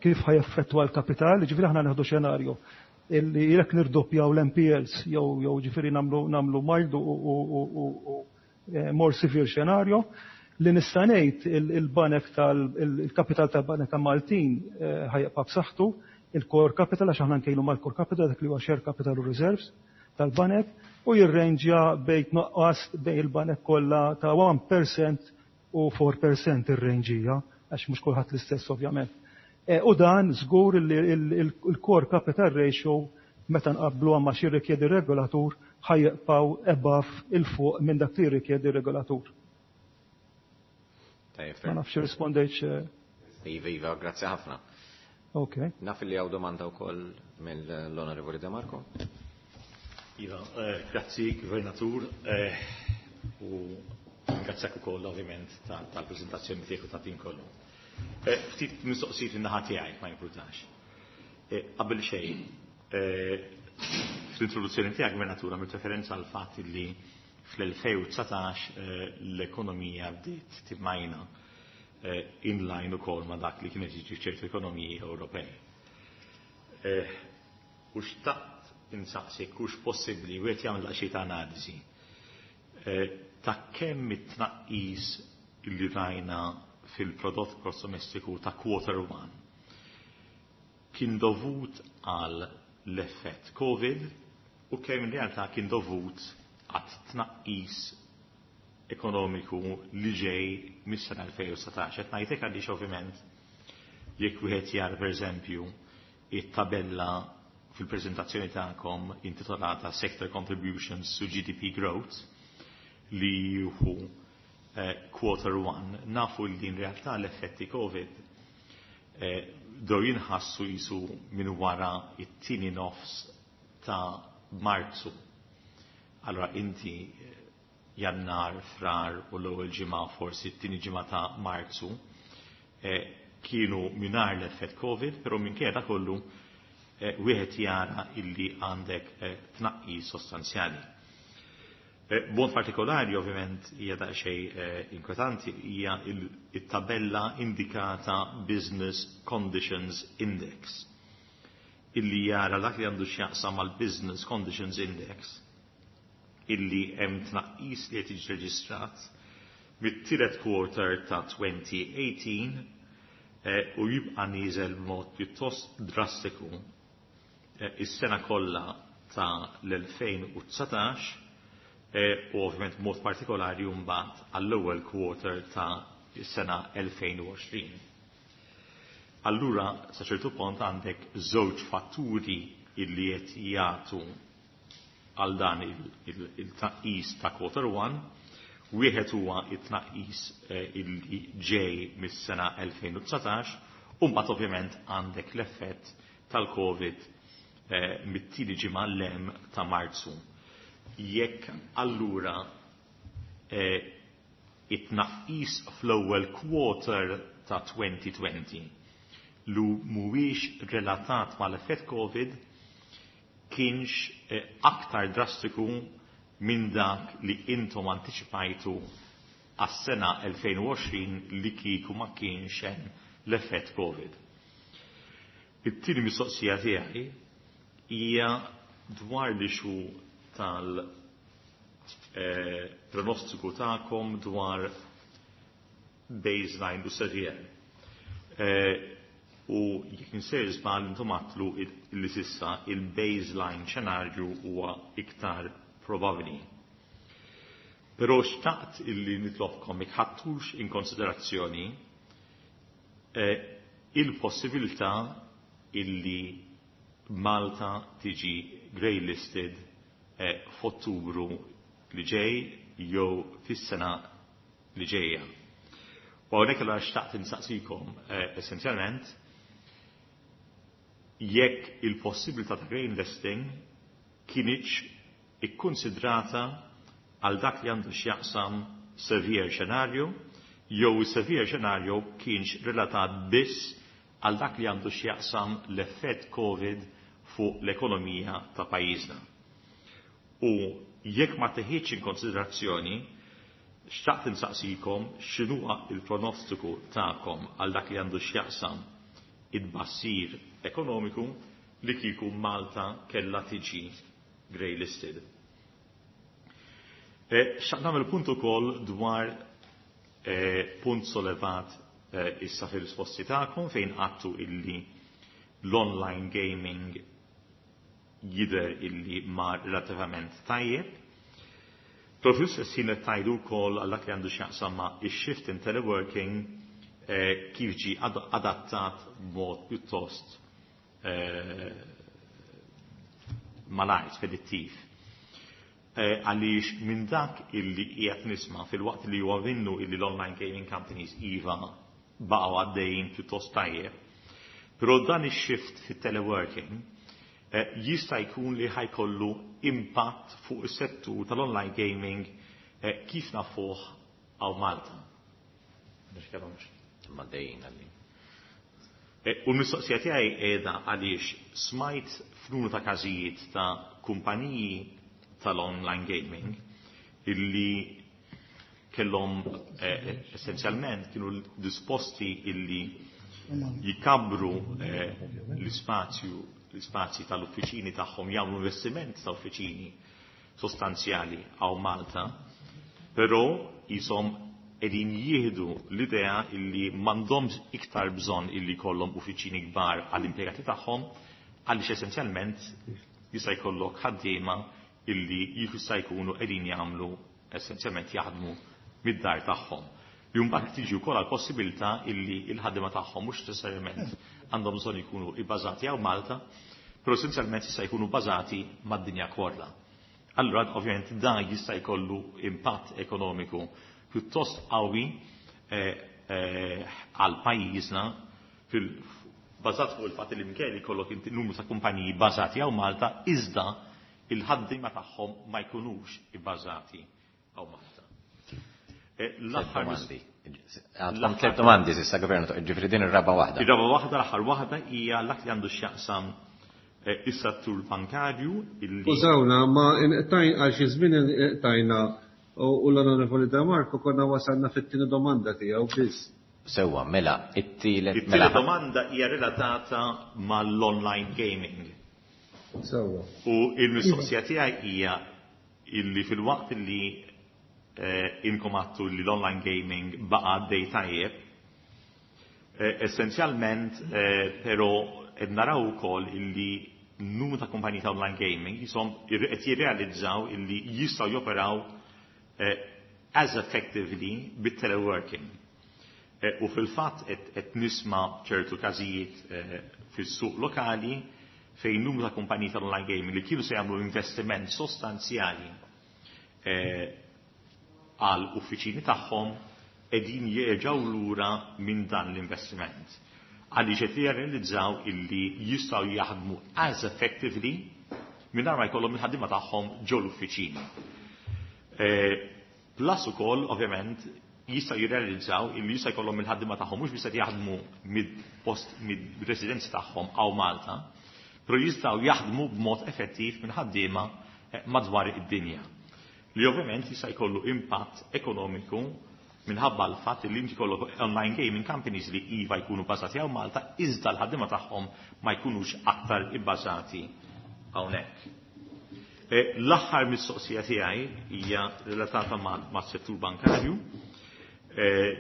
kif ħa jaffettwa l-kapital. Ġifieri aħna nieħdu xenarju illi jekk nirdoppjaw l-N P Ls jew jew ġifieri nagħmlu nagħmlu mild u, u, u, u more severe xenarju. Li nista' ngħid, il-banek tal-kapital tal-banek Maltin ħa jibqa' b'saħħtu, il-core capital, għax aħna nkejlu mal-core capital, dak li huwa share capital u reserves tal-banek, u jirrenġja bejn nuqqas bejn il-banek kollha ta' wieħed fil-mija u erbgħa fil-mija ir-range hija, għax mhux kulħadd l-istess ovvjament. U dan żgur li il-core capital ratio, meta nqablu ma xi rikjedi regolatur, ħa jibqgħu above, 'il fuq minn dak li rikjedi regolatur. Ma nafx rispondejtx.
Iva, Iva, grazzi ħafna.
Ok.
Naf li hawn domanda wkoll mill-Onorevoli De Marco.
Iva, eh, grazzi Gvernatur, eh, u ringrazzjak ukoll ovvjament tal-preżentazzjoni tiegħek u ta' din kollu. Eh, ftit mistoqsijiet in-naħa tiegħi, ma jimpurtax. Qabel xejn, fl-introduzzjoni tiegħek, Gvernatur, għamilt referenza għal fatt li fl-elfejn u dsatax l-ekonomija bdiet timmajna in line ukoll ma' dak li kienet jiġi f'ċertu ekonomiji Ewropej. U xtaqt insaqsik hux possibbli wieħed jagħmel xi ta' analiżi ta' kemm it-tnaqqis li rajna fil-prodott gross domestiku ta' quarter one kien dovut għal l-effett Covid u kemm in realtà kien dovut għat tnaqqis ekonomiku li ġej mis-sena elfejn u dsatax. Qed ngħidlek għaliex ovvjament jekk wieħed jara, pereżempju, it-tabella fil-preżentazzjoni tagħkom intitolata Sector Contributions to G D P Growth li hu eh, quarter one, nafu li in realtà l-effetti Covid eh, bdew jinħassu jisu minn wara it-tieni nofs ta' Marzu. Allora inti eh, Jannar, Frar u l-ewwel ġimgħa, forsi t-tieni ġimgħa ta' Marzu eh, kienu mingħajr l-effett Covid, però minkejja da kollu eh, wieħed jara illi għandek eh, tnaqqis sostanzjali. Eh, B'mod partikolari, ovvjament, hija daqsxejn eh, inkwetanti hija il-tabella indikata Business Conditions Index. illi jara dak li għandu x'jaqsam mal-Business Conditions Index illi hemm tnaqqis li qed jiġi reġistrat mit-tielet quarter ta' elfejn u tmintax eh, u jibqa' nieżel b'mod pjuttost drastiku eh, is-sena kollha ta' l-elfejn u dsatax eh, u ovvjament b'mod partikolari mbagħad għall-ewwel quarter ta' is-sena elfejn u għoxrin. Allura, sa ċertu punt għandek żewġ fatturi illi qed jagħtu għal dan il-tnaqqis ta' quarter one. Wieħed huwa it-tnaqqis eh, illi ġej mis-sena elfejn u dsatax, u mbagħad ovvjament għandek l-effett tal-Covid eh, mit-tieni ġimgħa l ta' Marzu. Jekk allura eh, it-tnaqqis fl-ewwel quarter ta' elfejn u għoxrin lu mhuwiex relatat mal-effett Covid kienx eh, aktar drastiku minn dak li intom anticipajtu għas-sena elfejn u għoxrin li kieku ma kienx hemm l-effett Covid. It-tieni mistoqsija tiegħi hija dwar l-issue tal eh, pronostiku tagħkom dwar baseline u severe. Eh, u jekk insejr żball, intom għedtlu li s'issa il-baseline xenarju huwa iktar probabbli. Però xtaqt illi nitlobkom jekk ħadtux in konsiderazzjoni eh, il-possibilità illi Malta tiġi grey listed eh, f'Ottubru li ġej jew fis-sena li ġejja. U hawnhekk allura xtaqt insaqsikom eh, essenzjalment jekk il-possibilità ta' grey listing kinitx ikkonsidrata għal dak li għandu x'jaqsam severe scenario jew severe scenario kienx relatat biss għal dak li għandu x'jaqsam l-effett Covid fuq l-ekonomija ta' pajjiżna. U jekk ma teħiex in konsiderazzjoni, xtaqt insaqsikom x'inhuwa il-pronostiku tagħkom għal dak li għandu x'jaqsam it-tbassir ekonomiku li kieku Malta kella tiġi grey listed. E, xtaqt nagħmel punt ukoll dwar e, punt sollevat e, issa fil-risposti tagħkom fejn għedtu illi l-online gaming jidher illi mar relativament tajjeb. Però fl-istess ħin qed tgħidu wkoll għal dak li għandu x'jaqsam ma' ix-shift in teleworking eh, kif ġi adattat b'mod pjuttost eh, malajr, spedittiv. Eh, għaliex minn dak illi qiegħed nisma' fil-waqt li huwa minnu illi l-online gaming companies iva baqgħu għaddejjin pjuttost tajjeb, però dan ix-shift fit-teleworking eh, jista' jkun li ħa jkollu impatt fuq is-settur tal-online gaming eh, kif nafuh hawn Malta.
Imma dejjin għalli.
Eh, u l-mistoqsija tiegħi qiegħda għaliex smajt f'numru ta' każijiet ta' kumpaniji tal-online gaming illi kellhom eh, essenzjalment kienu disposti illi jikabru eh, l-ispazju l-ispazji tal-uffiċini tagħhom, jagħmlu investiment ta' uffiċini sostanzjali hawn Malta, però jisom qegħdin jieħdu l-idea illi m'għandhomx iktar bżonn illi jkollhom uffiċini kbar għall-impjegati tagħhom, għaliex essenzjalment jista' jkollok ħaddiema illi jista' jkunu qegħdin jagħmlu essenzjalment jaħdmu mid-dar tagħhom. Li mbagħad tiġi wkoll għall-possibilità illi l-ħaddiema tagħhom mhux neċessarjament għandhom bżonn jkunu ibbażati hawn Malta, però essenzjalment jista' jkunu bbażati mad-dinja kollha. Allura ovvjament dan jista' jkollu impatt ekonomiku pjuttost qawwi eh, eh, għal pajjiżna fil bażat fuq il-fatt li minkejja li jkollok inti numru ta' kumpaniji bbażati hawn Malta, iżda il-ħaddiema tagħhom ma jkunux ibbażati hawn Malta. Eh, L-aħħar
Domandi. Għandkom tliet domandi s'issa, Gvernatur, ġifieri din ir-raba' waħda.
Ir-raba' waħda, l-aħħar waħda hija dak li għandu x'jaqsam eh, is-settur bankarju illi
Skużawna, ma inqtajn għal xi żmien inqtajna u u l-Onorevoli De Marco konna wasalna fit-tieni domanda tiegħu biss.
Sewwa, mela, it-tielet
It-tielet
mela.
domanda hija relatata mal-online gaming.
Sewwa.
U il-mistoqsija tiegħi hija illi fil-waqt li eh, inkom għedtu li l-online gaming baqa' għaddej tajjeb, eh, essenzjalment eh, però qed naraw ukoll illi numru ta' kumpaniji ta' online gaming jisom qed jirrealizzaw illi jistgħu joperaw eh, as effectively bit-teleworking. Eh, U fil-fatt qed nisma' ċertu każijiet eh, fis-suq lokali fejn numru ta' kumpaniji tal-online gaming li kienu se jagħmlu investiment sostanzjali eh, għal uffiċini tagħhom qegħdin jerġgħu lura minn dan l-investiment. Għaliex qed jirrealizzaw illi jistgħu jaħdmu as effectively mingħajr ma jkollhom il-ħaddiema tagħhom ġo l-uffiċini. Plus ukoll, ovvjament, jistgħu jirrealizzaw illi jista' jkollhom il-ħaddiema tagħhom mhux biss qed jaħdmu mid-post mid-residenzi tagħhom hawn Malta, però jistgħu jaħdmu b'mod effettiv minn ħaddiema eh, madwar id-dinja. Li ovvjament jista' jkollu impatt ekonomiku minħabba l-fatt li inti jkollok online gaming companies li iva jkunu bbażati hawn Malta, iżda l-ħaddiema tagħhom ma jkunux aktar ibbażati hawnhekk. Eh, L-aħħar mistoqsija tiegħi hija relatata mas-settur bankarju eh,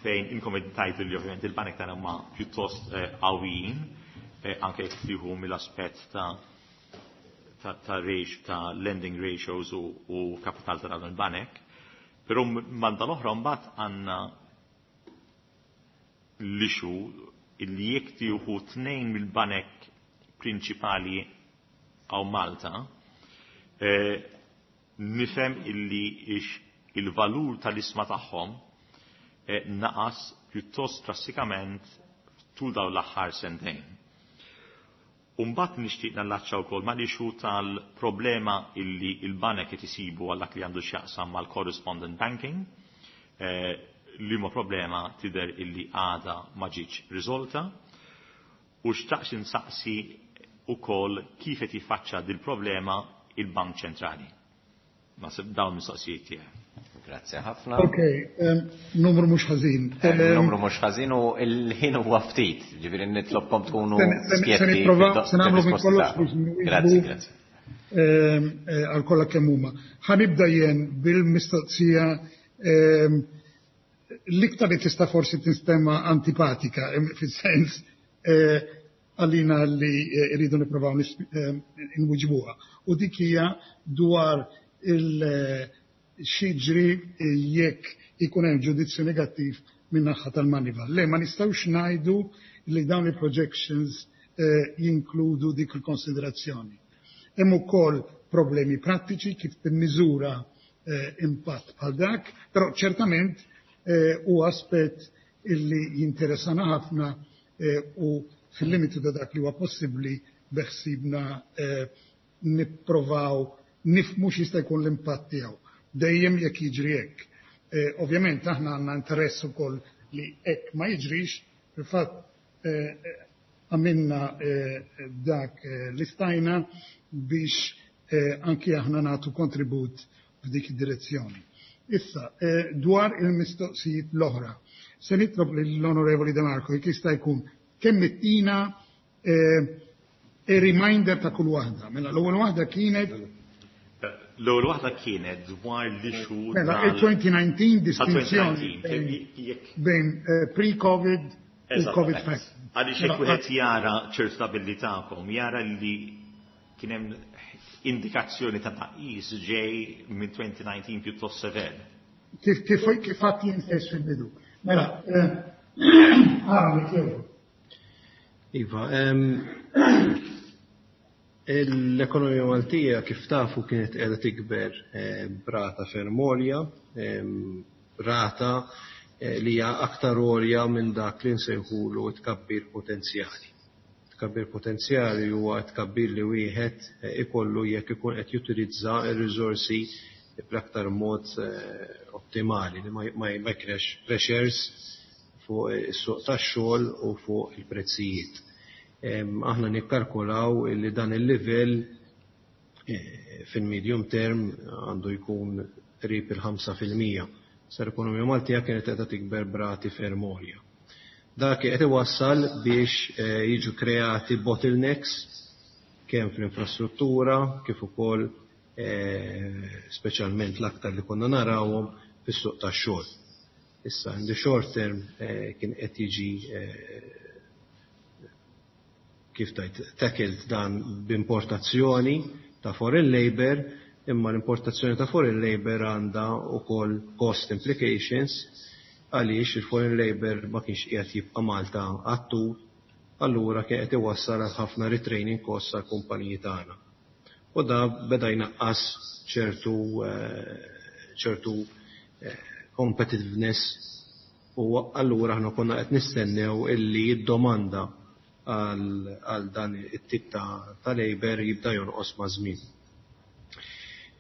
fejn inkom tajtu li ovvjament il-banek tagħna huma pjuttost eh, qawwijin, anke jekk tieħu mill-aspett ta' ta' ta' ratio, ta' lending ratios u, u kapital ta' dawn il-banek. Però banda l-oħra mbagħad għandna l-issue illi jekk tieħu tnejn mill-banek prinċipali hawn Malta, eh, nifhem illi ix il-valur tal-ishma tagħhom eh, naqas pjuttost drastikament tul dawn l-aħħar sentejn. Umbat nixtieq nallaċċa wkoll mal-issue tal-problema illi il-banek qed isibu għal dak li għandu x'jaqsam mal-correspondent banking, eh, li ma problema tidher illi għada ma ġietx riżolta, u xtaqt insaqsi ukoll kif qed jiffaċċa dil-problema il-Bank Ċentrali. Ma dawn mistoqsijiet tiegħi.
Grazie ħafna.
Ok, um, numru mhux ħażin.
Eh, Numru mhux ħażin u l-ħin huwa ftit, ġifieri nitlobkom tkunu
Se- se- se
skjetti
nipprova-
fid-
se nagħmlu minn
fir-risposti
kollox
tagħkom.
biex nwieġbu.
Grazzi, grazzi.
Ehm, eh, għal kollha kemm huma. Ħa nibda jien bil-mistoqsija ehm, l-iktar li tista' forsi tinstema antipatika, em, fis-sens eh, għalina li eh, rridu nipprovaw nis- ehm, nwiġbuha. U dik hija dwar il- eh, x'jiġri jekk ikun hemm ġudizzju negattiv minn naħa tal-Moneyval. Le, ma nistgħux ngħidu li dawn il-projections eh, jinkludu dik il-konsiderazzjoni. Hemm ukoll problemi prattiċi kif timmiżura eh, impatt bħal dak, però ċertament eh, u aspett illi jinteressana ħafna eh, u fil-limitu ta' dak li huwa possibbli beħsibna eh, nipprovaw nifmu x'jista' jkun l-impatt tiegħu. Dejjem jekk jiġri hekk. Eh, ovvjament aħna għandna interess ukoll li hekk ma jiġrix, fil-fatt eh, għamilna eh, dak eh, li stajna biex eh, anki aħna nagħtu kontribut f'dik id-direzzjoni. Issa, eh, dwar il-mistoqsijiet l-oħra, se nitlob lill-Onorevoli De Marco jekk jista' jkun kemm ittina eh, a reminder ta' kull waħda. Mela l-ewwel waħda kienet
L-ewwel waħda kienet dwar l-issue
mela
tal-
il-twenty nineteen distinzjoni
tal-twenty nineteen, jekk
bejn eh, pre-COVID u COVID
Eżattament. Għaliex jekk wieħed jara ċertu tabelli tagħkom, jara li kien hemm indikazzjoni ta' tnaqqis ġej minn twenty nineteen pjuttost sever.
Kif kif kif għedt jien stess fil-bidu. Mela, eh, għara li kieku.
Iva, em, l-ekonomija Maltija, kif tafu, kienet qiegħda tikber eh, b'rata ferm għolja, em, rata eh, li hija aktar għolja minn dak li nsejħulu tkabbir potenzjali. Tkabbir potenzjali huwa tkabbir li wieħed eh, ikollu jekk ikun qed jutilizza r-riżorsi bl-aktar mod eh, ottimali li ma ma ma jkrex pressures fuq is-suq tax-xogħol u fuq il-prezzijiet. Em, Aħna nikkalkulaw li dan il-livell eh, fil-medium term għandu jkun qrib il-ħamsa fil-mija. Sa l-ekonomija Maltija kienet qiegħda tikber b'rati ferm għolja. Dak qed iwassal biex jiġu kreati bottlenecks kemm fl-infrastruttura kif ukoll speċjalment l-aktar li konna narawhom fis-suq tax-xogħol. Issa in the short term kien qed jiġi kif tajt tackled dan b'importazzjoni ta' foreign labor, imma l-importazzjoni ta' foreign labor għandha ukoll cost implications għaliex il-foreign labor ma kienx qiegħed jibqa' Malta għat-tul, allura kien qed iwassal għal ħafna retraining costs għall-kumpaniji tagħna. U da beda jnaqqas ċertu ċertu competitiveness u allura aħna konna qed nistennew illi d-domanda għal dan it-tip ta' labor jibda jonqos maż-żmien.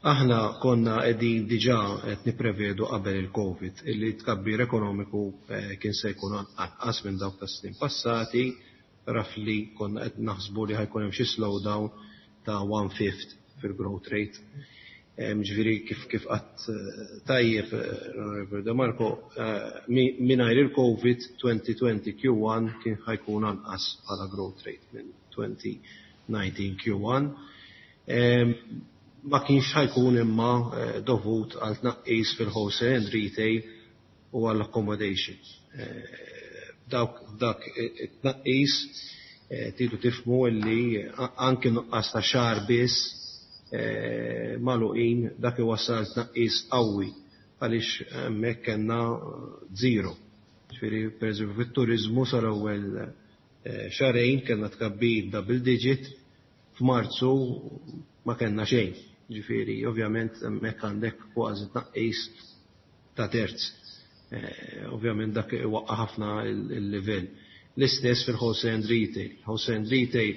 Aħna konna qegħdin diġà qed nipprevedu qabel il-Covid illi tkabbir ekonomiku kien se jkun anqas minn dawk tas-snin passati, roughly konna qed naħsbu li ħa jkun hemm xi slowdown ta' one fifth fil-growth rate. Ġifieri kif kif qatt tajjeb Onorevole De Marco, mingħajr il-Covid twenty twenty Q one kien ħa jkun anqas bħala growth rate minn twenty nineteen Q one. Ma kienx ħa jkun imma dovut għal tnaqqis fil-wholesale and retail u għall accommodation. Dawk dak it-tnaqqis tridu tifhmu illi anke nuqqas ta' xahar biss magħluqin dak iwassal tnaqqis qawwi għaliex hemmhekk kellna zero. Ġifieri pereżempju fit-turiżmu sal-ewwel xahrejn kellna tkabbir double digit, f'Marzu ma kellna xejn. Ġifieri ovvjament hemmhekk għandek kważi tnaqqis ta' terz. Ovvjament dak iwaqqa' ħafna il-livell. L-istess fil-wholesale and retail. Wholesale and retail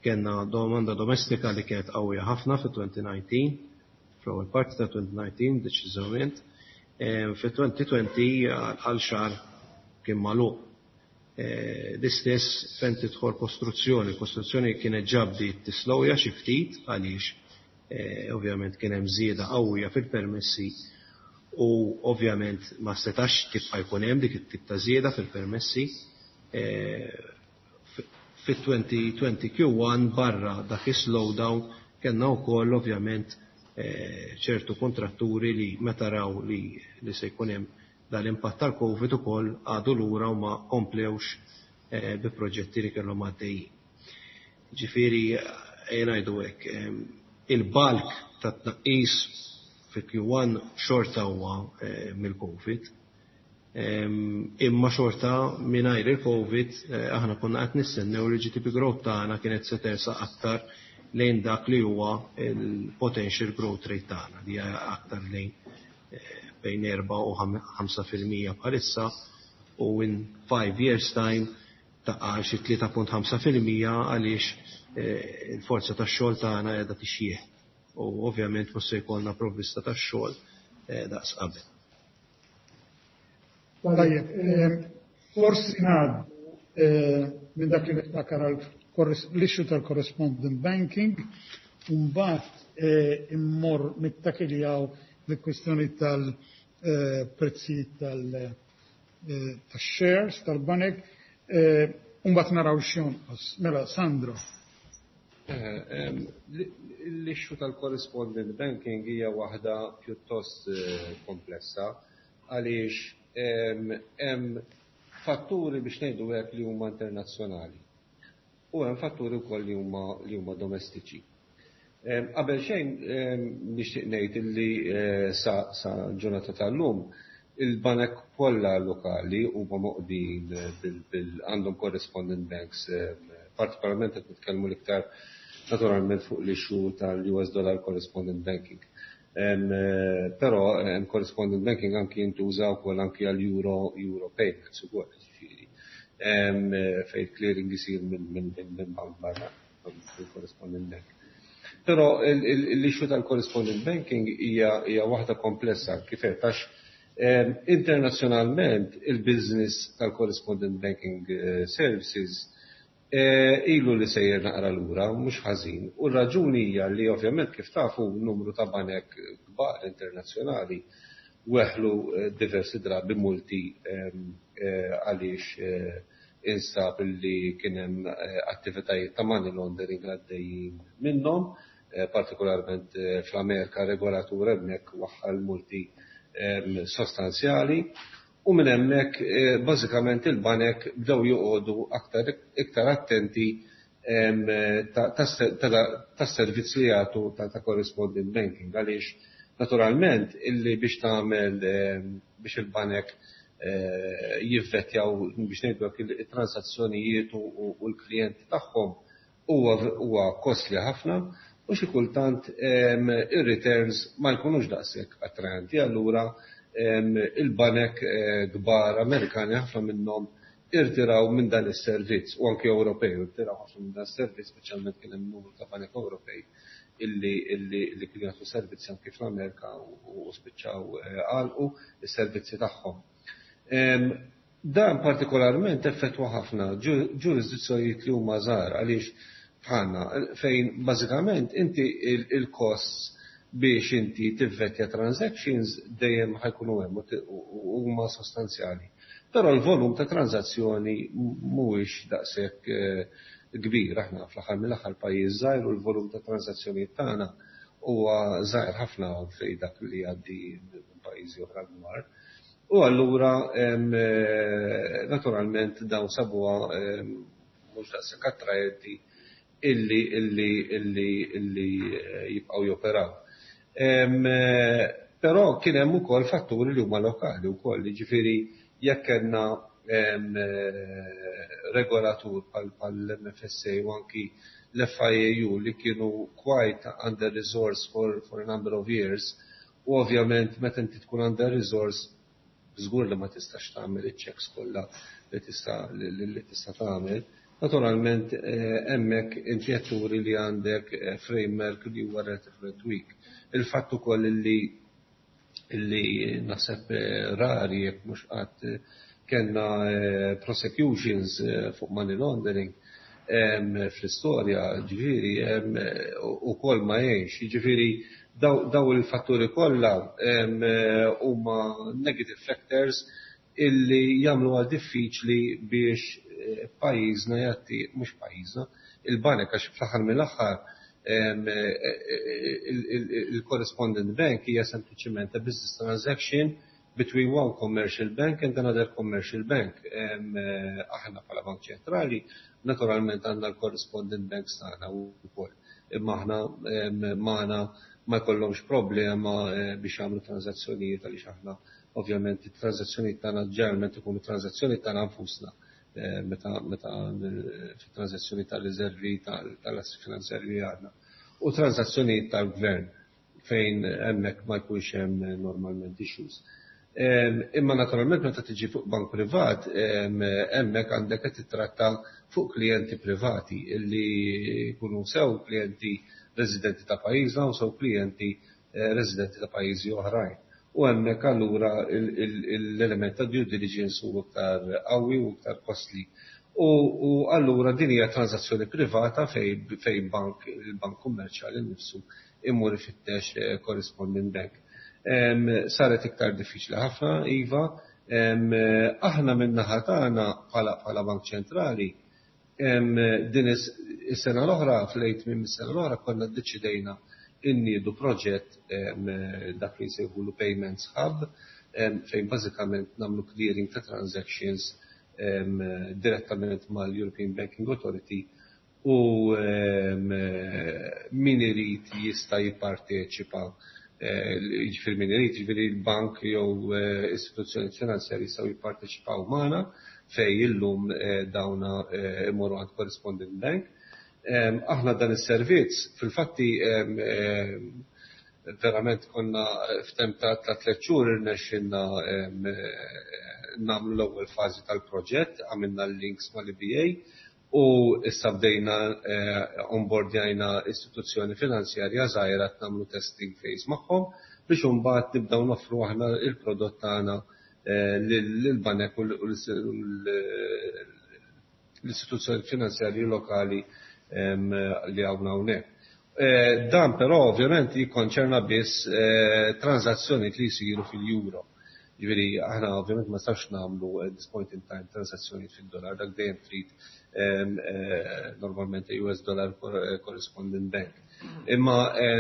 kellna domanda domestika li kienet qawwija ħafna fit-twenty nineteen, fl-ewwel parti ta' twenty nineteen deċiżament. Fit-twenty twenty għal xahar kien magħluq. L-istess fejn tidħol kostruzzjoni. Kostruzzjoni kienet ġa bdiet tislowja xi ftit għaliex ovvjament kien hemm żieda qawwija fil-permessi u ovvjament ma setax tibqa' jkun hemm dik it-tip ta' żieda fil-permessi. Fit-twenty twenty Q one barra dak is-slowdown kellna wkoll ovvjament ċertu kontratturi li meta raw li, li se jkun hemm dal-impatt tal-Covid ukoll għadu lura u ma komplewx bi proġetti li kellhom għaddejjin. Ġifieri ejja ngħidu hekk, il-bulk tat-tnaqqis fi Q one xorta huwa mill-Covid. Imma xorta mingħajr il-Covid aħna konna qed nistennew li G D P growth tagħna kienet se tersaq aktar lejn dak li huwa il-potential growth rate tagħna li hija aktar lejn bejn erba' u ħamsa fil-mija bħalissa u in five years time taqa' xi tlieta punt ħamsa fil-mija għaliex il-forza tax-xogħol tagħna qiegħda tixjieħ u ovvjament mhux se jkollna provvista tax-xogħol daqs qabel.
Tajjeb, forsi ngħaddu minn dak li niftakar għal l-issue tal-correspondent banking, u mbagħad immur nittakiljaw l-kwistjoni tal-prezzi tal-shares tal-banek, u mbagħad naraw x'jonqos. Mela, Sandro.
L-issue tal-correspondent banking hija waħda pjuttost komplessa għaliex hemm fatturi biex ngħidu hekk li huma internazzjonali u hemm fatturi wkoll li huma li huma domestiċi. Qabel xejn nixtieq ngħid illi sa, sa ġurnata tal-lum il-banek kollha lokali huma moqdin bil għandhom correspondent banks, partikolarment qed nitkellmu l-iktar naturalment fuq l-issue tal-U S dollar correspondent banking. Però hemm correspondent banking anki jintuża wkoll anki għal euro, euro payments ukoll, ġifieri. Fejn clearing isir minn, minn, minn bank barra, fil-correspondent bank. Però l-issue tal-correspondent banking hija, hija waħda komplessa kif qed għax internazzjonalment il-business tal-correspondent banking services ilu li sejjer naqra lura, mhux ħażin. U r-raġuni hija li ovvjament kif tafu numru ta' banek kbar internazzjonali weħlu diversi drabi multi għaliex instab li kien hemm eh, attivitajiet ta' money laundering għaddejjin minnhom, eh, partikolarment eh, fl-Amerika regolatur hemmhekk waħħal multi sostanzjali u minn hemmhekk bażikament il-banek bdew joqogħdu aktar iktar attenti tas-servizz li jagħtu ta' correspondent banking, għaliex naturalment illi biex tagħmel biex il-banek eh, jivvetjaw, biex ngħidu, it-transazzjonijiet u l-klijenti tagħhom huwa costly ħafna u xi kultant ir-returns ma jkunux daqshekk attraenti. Allura il-banek eh, kbar Amerikani, ħafna minnhom irtiraw minn dan is-servizz, u anke Ewropej irtiraw ħafna minn dan is-servizz, speċjalment kien hemm numru ta' banek Ewropej illi illi illi kienu jagħtu servizzi anke fl-Amerika u spiċċaw eh, għalqu is-servizzi tagħhom. Dan partikolarment effettwa ħafna ġurisdizzjonijiet li huma żgħar, għaliex bħalna, fejn bażikament inti il-costs biex inti tivvetja transactions dejjem ħa jkunu hemm u huma sostanzjali. Però l-volum ta' transazzjoni mhuwiex daqshekk eh, kbir. Aħna fl-aħħar mill-aħħar pajjiż żgħir u l-volum ta' transazzjonijiet tagħna huwa żgħir ħafna fejn dak li jgħaddi minn pajjiżi oħra kbar. U allura eh, naturalment dawn sabuha mhux daqshekk attraenti illi illi illi illi eh, jibqgħu joperaw. Eh, però kien hemm ukoll fatturi li huma lokali wkoll, jiġifieri jekk kellna regolatur bħal M F S A u anki l-F I A U li kienu quite under resource for, for a number of years, u ovvjament meta inti tkun under resource żgur li ma tistax tagħmel iċ-checks kollha li tista' li tista' tagħmel. Naturalment eh, hemmhekk inti qed turi li għandek eh, framework li huwa relatively weak. Il-fatt ukoll li li naħseb eh, rari jekk mhux qatt kellna prosecutions fuq money laundering fl-istorja, ġifieri, u kol ma jgħinx, ġifieri daw il-fatturi kollha huma negative factors illi jagħmlu għal diffiċli biex eh, pajjiżna jagħti, mhux pajjiżna, il-banek, għax fl-aħħar mill-aħħar eh, il-correspondent bank hija sempliċement a business transaction between one commercial bank and another commercial bank. Eh, aħna bħala Bank Ċentrali naturalment għandna l-correspondent banks tagħna wkoll. Imma aħna magħna ma jkollhomx problema eh, biex jagħmlu transazzjonijiet, għaliex aħna ovvjament it-transazzjonijiet tagħna ġeneralment ikunu transazzjoni tagħna nfusna eh, meta meta fit-transazzjoni tal-riservi tal-assi finanzjarji għandna u transazzjonijiet tal-gvern, fejn hemmhekk ma jkunx hemm normalment issues. Imma naturalment meta tiġi fuq bank privat, hemmhekk għandek qed titratta fuq klijenti privati illi jkunu sew klijenti residenti ta' pajjiżna u sew klijenti eh, residenti ta' pajjiżi oħrajn. U hemmhekk allura l-element ta' due diligence huwa iktar qawwi u iktar costly. U allura din hija transazzjoni privata fej fej bank il-bank kummerċjali nnifsu imur ifittex eh, correspondent bank. Saret iktar diffiċli ħafna, iva. Aħna min-naħa tagħna bħala Bank Ċentrali, din is-sena l-oħra, fl-lejt minn is-sena l-oħra, konna ddeċidejna inniedu proġett, dak li jsejħulu Payments Hub, fejn bażikament nagħmlu clearing ta' transactions direttament mal-European Banking Authority u min irid jista' jipparteċipa, eh, jiġifieri min irid, jiġifieri l-bank jew eh, istituzzjoni finanzjarji jistgħu jipparteċipaw magħna, fejn illum eh, dawna imorru għand correspondent bank. Aħna dan is-servizz fil-fatti verament konna f'temp ta' tliet xhur irnexxinna nagħmlu l-ewwel fażi tal-proġett, għamilna l-links mal-E B A u issa bdejna onboardjajna istituzzjoni finanzjarja żgħira, nagħmlu testing phase magħhom biex imbagħad nibdew noffru aħna il-prodott tagħna lill-banek u l-istituzzjoni finanzjarji lokali li għawna hawnhekk. Dan però ovvjament jikkonċerna biss transazzjoni li jsiru fil-euro. Ġifieri aħna ovvjament ma nistax nagħmlu at this point in time transazzjonijiet fid-dollar, dak dejjem trid normalment U S dollar correspondent bank. Imma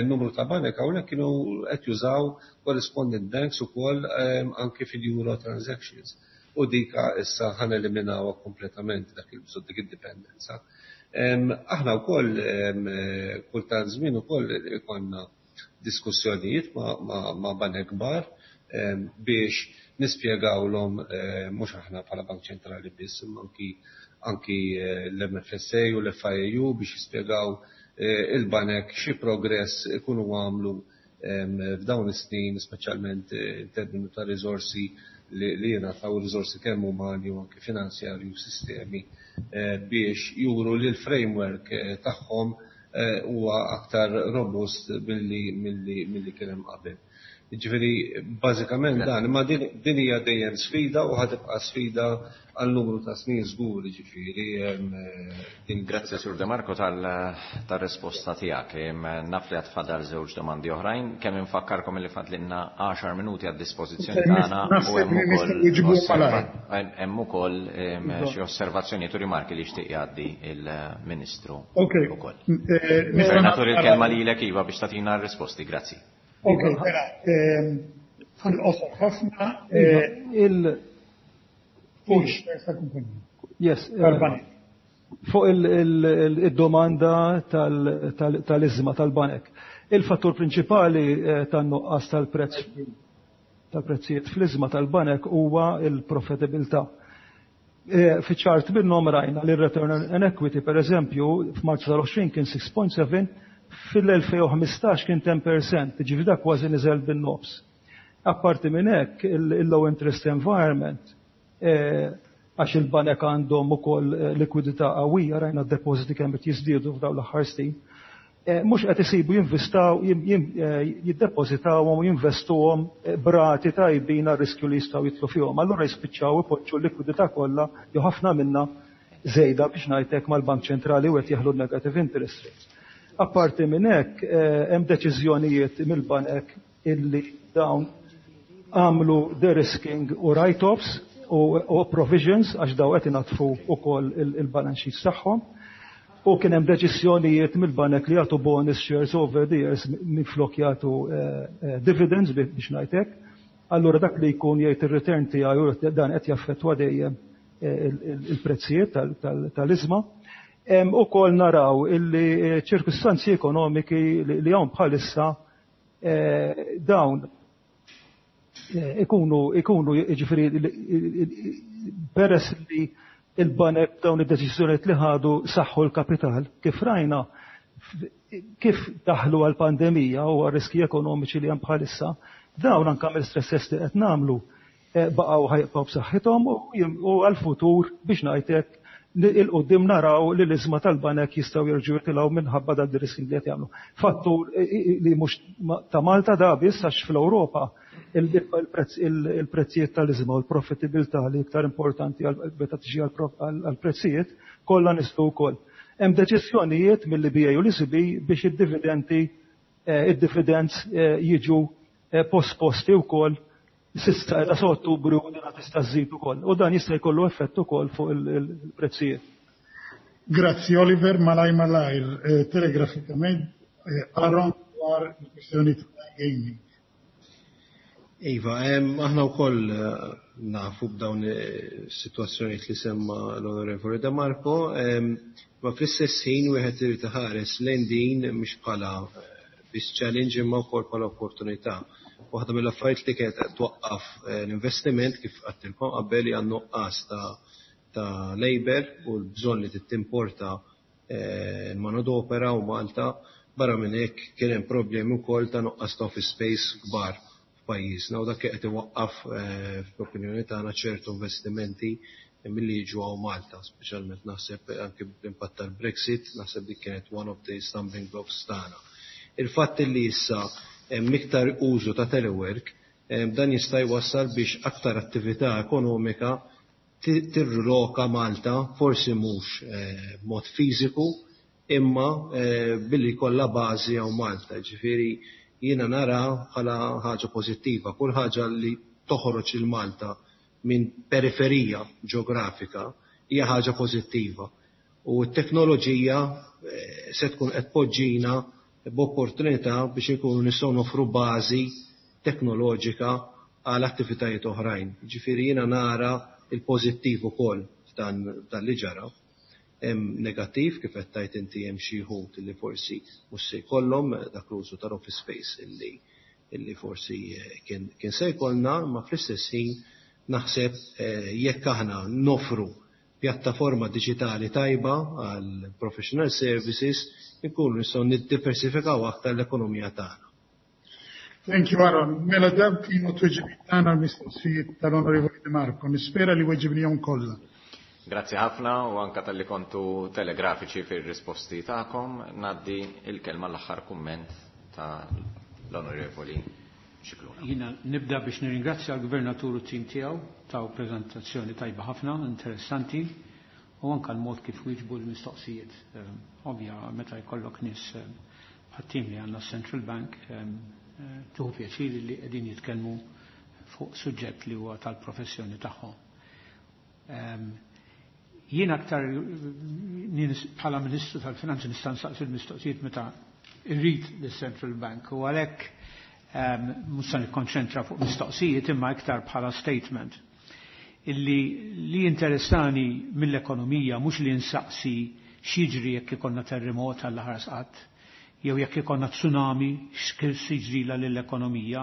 numru ta' banek hawnhekk kienu qed jużaw correspondent banks ukoll anke fil-euro transactions. U dika issa ħa neliminawha kompletament dak il-bżonn, dik id-dipendenza. Aħna wkoll kultant żmien ukoll ikollna diskussjonijiet ma' banek kbar biex nispjegawlhom, mhux aħna bħala Bank Ċentrali biss, imma anki anki l-M F S A u l-F I A U biex jispjegaw il-banek xi progress ikunu għamlu f'dawn is-snin, speċjalment in termini ta' riżorsi li jingħataw, riżorsi kemm umani u anke finanzjarji u sistemi, biex juru li l-framework tagħhom huwa aktar robust milli milli kien hemm qabel. Ġifieri bażikament dan, imma din hija dejjem sfida u ħa tibqa' sfida għal numru ta' snin żgur, ġifieri.
Grazzi, Sur De Marco, tal-risposta tiegħek. Naf li għad fadal żewġ domandi oħrajn, kemm infakkarkom li fadlilna għaxar minuti għad dispożizzjoni tagħna u hemm ukoll xi osservazzjonijiet u rimarki li jixtieq jgħaddi il-Ministru ukoll. Gvernatur, il-kelma lilek, iva, biex tagħtina r-risposti. Grazzi.
Ok, mela, fil-qosor ħafna.
Il Yes. Fuq il-domanda tal-ishma tal-banek. Il-fattur prinċipali tan-nuqqas tal-prezz tal-prezzijiet fl-ishma tal-banek huwa il-profitabilità. Fi ċart minnhom rajna li return on equity, per eżempju, f'Marzu tal-għoxrin kien sitta punt seba', fil-elfejn u ħmistax kien għaxra fil-mija, ġifieri dak kważi niżel bin-nofs. Apparti minn hekk, il-low interest environment, għax il-banek għandhom ukoll likwidità qawwija, rajna d-depożiti kemm qed jiżdiedu f'dawn l-aħħar snin, mhux qed isibu jinvestaw, jiddepożitawhom u jinvestuhom b'rati tajbin għar-riskju li jistgħu jidħlu fihom. Allura jispiċċaw ipoġġu l-likwidità kollha jew ħafna minnha żejda, biex ngħidlek, mal-Bank Ċentrali u qed jeħlu negative interest rates. Apparti minn hekk, hemm deċiżjonijiet mill-banek illi dawn għamlu de-risking u write-offs u provisions għax daw qed inaddfu ukoll il-balance sheets tagħhom. U kien hemm deċiżjonijiet mill-banek li jagħtu bonus shares over the years minflok jagħtu dividends, biex ngħidlek. Allura dak li jkun jgħid ir-return tiegħu, dan qed jaffettwa dejjem il-prezzijiet tal-ishma. Ukoll naraw illi ċirkustanzi ekonomiki li hawn bħalissa dawn ikunu ikunu ġifieri peress li il-banek dawn id-deċiżjonijiet li ħadu saħħu l-kapital, kif rajna kif daħlu għal-pandemija u għal-riski ekonomiċi li hemm bħalissa, dawn anke mill-stress test li qed nagħmlu baqgħu, ħa jibqgħu b'saħħithom u għal-futur, biex ngħidlek, 'il quddiem naraw li l-ishma tal-banek jistgħu jerġgħu jitilgħu minħabba dan ir-risking li qed jagħmlu. Fattur li mhux ta' Malta da biss, għax fl-Ewropa il-prezzijiet tal-ishma u l-profitabilità li iktar importanti meta tiġi għal-prezzijiet kollha niżlu wkoll. Hemm deċiżjonijiet mill-E B A u l-E C B biex id-dividendi id-dividends jiġu posposti wkoll s'issa ta' Ottubru u din tista' żżid ukoll. U dan jista' jkollu effett ukoll fuq il-prezzijiet.
Grazzi, Oliver. Malaj malajr, telegrafikament, Aaron, dwar il-kwestjoni ta' gaming.
Iva, aħna wkoll nafu b'dawn is-sitwazzjonijiet li semma l-Onorevoli De Marco, ma fl-istess ħin wieħed irid iħares lejn din mhux bħala biss challenge imma wkoll bħala opportunità. Waħda mill-affarijiet li kienet qed twaqqaf l-investiment, kif għedtilkom qabel, hija nuqqas ta' ta' labor u l-bżonn li tittimporta l-manodopera u Malta. Barra minn hekk, kien hemm problemi wkoll ta' nuqqas ta' office space kbar f'pajjiżna u dak qed iwaqqaf, fl-opinjoni tagħna, ċertu investimenti milli jiġu hawn Malta, speċjalment naħseb anke bl-impatt tal-Brexit, naħseb dik kienet one of the stumbling blocks tagħna. Il-fatt li issa hemm iktar użu ta' telework, dan jista' jwassal biex aktar attività ekonomika tirriloka Malta, forsi mhux b'mod fiżiku, imma billi kollha bażi hawn Malta. Ġifieri jiena nara bħala ħaġa pożittiva, kull ħaġa li toħroġ lil Malta minn periferija ġeografika hija ħaġa pożittiva. U t-teknoloġija eh, se tkun qed poġġina b'opportunità biex inkunu nistgħu nofru bażi teknoloġika għal attivitajiet oħrajn. Ġifieri jiena nara il-pożittiv ukoll f'dan dan li ġara. Hemm negattiv, kif qed tgħid inti, hemm xi wħud li forsi mhux se jkollhom dak l-użu tal-office space illi illi forsi eh, kien, kien se jkollna, ma fl-istess ħin naħseb eh, jekk aħna nofru pjattaforma diġitali tajba għal professional services, inkunu nistgħu niddiversifikaw aktar l-ekonomija tagħna.
Thank you, Aaron. Mela dawk kienu tweġibiet tagħna l-mistoqsijiet tal-Onorevoli De Marco. Nispera li weġibnihom kollha.
Grazzi ħafna u anka talli kontu telegrafiċi fir-risposti tagħkom. Ngħaddi il-kelma l-aħħar kumment ta' l-Onorevoli Scicluna.
Jiena nibda biex nirringrazzja l-Gvernatur u t-tim tiegħu, taw preżentazzjoni tajba ħafna, interessanti, u anka l-mod kif wieġbu l-mistoqsijiet. Eh, ovvja, meta jkollok nies eh, bħat-tim li għandna Central Bank, eh, tieħu pjaċir li qegħdin jitkellmu fuq suġġett li huwa tal-professjoni tagħhom. Jien aktar bħala Ministru tal-Finanzi nista' nsaqsi l-mistoqsijiet meta irrid lis-Central Bank u għalhekk mhux se nikkonċentra fuq mistoqsijiet imma iktar bħala statement. Illi li interessani mill-ekonomija mhux li nsaqsi x'jiġri jekk ikollna terremot għall ħares qatt, jew jekk ikollna tsunami x'kif jiġrila lill-ekonomija,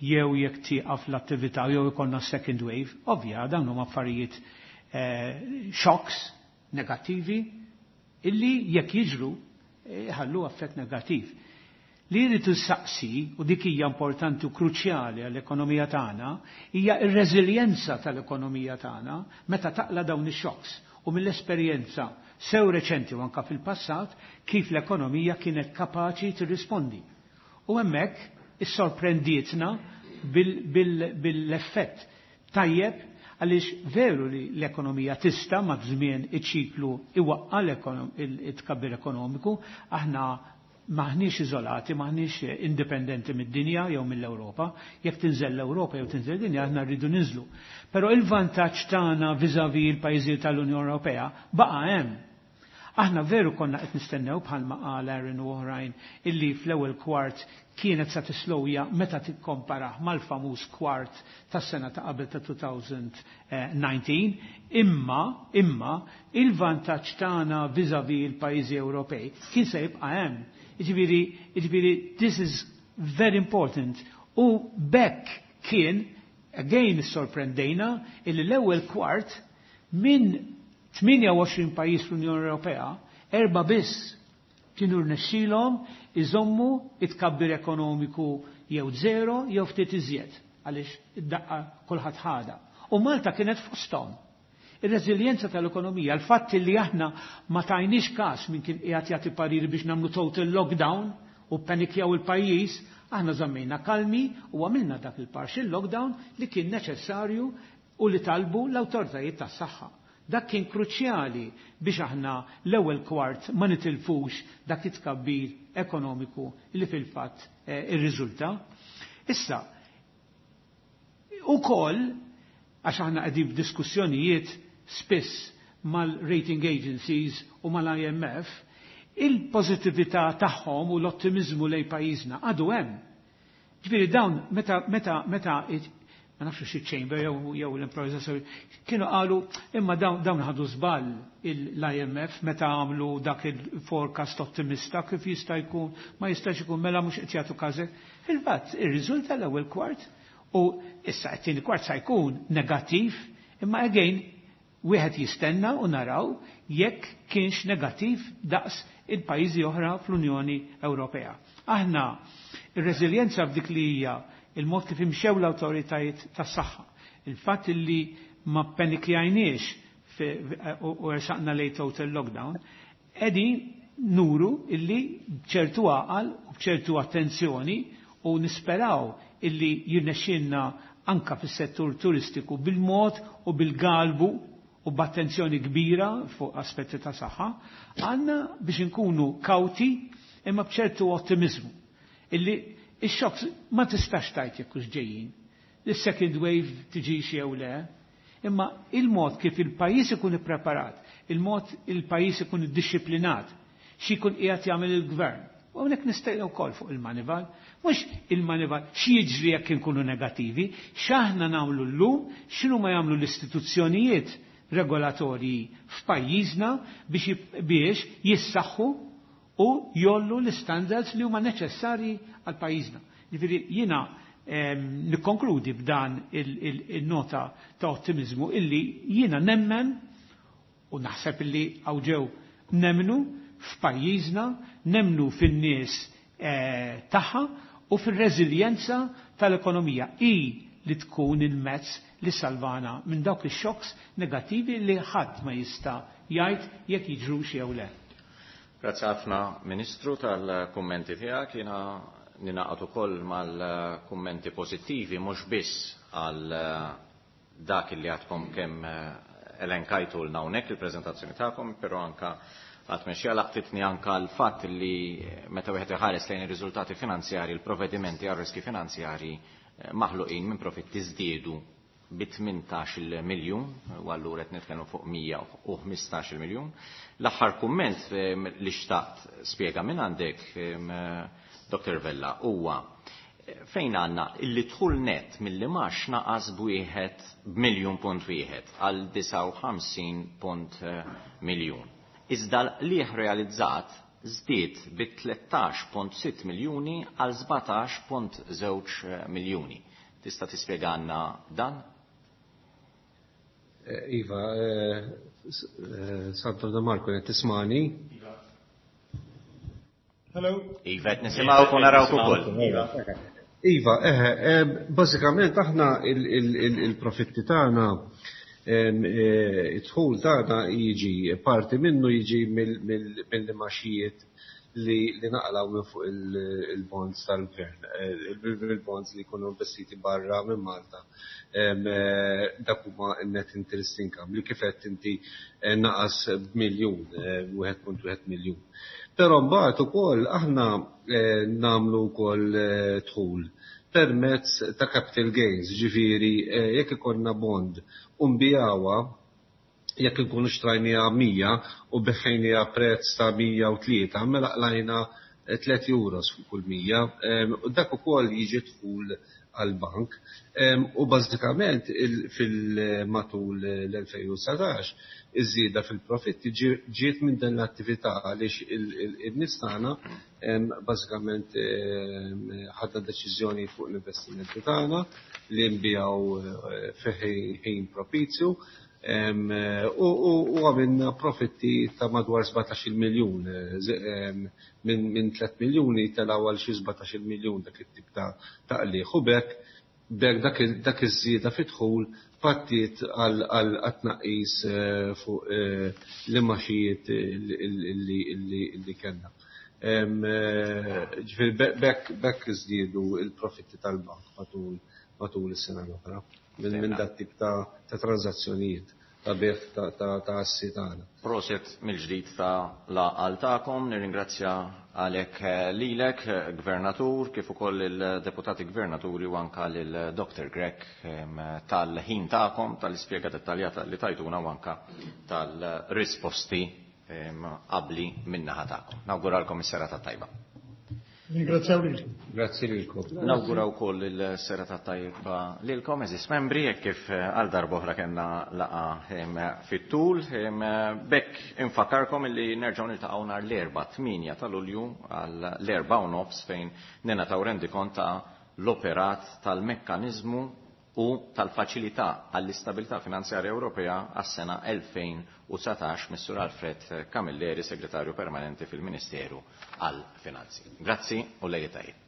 jew jekk tieqaf l-attività jew ikollna second wave. Ovvja, dawn huma affarijiet eh, shocks negattivi illi jekk jiġru eh, ħallu effett negattiv. Li jrid saqsi, u dik hija importanti u kruċjali għall-ekonomija tagħna, hija r-reżiljenza tal-ekonomija tagħna meta taqla dawn ix-shocks u mill-esperjenza sew reċenti u anka fil-passat kif l-ekonomija kienet kapaċi tirrispondi. U hemmhekk issorprendietna bil-effett tajjeb, għaliex veru li l-ekonomija tista' ma' żmien iċ-ċiklu iwaqqa l-tkabbir ekonomiku, aħna maħniex iżolati, maħniex indipendenti mid-dinja jew mill-Ewropa. Jekk tinżel l-Ewropa jew tinżel dinja, aħna rridu ninżlu. Però il-vantaġġ tagħna vis-à-vis il-pajjiżi tal-Unjoni Ewropea baqa' hemm. Aħna veru konna qed nistennew, bħalma qal Aaron u oħrajn, illi fl-ewwel kwart kienet sa tislowja meta tikkomparah mal-famuż kwart tas-sena ta' qabel ta' elfejn u dsatax, imma imma il-vantaġġ tagħna vis-à-vis il-pajjiżi Ewropej kien se jibqa' hemm. Jiġifieri, jiġifieri this is very important. U bekk kien, again sorprendejna, illi l-ewwel kwart minn tmienja u għoxrin pajjiż fl-Unjoni Ewropea, erba' biss kienu rnexxilhom iżommu it-tkabbir ekonomiku jew zero jew ftit iżjed, għaliex id-daqqa kulħadd ħada. U Malta kienet fosthom. Ir-reżiljenza tal-ekonomija, l-fatt li aħna ma tajniex każ minn kien qiegħed jagħti pariri biex nagħmlu total lockdown u panikjaw il-pajjiż, aħna żammejna kalmi u għamilna dak il-partial lockdown li kien neċessarju u li talbu l-awtoritajiet tas-saħħa. Dak kien kruċjali biex aħna l-ewwel kwart ma nitilfux dak it-tkabbir ekonomiku li fil-fatt eh, irriżulta. Issa, ukoll għax aħna qegħdin f'diskussjonijiet spiss mal-rating agencies u mal-I M F, il-pożittività tagħhom u l-ottimizmu lejn pajjiżna għadu hemm. Ġifieri dawn meta meta meta ma nafx xi chamber jew jew l-improvvisazzjoni kienu qalu, imma dawn dawn ħadu żball l-I M F meta għamlu dak il-forecast ottimista, kif jista' jkun, ma jistax ikun, mela mhux qed jagħtu każek. Fil-fatt irriżulta l-ewwel kwart u issa t-tieni kwart sa jkun negattiv, imma again wieħed jistenna u naraw jekk kienx negattiv daqs il-pajjiżi oħra fl-Unjoni Ewropea. Aħna ir-reżiljenza f'dik li hija il-mod kif imxew l-awtoritajiet tas-saħħa, il-fatt li ma panikjajniex u ersaqna lejn total lockdown, qegħdin nuru illi bċertu għaqal u bċertu attenzjoni u nisperaw illi jirnexxinna anka fis-settur turistiku bil-mod u bil-galbu u b'attenzjoni kbira fuq aspetti ta' saħħa, għandna biex inkunu kawti imma bċertu ottimizmu. Illi ix-shocks ma tistax tgħid jekk ġejjin. Is-second wave tiġix jew le, imma il-mod kif il-pajjiż ikun ippreparat, il-mod il-pajjiż ikun iddixxiplinat, xi jkun qiegħed jagħmel il-gvern. U hawnhekk nistejnu wkoll fuq il-Moneyval, mhux il-Moneyval x'jiġri jekk inkunu negattivi, x'aħna nagħmlu llum, x'inhu ma jagħmlu l-istituzzjonijiet regolatorji f'pajjiżna biex biex jissaħħu u jgħollu l-standards li huma neċessarji għal pajjiżna. Ġifieri jiena nikkonkludi b'dan il-nota ta' ottimizmu illi jiena nemmen u naħseb illi hawn ġew nemmnu f'pajjiżna, nemmnu fin-nies eh, tagħha u fir-reżiljenza tal-ekonomija. I li tkun il-mezz li salvana minn dawk ix-shocks negattivi li ħadd ma jista' jgħid jekk jiġrux jew le.
Grazzi ħafna, Ministru, tal-kummenti tiegħek. Jiena ningħaqad ukoll mal-kummenti pożittivi, mhux biss għal dak li għadkom kemm elenkajtu lna hawnhekk il-preżentazzjoni tagħkom, però anka għat-tmexxija laqtitni anka l-fatt li meta wieħed iħares lejn ir-riżultati finanzjari, il-provvedimenti għal riski finanzjari maħluqin minn profitti żdiedu bi tmintax-il miljun, u allura qed nitkellmu fuq mija u ħmistax-il miljun. L-aħħar kumment li xtaqt spjega minn għandek, Doktor Vella, huwa fejn għandna illi dħul net mill-imgħax naqas b'wieħed b'miljun punt wieħed għal disgħa u ħamsin punt miljun. Iżda l-qligħ realizzat żdied bi tlettax punt sitta miljuni għal sbatax punt żewġ miljuni. Tista' tispjegana dan?
Iva, Sandro De Marco, tismagħni?
Hello.
Iva, qed nisimgħu u narawk ukoll.
Iva, eħe, bażikament aħna il-profitti tagħna, id-dħul tagħna jiġi parti minnu jiġi mill-imgħaxijiet li naqilgħu minn fuq il-bonds tal-gvern, il-bonds li jkunu investiti barra minn Malta. Dak huma net interest income li kif qed inti naqas b'miljun, wieħed punt wieħed miljun. Però mbagħad ukoll aħna nagħmlu wkoll dħul permezz ta' capital gains, ġifieri jekk ikollna bond u nbigħuha, jekk nkunu xtrajniha mija u bigħnieha prezz ta' mija u tlieta, mela qlajna tliet euros fuq kull mija, u dak ukoll jiġi dħul għall-bank. U bażikament fil-matul l-elfejn u dsatax iż-żieda fil-profitti ġiet minn din l-attività għaliex in-nies tagħna bażikament ħadna deċiżjoni fuq l-investimenti tagħna li nbigħu fi ħin propizju u għamilna profitti ta' madwar sbatax-il miljun, minn tliet miljuni telgħu għal xi sbatax-il miljun dak it-tip ta' qligħ. U b'hekk b'hekk dak iż-żieda fid-dħul pattiet għal tnaqqis fuq l-imgħaxijiet li kellna. Ġifieri b'hekk żdiedu l-profitti tal-bank matul is-sena l-oħra minn dat tip ta' tranżazzjonijiet ta' bejgħ ta' assi tagħna.
Prosit mill-ġdid ta' l-għaqal tagħkom, nirringrazzja għalek lilek, Gvernatur, kif ukoll il-deputati gvernaturi u anka lil Doktor Grech tal-ħin tagħkom, tal-ispjega dettaljata li tajtuna u anka tal-risposti qabli min-naħa tagħkom. Nawguralkom is-serata tajba.
Ringrazzjaw lilkom.
Grazzi lilkom.
Nawgura wkoll il-serata tajba lilkom, għeżież membri, hekk kif għal darb'oħra kellna laqgħa fit-tul. B'hekk infakkarkom illi nerġgħu niltaqgħu nhar l-Erbgħa tmienja ta' Lulju għal l-erbgħa u nofs fejn ningħataw rendikont ta' l-operat tal-mekkaniżmu u tal-faċilità għall-istabilità finanzjarja Ewropea għas-sena elfejn u dsatax mis-Sur Alfred Camilleri, Segretarju Permanenti fil-Ministeru għall-Finanzi. Grazzi u lejl tajjeb.